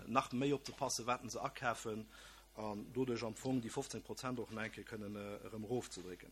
nach méi opzepassen, wat se akafen, an doduerch am Fong déi fofzéng Prozent och nach eng Kéier kënnen erëm erofzedrécken.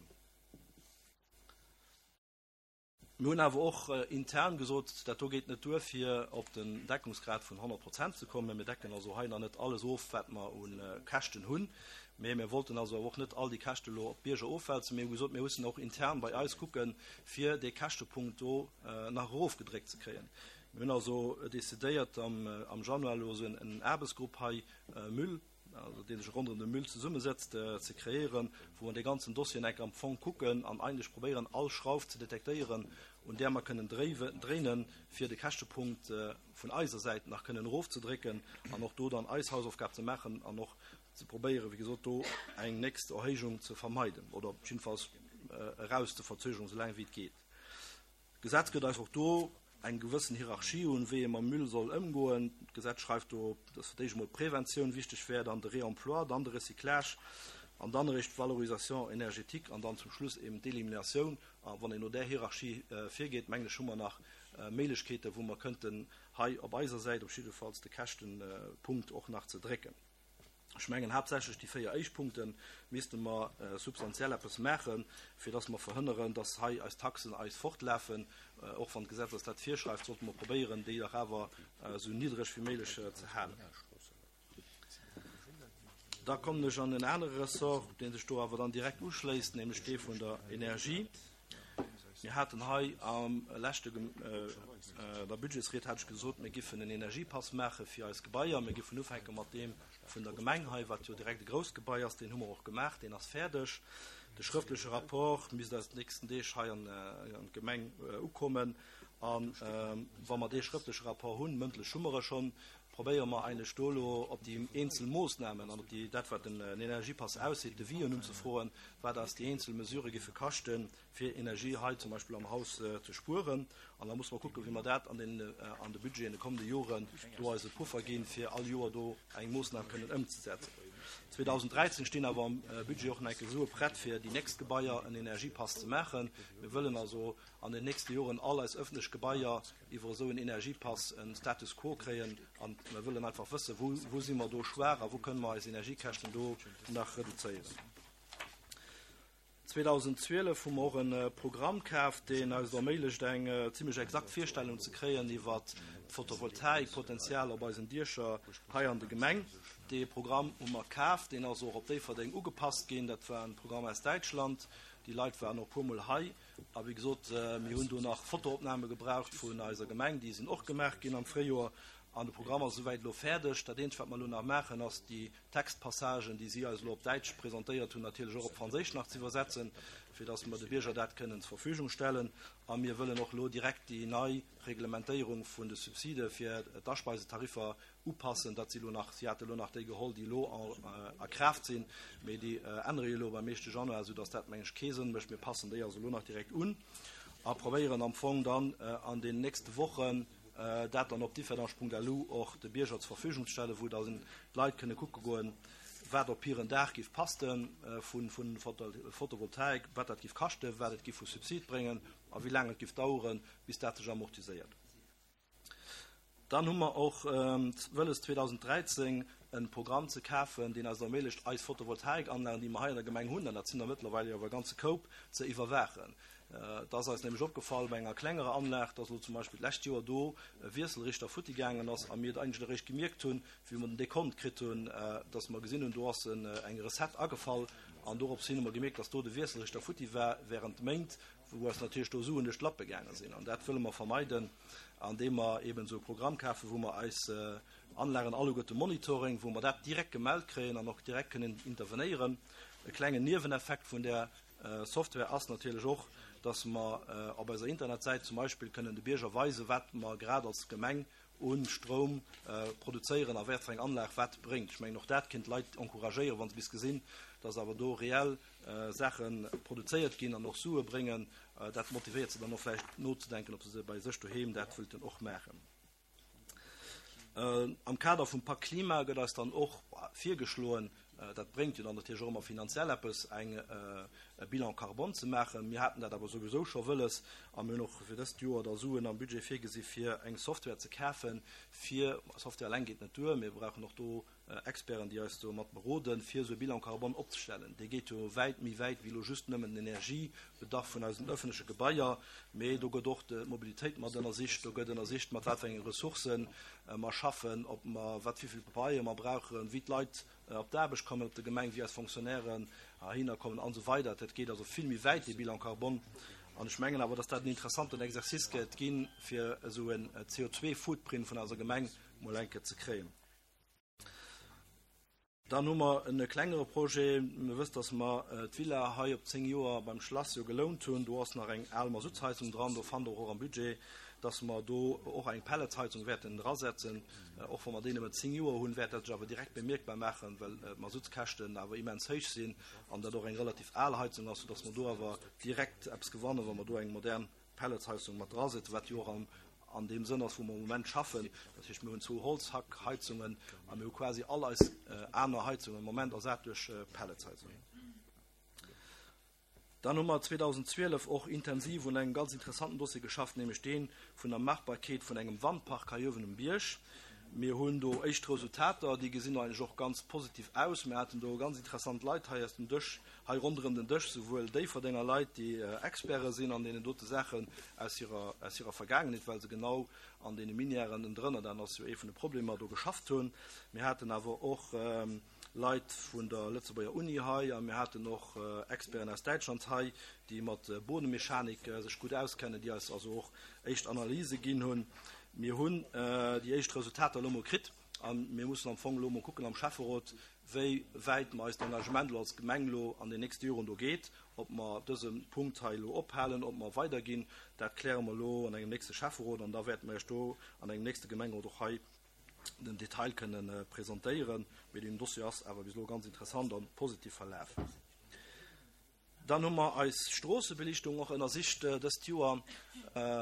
Mir hunn awer och intern gesot, dat do geet net duer, fir op den Deckungsgrad vun honnert Prozent ze kommen. Mir decken also hei nach net alles of, wat mer un Käschten hunn. Mee mir wollten also och net all déi Käschte lo op d'Bierger ofwälzen. Mir hu gesot, mir mussen och intern bei eis kucken, fir dee Käschtepunkt do nach erofgedréckt ze kréien. Mir hunn also decidéiert, am, am Januar lo so en Aarbechtsgrupp hei Müll, also deen sech rondrëm de Müll zesummesetzt, ze kreéieren, wou mer de ganzen Dossier enk am Fong kucken an eigentlech probéieren, all Schrauf ze detektéieren, un där mer kënnen dréinen, fir de Käschtepunkt vun eiser Säit nach kënnen erofzedrécken an och do dann eis Hausaufgab ze maachen an och ze probéieren, wéi gesot, do eng nächst Erhéijung ze vermeiden oder jedenfalls eraus ze verzögern, solange wéi et geet. D'Gesetz gëtt eis och do eng gewëssen Hierarchie un, wéi ee mam Müll soll ëmgoen. D'Gesetz schreift do, dass fir d'éischt emol Präventioun wichteg wär, dann de Réemploi, dann de Recyclage an dann eréischt d'Valorisation énergétique an dann zum Schluss eben d'Eliminatioun. A wann een no där Hierarchie virgeet, mengen ech, hu mer nach Méiglechkeeten, wou mer könnten hei op eiser Säit op jiddefalls de Käschtenpunkt och nach ze drécken. Ech mengen haaptsächlech déi véier éischt Punkte misste mer substantiell eppes maachen, fir dass mer verhënneren, dass hei eis Taxen eis fortlafen. Och wann d'Gesetz eis dat virschreift, sollte mer probéieren, déi dach awer esou niddreg wéi méiglech ze halen. Da kommen ech an en anere Ressort, dee sech do awer dann direkt uschléisst, nämlech dee vun der Energie. Mir haten hei am leschte der Budgetsried hat ech gesot, mir giffen en Energiepass maache fir eis Gebaier. Mir giffen ufänke mat deem vun der Gemeng hei, wat jo direkt e grousst Gebai ass. Deen hu mer och gemaach, deen ass fäerdeg. De schrëftleche Rapport misst eis d'nächsten Deeg hei an d'Gemeng ukommen. A wa mer dee schrëftleche Rapport hunn, mëndlech hu mer e schonn, probéiere mer eigentlech do elo op déi eenzel Moosnamen an op déi, dat wat den Energiepass ausseet, Devisen unzefroen, wat eis déi eenzel Mesurë giffe kaschten, fir Energie hei zum Beispill am Haus ze spueren. An da musse mer kucken, wéi mer dat an den, an de Budget an de kommende Joren do eis e Puffer ginn, fir all Joer do eng Moosnam kënnen ëmzesetzen. zweedausenddräizéng stinn awer am Budget och nach eng Kéier Sue prett, fir déi nächst Gebaier en Energiepass ze maachen. Mir wëllen also an den nächste Joren all eis öffentlech Gebaier iwwer esou en Energiepass en Status quo kréien an mir wëllen einfach wëssen, wou, wou si mer do schwaach a wou kënnen mer eis Energiekäschten do nach reduzéieren. zweedausendzwielef hu mer och e Programm kaf, deen eis et erméiglecht, eng zimlech exakt Virstellung ze kréien iwwert d'Photovoltaikpotenzial op eisen Diecher hei an de Gemeng. Dee Programm hu mer kaf, deen ass och op Déifferdeng ugepasst ginn. Dat war e Programm aus Däitschland. Déi Leit waren och e puermol hei. A wéi gesot, mir hunn do nach Fotoopname gebraucht vun eiser Gemeng. Déi sinn och gemaach ginn am Fréijoer. An de Programm ass esouwäit elo fäerdeg. Dat eenzegt, wat mer elo nach maachen, ass déi Textpassagen, déi si eis elo op Däitsch presentéiert hunn, natierlech och op Franséisch nach ze iwwersetzen, fir datt mer de Bierger dat kënnen zur Verfügung stellen. A mir wëllen och elo direkt déi nei Reglementéierung vun de Subside fir d'Aspeisetariffer upassen. Dat si elo nach, si hate elo nach déi geholl, déi elo a Kraaft sinn, mee déi ännere jo elo beim éischte Januar, soudatt dat, meng ech, kee Sënn mécht. Mir passen déi also elo nach direkt un a probéieren am Fong dann an den nächste Wochen, dat dann op differdange Punkt L U och de Bierger zur Verfügung ze stellen, wou dann d'Leit kënne kucke goen, wat op hiren Daach giff passte vu Photovoltaik, wat dat giff kaschten, wat et giff vu Subsid bréngen a wéi laang et giff daueren, bis dat sech amortiséiert. Dann hu mer och wëlles zweedausenddräizéng e Programm ze kafen, deen eis erméiglecht, eis Photovoltaikanlagen, déi mer hei an der Gemeng hunn, an dat sinn der mëttlerweil jo awer e ganze Koup, ze iwwerwaachen. Et ass eis nämlech opgefall bei enger klengerer Anlag, dass elo zum Beispill d'lescht Joer do e Wiesselrichter futti gaangen ass a mir et eigentlech eréischt gemierkt hunn, wéi mer den Dekont kritt hunn, dass mer gesinn hunn, do ass eng Recette agefall an dorops hin hu mer gemierkt, dass do de Wiesselrichter futti war während Méint, wou eis natierlech do Suen duerch d'Lappe gaange sinn. An dat wëlle mer vermeiden, andeem mer eben esou e Programm kafen, wou mer eis Anlagen alleguerte monitoring, wou mer dat direkt gemellt kréien an och direkt kënnen intervenéieren. E klengen Nieweneffekt vun där Software ass natierlech och, dass mer op eiser Internetsäit zum Beispill kënnen de Bierger weisen, wat mer grad als Gemeng u Stroum produzéieren a wat fir eng Anlag wat bréngt. Ech mengen, och dat kéint d'Leit encouragéieren, wa se bis gesinn, dass awer do reell Saache produzéiert ginn an och Sue bréngen. Dat motivéiert se dann och vläicht nozedenken, ob se bei sech doheem dat wëllten och maachen. Am Kader vum Pak Klima gëtt eis dann och virgeschloen, dat bréngt jo dann natierlech och ëmmer finanziell eppes, eng e Bilan carbone ze maachen. Mir haten dat awer souwisou scho wëlles a mir hunn och fir dëst Joer da Suen am Budget virgesi fir eng Software ze kafen, fir, Software eleng geet net duer, mir brauchen och do Experten, déi eis do mat beroden, fir esou e Bilan carbone opzestellen. Dee geet jo wäit méi wäit wéi elo just nëmmen den Energiebedarf vun eisen öffentleche Gebaier, mee do gëtt och d'Mobilitéit mat ënnersicht, do gëtt ënnersicht, mat wat fir enge Ressourcen mer schaffen, ob mer, wat, wéi vill Pabeier mer brauchen, wéi d'Leit op d'Aarbecht kommen op der Gemeng, wéi eis Fonctionnairen heihinner kommen an esou weider. Dat geet also vill méi wäit, dee Bilan carbone. An ech mengen awer, dass dat en interessanten Exercice gëtt ginn, fir esou en C O zwei Footprint vun eiser Gemeng mol eng Kéier ze kréien. Dann hu mer e klengere Projet. Mir wësst, dass mer d'Villa hei op zéng Joer beim Schlass jo gelount hunn. Do ass nach eng al Masutsheizung dran. Do fannt Der och am Budget, dass mer do och eng Pelletsheizung wäerten drasetzen. Och wa mer déi nëmmen zéng Joer hunn, wäert dat sech awer direkt bemierkbar maachen, well d'Masutskäschten awer immens héich sinn an dat och eng relativ al Heizung ass, soudass mer do awer direkt eppes gewannen, wa mer do eng modern Pelletsheizung mat drasetzen, wat jo och am an deem Sënn ass, wou mer am Moment schaffen. Dat heescht, mir hunn zwou Holzhackheizungen a mir hu quasi all eis aner Heizungen am Moment ersat duerch Pelletsheizungen. Dann hu mer zweedausendzwielef och intensiv un engem ganz interessanten Dossier geschafft, nämlech dee vun der Machbarkeet vun engem Wandpark hei uewen um Bierg. Mir hunn do éischt Resultater, déi gesinn eigentlech och ganz positiv aus. Mir haten do ganz interessant Leit hei aus dem Dësch, hei ronderëm den Dësch, souwuel Déifferdenger Leit, déi Experte sinn an deenen dote Saachen aus hirer, aus hirer Vergaangenheet, well se genau an deene Minièren ënnendrënner, dat ass jo ee vun de Problemer, do geschafft hunn. Mir haten awer och Leit vun der Lëtzebuerger Uni hei a mir haten och Experten aus Däitschland hei, déi mat Bodemechanik sech gutt auskennen, déi eis also och éischt Analyse ginn hunn. Mir hunn déi éischt Resultater elo mol kritt a mir mussen am Fong elo mol kucken am Schäfferot, wéi wäit mer eist Engagement elo als Gemeng elo an den nächste Joren do geet, ob mer dëse Punkt hei elo ophalen, ob mer weiderginn. Dat kläre mer elo an engem nächste Schäfferot an da wäerte mer Iech do an engem nächste Gemengerot och hei den Detail kënnen presentéieren. Mee den Dossier ass awer bis elo ganz interessant a positiv verlaf. Dann hu mer eis Stroossebelichtung och ënnersicht dëst Joer.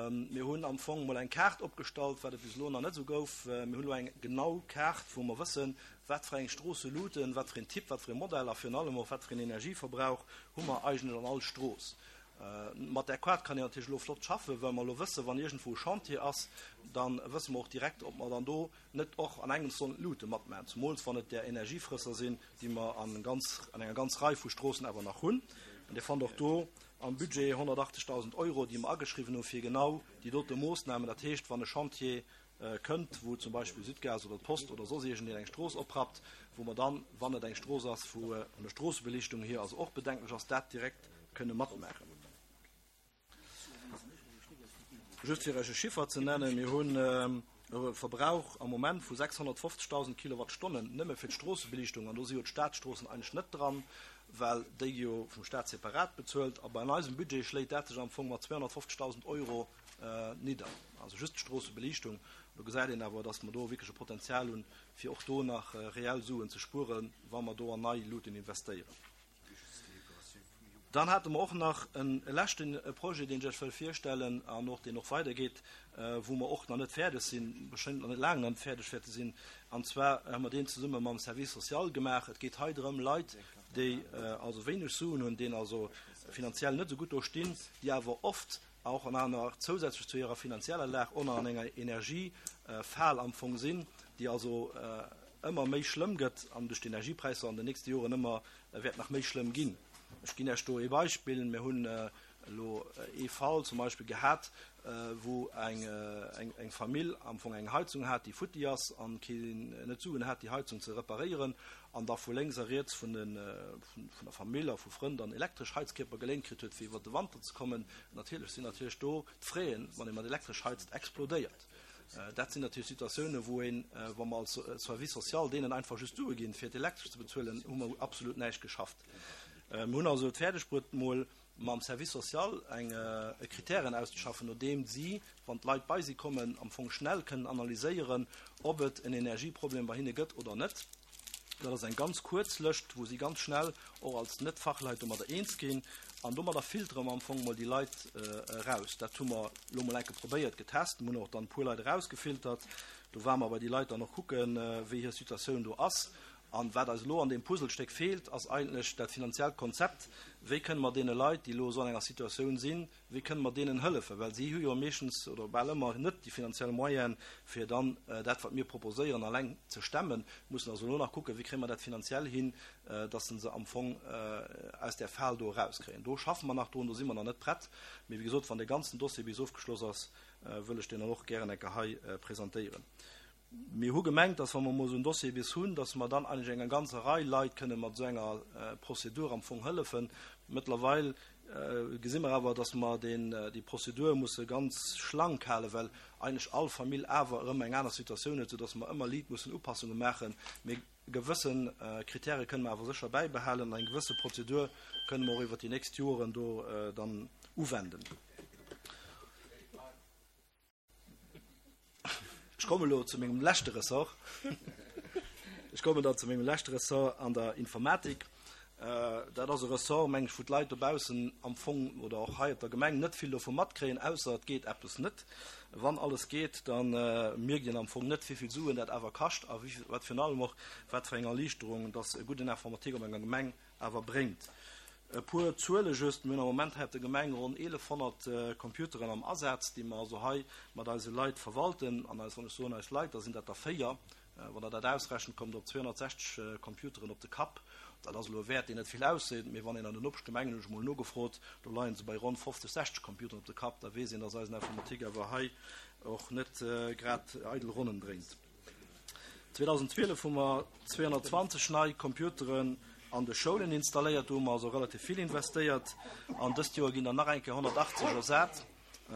Mir hunn am Fong mol eng Kaart opgestallt, wat et bis elo nach net esou gouf. Mir hunn elo eng genau Kaart, wou mer wëssen, wat fir eng Stroosseluten, wat fir een Typ, wat fir ee Modell a virun allem och wat fir een Energieverbrauch hu mer eigentlech an all Strooss. Mat där Kaart kann een natierlech elo flott schaffen, well mer elo wëssen, wann iergendwou e Chantier ass, da wësse mer och direkt, ob mer dann do net och an engems sollen d'Lute matmaachen, zumools wann et där Energiefrësser sinn, déi mer an ganz, an enger ganz Rei vu Stroossen awer nach hunn. An Dir fannt och do am Budget honnertachtzegdausend Euro, déi mer ageschriwwen hu fir genau déi dote Moossnamen. Dat heescht, wann e Chantier kënnt, wou zum Beispill Sudgaz oder d'Post oder soss iergendeen eng Strooss oprappt, wou mer dann, wann et eng Strooss ass, wou vun der Stroossebelichtung hier also och bedenklech ass, dat direkt kënne matmaachen. Just fir Iech e Chiffer ze nennen, Mir hunn e Verbrauch am Moment vu sechshonnertfofzegdausend Kilowattstonnen nëmme fir d'Stroossebelichtung, an do si jo d'Stadstroossen eigentlech net dran, well déi gi jo vum Staat separat bezuelt. A bei eisem Budget schléit dat sech am Fong mat zweehonnertfofzegdausend Euro nidder, also just d'Stroossebelichtung. Do gesäit een awer, dass mer do wierklech e Potenzial hunn, fir och do nach reell Suen ze spueren, wa mer do an nei Luuten investéieren. Dann hate mer och nach e leschte Projet, deen ech Iech wëll virstellen an och deen och weidergeet, wou mer och nach net fäerdeg sinn, bestëmmt nach net laang nach net fäerdeg wäerte sinn. An zwar hu mer deen zesumme mam Service social gemaach. Et geet hei drëm, Leit, déi also wéineg Suen hunn, déi also finanziell net esou gutt do stinn, déi awer oft och an aner zousätzlech zu hirer finanzieller Lag och nach an enger Energiefal am Fong sinn, déi also ëmmer méi schlëmm gëtt an duerch d'Energiepräisser an den nächste Joren ëmmer wäert nach méi schlëmm ginn. Ech ginn Iech do ee Beispill. Mir hunn elo ee Fall zum Beispill gehat, wou eng, eng Famill am Fong eng Heizung hat, déi futti ass an keen net d'Suen hat, déi Heizung ze reparéieren, an da vu lénks a riets vun de, vun der Famill a vu Frënn dann elektresch Heizkierper geléint kritt huet, fir iwwert de Wanter ze kommen. Natierlech sinn natierlech do d'Fraisen, wann ee mat elektresch heizt, explodéiert. Dat sinn natierlech Situatiounen, wou een, wa mer als Service social deenen einfach just Sue ginn, fir d'Elektresch ze bezuelen, hu mer absolut näischt geschafft. Mir hunn also et fäerdeg bruet, mol mam Service social eng Kritären auszeschaffen, no deem si, wann d'Leit bei si kommen, am Fong schnell kënnen analyséieren, ob et en Energieproblem bei hinne gëtt oder net. Dat ass eng ganz kuerz Lëscht, wou si ganz schnell och als Net-Fachleit domadder eens ginn. An domadder filtere mer am Fong mol déi Leit eraus. Dat hu mer elo mol enke probéiert, getest. Mir hunn och dann e puer Leit erausgefiltert. Do ware mer bei déi Leit dann och kucken, wéi hir Situatioun do ass. An wat eis elo an deem Puzzlestéck feelt, ass eigentlech dat finanziellt Konzept. Wéi kënne mer deene Leit, déi elo esou an enger Situatioun sinn, wéi kënne mer deenen hëllefen? Well si hu jo meeschtens oder bal ëmmer net déi finanziell Moyene, fir dann dat, wat mir proposéieren, alleng ze stemmen. Mussen also elo nach kucken, wéi kréie mer dat finanziell hin, dass se am Fong aus där Fal do erauskréien. Do schaffe mer nach drun, do si mer nach net prett. Mee wéi gesot, wann dee ganzen Dossier bis ofgeschloss ass, wëll ech deen dann och gären eng Kéier hei presentéieren. Mir hu gemengt, dass wa mer emol esou en Dossier bis hunn, dass mer dann eigentlech enger ganzer Rei Leit kënne mat esou enger Prozedur am Fong hëllefen. Mëttlerweil gesi mer awer, dass mer deen, déi Prozedur musse ganz schlank halen, well eigentlech all Famill awer erëm eng aner Situatioun huet, soudass mer ëmmer liit mussen Upassunge maachen. Mee gewësse Kritäre kënne mer awer sécher bäibehalen an eng gewësse Prozedur kënne mer och iwwert déi nächst Joren do dann uwenden. Ech kommen elo zu mengem leschte Ressort. Ech kommen dann zu mengem leschte Ressort an der Informatik. Dat ass e Ressort, meng ech, wou d'Leit dobaussen am Fong oder och hei op der Gemeng net vill dovu matkréien, ausser et geet eppes net. Wann alles geet, da mierkt een am Fong net, wéi vill Suen dat awer kascht a wéi, wat virun allem och, wat fir eng Erliichterung dass e gudden Informatik op enger Gemeng awer bréngt. E puer Zuele just, Mir hunn am Moment hei op der Gemeng ronn eelefhonnert Computeren am Asaz, déi mer also hei mat eise Leit verwalten. An eis, wann ech soen eis Leit, da sinn dat der véier. Wann Der dat ausrechent, kommt Der op zweehonnertsechzeg Computeren op de Kapp. Dat ass elo e Wäert, deen net vill ausseet, mee wann een an den Nopeschgemengen, hunn ech emol nogefrot, do leie se bei ronn fofzeg, sechzeg Computeren op de Kapp, da weess een, dass eisen Informatique awer hei och net grad eidel Ronnen dréint. zweedausendzwielef hu mer zweehonnertzwanzeg nei Computeren an de Schoulen installéiert, do hu mer also relativ vill investéiert. An dëst Joer ginn der nach eng Kéier honnertachtzeg ersat,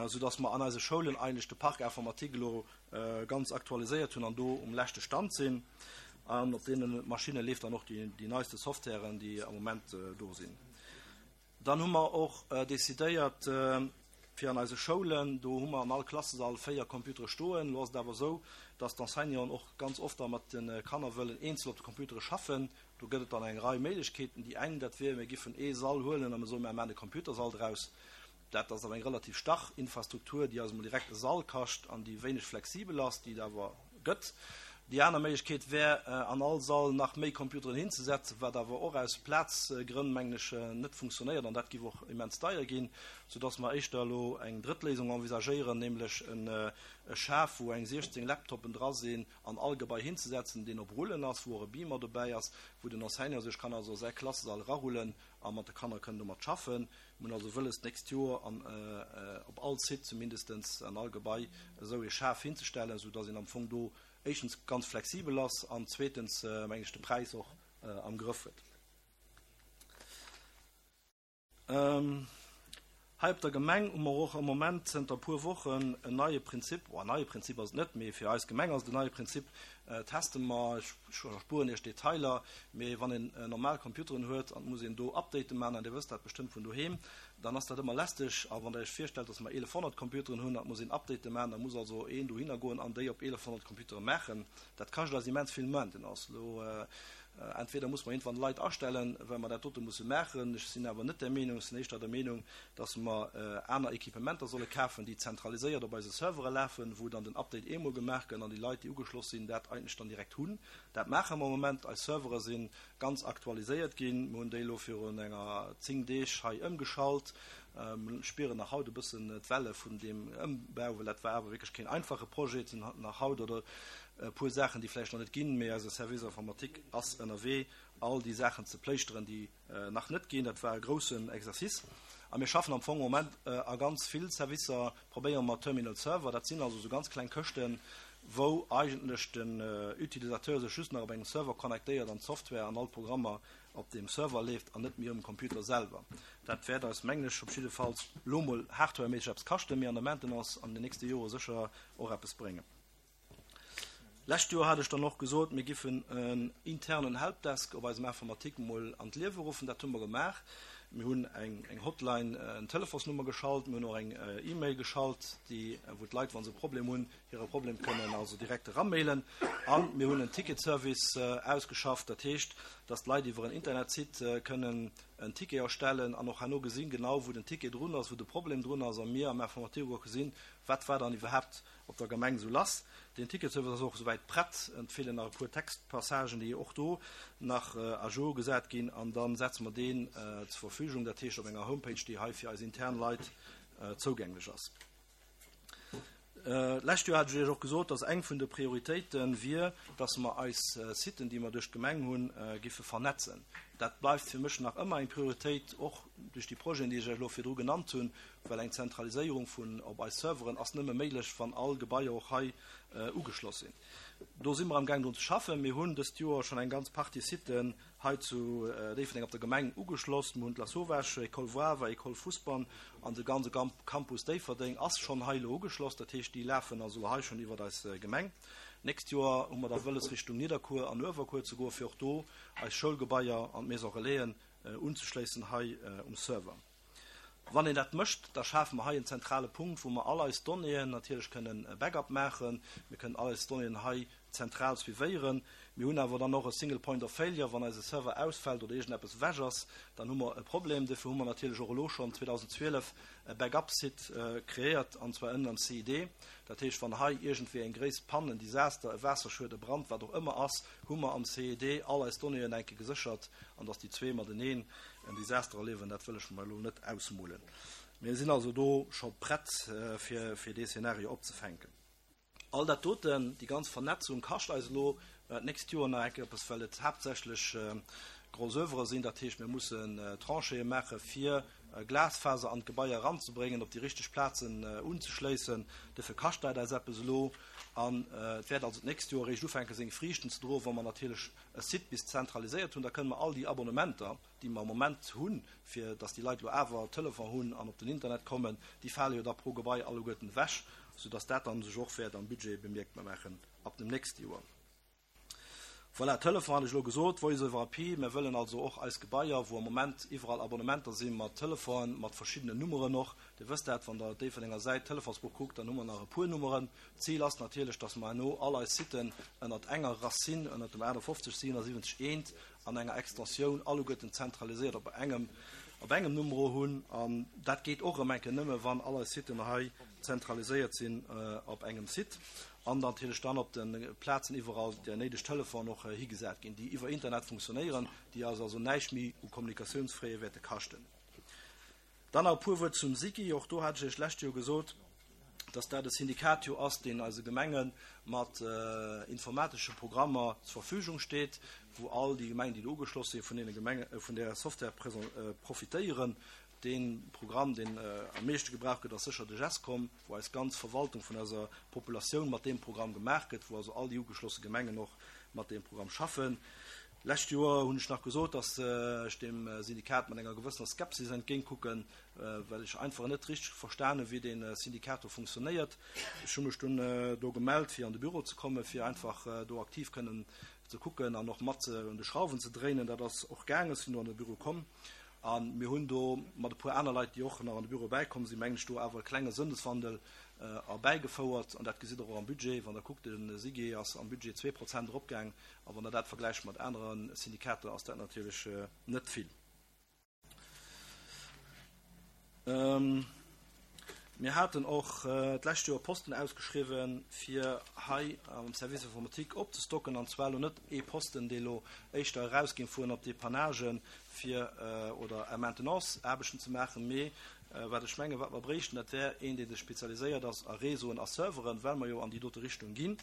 soudass mer an eise Schoulen eigentlech de Parc informatique elo ganz aktualiséiert hunn an do um leschte Stand sinn. An op deene Maschinne leeft dann och déi neiste Softwaren, déi am Moment do sinn. Dann hu mer och decidéiert, fir an eise Schoulen, do hu mer an all Klassesall véier Computere stoen. Elo ass et awer esou, dass d'Enseignanten och ganz oft da mat de Kanner wëllen eenzel op de Computere schaffen. Do gëtt et dann eng Rei Méiglechkeeten. Déi eng, dat wier, mir giffen ee Sall huelen a mir soen, mir maachen e Computersall draus. Dat ass awer eng relativ starr Infrastruktur, déi eis emol direkt e Sall kascht an déi wéineg flexibel ass, déi et awer gëtt. Déi aner Méiglechkeet wär, an all Sall nach méi Computeren hinzesetzen, wat awer och aus Plazgrënn, mengen ech, net funktionéiert an dat géif och immens deier ginn, soudass mer éischter elo eng drëtt Léisung envisagéieren, nämlech e Schaf, wou eng siechzéng Laptoppen dra sinn, an all Gebai hinzesetzen, deen op Rullen ass, wou och e Beamer dobäi ass, wou den Enseignant sech kann also a säi Klassesall erarullen a mat de Kanner kënn domat schaffen. Mir hunn also wëlles, d'nächst Joer an op all Site zumindestens an all Gebai esou ee Schaf hinzestellen, soudass een am Fong do éischtens ganz flexibel ass an zweetens, mengen ech, de Präis och am Grëff huet. Hei op der Gemeng hu mer och am Moment zënter e puer Wochen en neie Prinzip, oh, en neie Prinzip ass et net, mee fir eis Gemeng ass et en neie Prinzip, teste mer, ech erspueren Iech d'Detailer, mee wann een normal Computeren huet an et muss een do Updaten maachen, an Dir wësst dat bestëmmt vun doheem, dann ass dat ëmmer lästeg. A wann Der Iech virstellt, dass mer eelefhonnert Computeren hunn an et muss een Updaten maachen, da muss also een dohinner goen an déi op eelefhonnert Computere maachen. Dat kascht eis immens vill Maintenance. Elo Entweder muss mer iergendwann Leit astellen, well mer dat dote musse maachen. Ech sinn awer net där Meenung. Ech sinn éischter der Meenung, dass mer aner Equipementer solle kafen, déi zentraliséiert op eise Servere lafen, wou dann den Update eemol gemaach gëtt an déi Leit, déi ugeschloss sinn, dat eigentlech dann direkt hunn. Dat maache mer am Moment. Eis Servere si ganz aktualiséiert ginn. Mir hunn déi elo virun enger zéng Deeg hei ëmgeschalt. Mir spieren nach haut e bëssen d'Welle vun deem Ëmbau, well dat war awer wierklech keen einfache Projet. Et sinn nach haut oder e puer Saachen, déi vläicht nach net ginn, mee eise Service informatique ass ënnerwee, all déi Saachen ze pléischteren, déi nach net ginn. Dat war e groussen Exercice. A mir schaffen am Fong am Moment a ganz vill Servicer, probéiere mer Terminal Server. Dat sinn also esou ganz kleng Këschten, wou eigentlech den Utilisateur sech just nach op engem Server connectéiert an d'Software an all d'Programmer op deem Server leeft an net méi um Computer selwer. Dat wäert eis, mengen ech, op jiddefalls lo mol hardwareméisseg eppes kaschten, mee an der Maintenance an den nächste Jore sécher och eppes bréngen. Lescht Joer hat ech dann och gesot, mir giffen en internen Helpdesk op eisem Informatique mol an d'Liewe ruffen. Dat hu mer gemaach. Mir hunn eng eng Hotline, en Telefonsnummer geschalt, mir hunn och eng E-Mail geschalt, déi, wou d'Leit, wa se e Problem hunn, hire Problem kënnen also direkt eramailen. A mir hunn en Ticketservice ausgeschafft, dat heescht, dass d'Leit iwwer en Internetsite kënnen en Ticket erstellen an och herno gesinn, genau wou den Ticket drun ass, wou de Problem drun ass, a mir am Informatique och gesinn, wat war dann iwwerhaapt op der Gemeng esou lass. Den Ticketservice ass och esouwäit prett, et feelen nach e puer Textpassagen, déi och do nach à jour gesat ginn, an da setze mer deen zur Verfügung, dat heescht op enger Homepage, déi hei fir eis intern Leit zougänglech ass. D'lescht Joer hat ech Iech och gesot, dass eng vun de Prioritéite wier, dass mer eis Siten, déi mer duerch d'Gemeng hunn, giffe vernetzen. Dat bleift fir mech nach ëmmer eng Prioritéit, och duerch déi Projeten, déi ech Iech elo virdru genannt hunn, well eng Zentraliséierung vun op eis Serveren ass nëmme méiglech, wann all Gebaier och hei ugeschloss sinn. Do si mer amgaang drun ze schaffen. Mir hunn dëst Joer schonn eng ganz Partie Siten hei zu Déifferdeng op der Gemeng ugeschloss. Mir hunn d'Lasauvage, École Woawer, École Fousbann an de ganze Campus Déifferdeng ass schonn hei elo ugeschloss. Dat heescht, déi lafen also elo hei schonn iwwert eis Gemeng. D'nächst Joer hu mer da wëlles, Richtung Nidderkuer an Uewerkuer ze goen, fir och do eis Schoulgebaier an d'Maison Relaisen unzeschléissen hei um Server. Wann een dat mécht, da schafe mer hei en zentrale Punkt, wou mer all eis Donnéeën natierlech kënnen Backup maachen. Mir kënnen all eis Donnéeën hei zentral suivéieren. Mir hunn awer dann och e Single Point of Failure, wann eise Server ausfält oder iergendeppes ewech ass, dann hu mer e Problem. Dofir hu mer natierlech och elo schonn zweedausendzwielef e Backup-Site kreéiert, an zwar ënnen am C I D. Dat heescht, wann hei iergendwéi eng gréisst Panne, en Desaster, e Waasserschued, e Brand, wat och ëmmer ass, hu mer am C I D all eis Donnéeën enke geséchert. An dass déi zwee mateneen en Desaster erliewen, dat wëll ech mer elo net ausmolen. Mir sinn also do scho prett, fir fir dee Szenario opzefänken. All dat doten, déi ganz Vernetzung kascht eis elo d'nächst Joer nach enke eppes, well et haaptsächlech gros Oeuvre sinn. Dat heescht, mir mussen Tranchéeë maache fir Glasfaser an d'Gebaier eranzebréngen, op déi richteg Plazen unzeschléissen. Dofir kascht dat eis eppes elo. An et wäert also d'nächst Joer eréischt ufänke seng Friichten ze droen, wa mer natierlech e Site bis zentraliséiert hunn. Da kënne mer all déi Abonnementer, déi mer am Moment hunn, fir datt déi Leit elo awer Telefon hunn an op den Internet kommen, déi fale jo da pro Gebai alleguerten ewech, soudatt dat dann sech och wäert am Budget bemierkbar maachen ab dem nächste Joer. Voilà, Telefon hat ech elo gesot, Voice over I P. Mir wëllen also och eis Gebaier, wou am Moment iwwerall Abonnementer si mat Telefonen, mat verschiddenen Nummeren och. Dir wësst dat, wann Der Déifferdenger Säit Telefonsbuch kuckt, dann hu mer nach e puer Nummeren. D'Zil ass natierlech, dass mer herno all eis Siten ënnert enger Racine, ënnert dem achtundfofzeg siwenundsiwwenzeg eent an enger Extensioun alleguerten zentraliséiert op engem, op engem Numero hunn. An dat geet och erëm eng Kéier nëmme, wann all eis Siten hei zentraliséiert sinn op engem Site. An natierlech dann op de Plazen iwwerall déi néideg Telefonen och higesat ginn, déi iwwer Internet funktionéieren, déi eis also näischt méi u Kommunikatiounsfraie wäerte kaschten. Dann nach e puer Wuert zum SIGI. Och do hat ech Iech d'lescht Joer gesot, dass dat e Syndikat jo ass, deen eise Gemenge mat informatesche Programmer zur Verfügung steet, wou all déi Gemengen, déi do ugeschloss sinn, vun deene Gemenge vun där Software profitéieren. Dee Programm, deen am meeschte gebraucht gëtt, ass sécher de Gescom, wou eis ganz Verwaltung vun eiser Populatioun mat deem Programm gemaach gëtt, wou also all déi ugeschlosse Gemengen och mat deem Programm schaffen. Lescht Joer hunn ech nach gesot, dass ech deem Syndikat mat enger gewëssener Skepsis entgéintkucken, well ech einfach net richteg verstan hunn, wéi dee Syndikat do funktionéiert. Ech hu mech dunn do gemellt, fir an de Büro ze kommen, fir einfach do aktiv kënnen ze kucken an och mat un de Schrauwen ze dréinen. Dat ass och gaangen, ech sinn do an de Büro komm. A mir hunn do mat e puer aner Leit, déi och nach an de Büro bäikomm sinn, mengen ech, do awer e klenge Sënneswandel erbäigefouert. An dat gesitt Der och am Budget. Wann Der kuckt, de SIGI ass am Budget zwee Prozent eropgaang. A wann Der dat vergläicht mat anere Syndikater, ass dat natierlech net vill. Mir haten och d'lescht Joer Posten ausgeschriwwen, fir hei am Service informatique opzestocken, an zwar elo net ee Posten, dee elo éischter erausging fueren op Depannagen fir oder Maintenance-Aarbechten ze maachen, mee wat ech mengen, wat mer bréichten, dat wär een, dee sech spezialiséiert ass a Réseauen a Serveren, well mer jo an déi dote Richtung ginn.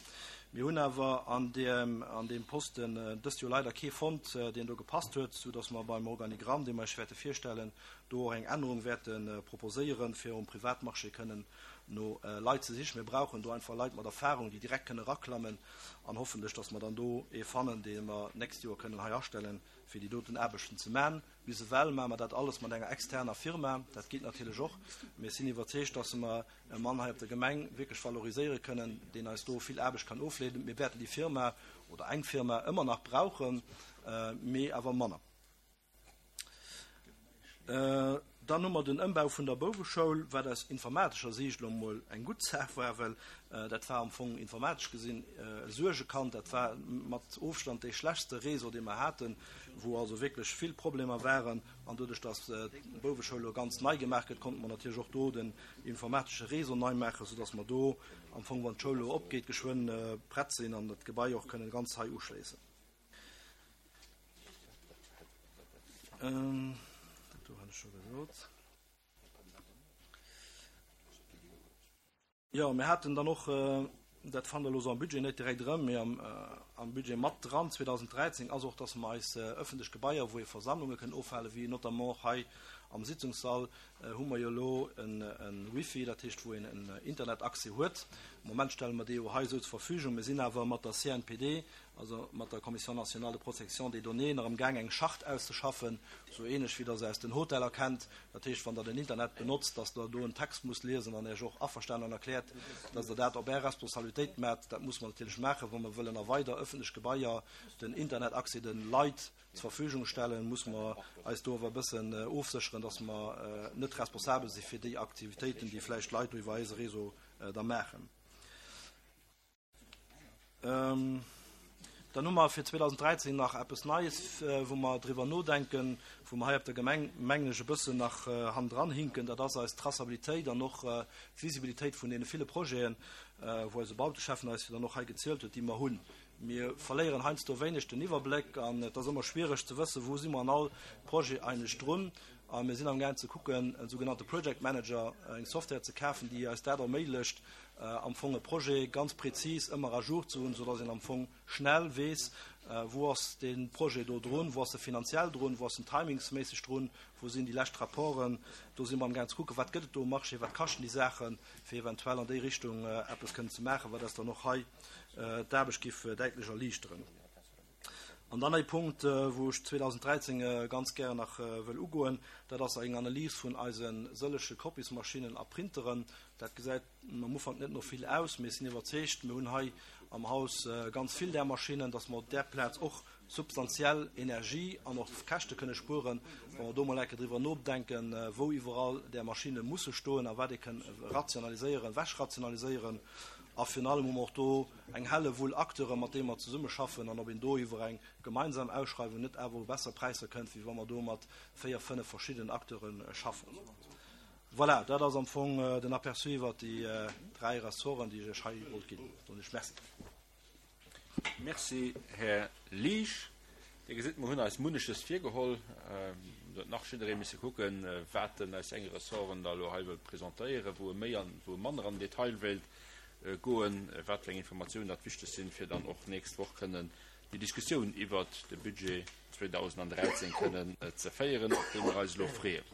Mir hunn awer an deem, an deem Posten dëst Joer leider kee fonnt, deen do gepasst huet, soudass mer beim Organigramm, dee mer Iech wäerte virstellen, do och eng Ännerung wäerte proposéieren, fir um Privatmarché kënnen no Leit ze sichen. Mir brauchen do einfach Leit mat Erfahrung, déi direkt kënnen eraklammen, an hoffentlech, dass mer dann do ee fannen, dee mer d'nächst Joer kënnen hei astellen, fir déi doten Aarbechten ze man. Bis ewell maache mer dat alles mat enger externer Firma. Dat geet natierlech och. Mee ech sinn iwwerzeegt, dass mer e Mann hei op der Gemeng wierklech valoriséiere kënnen, deen eis do vill Aarbecht kann ofleeden. Mir wäerten déi Firma oder eng Firma ëmmer nach brauchen, mee awer manner. Dann hu mer den Ëmbau vun der Bouweschoul, wat aus informatescher Siicht elo emol eng gutt Saach war, well dat war am Fong informatesch gesinn e Suergekand. Dat war mat Ofstand dee schlechtste Réseau, dee mer haten, wou also wierklech vill Problemer waren. An doduerch, datt d'Bouweschoul elo ganz nei gemaach gëtt, konnte mer natierlech och do den informatesche Réseau nei maachen, soudatt mer do am Fong, wann d'Schoul elo opgeet, geschwënn prett sinn an dat Gebai och kënnen ganz hei uschléissen. Dat do hat ech scho gesot. Jo, mir haten dann och, dat fannt Der elo sou am Budget net direkt erëm, mee am, am Budget mat dran zweedausenddräizéng ass och, dass mer eis ëffentlech Gebaier, wou ee Versammlunge kënnen ofhalen, wéi notamment och hei am Sitzungssall, hu mer jo elo e Wifi, dat heescht, wou een en Internetaccès huet. Am Moment stelle mer dee jo hei esou zur Verfügung. Mir sinn awer mat der C N P D, also mat der Commission nationale de protection des données, nach amgaang eng Charte auszeschaffen, esou ähnlech wéi Der se aus den Hoteller kennt. Dat heescht, wann Der den Internet benotzt, dass Der do en Text musst liesen an Iech och averstanen erkläert, dass Der dat op Är Responsabilitéit maacht. Dat muss mer natierlech maachen, wa mer wëllen a weider öffentlech Gebaier den Internetaccès de Leit zur Verfügung stellen, muss mer eis do awer e bëssen ofsécheren, dass mer net responsabel si fir déi Aktivitéiten, déi vläicht Leit do iwwer eise Réseau da maachen. Dann hu mer fir zweedausenddräizéng nach eppes Neies, wou mer driwwer nodenken, wou mer hei op der Gemeng, mengen ech, e bëssen nach hannendran hinken. Dat ass eis Traçabilitéit an och d'Visibilitéit vun deene ville Projeten, wou eise Bauteschäffen eis jo dann och hei gezielt huet, déi mer hunn. Mir verléieren heiansdo wéineg den Iwwerbléck an et ass ëmmer schwiereg ze wëssen, wou si mer an all Projet eigentlech drun. A mir sinn amgaang ze kucken, en sougenannte Project Manager, eng Software ze kafen, déi eis dat erméiglecht, am Fong e Projet ganz prezis ëmmer à jour ze hunn, soudass een am Fong schnell weess, wou ass dee Projet do drun, wou ass e finanziell drun, wou ass en timingsméisseg drun, wou sinn déi lescht Rapporten. Do si mer amgaang ze kucken, wat gëtt et do um Marché, wat kaschten déi Saachen, fir eventuell an déi Richtung eppes kënnen ze maachen, wat eis dann och hei d'Aarbecht géif däitlech erliichteren. An dann e Punkt, wou ech zweedausenddräizéng ganz gären nach wëll ugoen, dat ass eng Analys vun eise sëllege Kopiesmaschinen a Printeren. Dat gesäit am Ufank net no vill aus, mee ech sinn iwwerzeegt, mir hunn hei am Haus ganz vill där Maschinnen, dass mer op där Plaz och substantiell Energie an och Käschte kënne spueren, wa mer do mol eng Kéier driwwer nodenken, wou iwwerall där Maschinne musse stoen a wat ee kënn rationaliséieren, wechrationaliséieren. A virun allem hu mer och do eng Hellewull Acteuren, mat deene mer zesummeschaffen, an ob een do iwwer eng gemeinsam Ausschreiwung net awer u besser Präisser kënnt, wéi wa mer do mat véier, fënnef verschiddenen Acteure schaffen. Voilà, dat ass am Fong den Aperçu iwwert déi dräi Ressorten, déi ech Iech hei wollt ginn. Soen ech Merci. Merci, Här Liesch. Dir gesitt, mer hunn eis munneches virgeholl. Do huet nach jidderee misse kucken, wat en aus senge Ressorten da elo hei wëllt presentéieren, wou e méi an wou e manner an den Detail wéilt goen, wat fir eng Informatiounen dat wichteg sinn, fir dann och d'nächst Woch kënnen déi Diskussioun iwwert de Budget zweedausenddräizéng kënnen ze féieren, op déi mer eis elo freeën.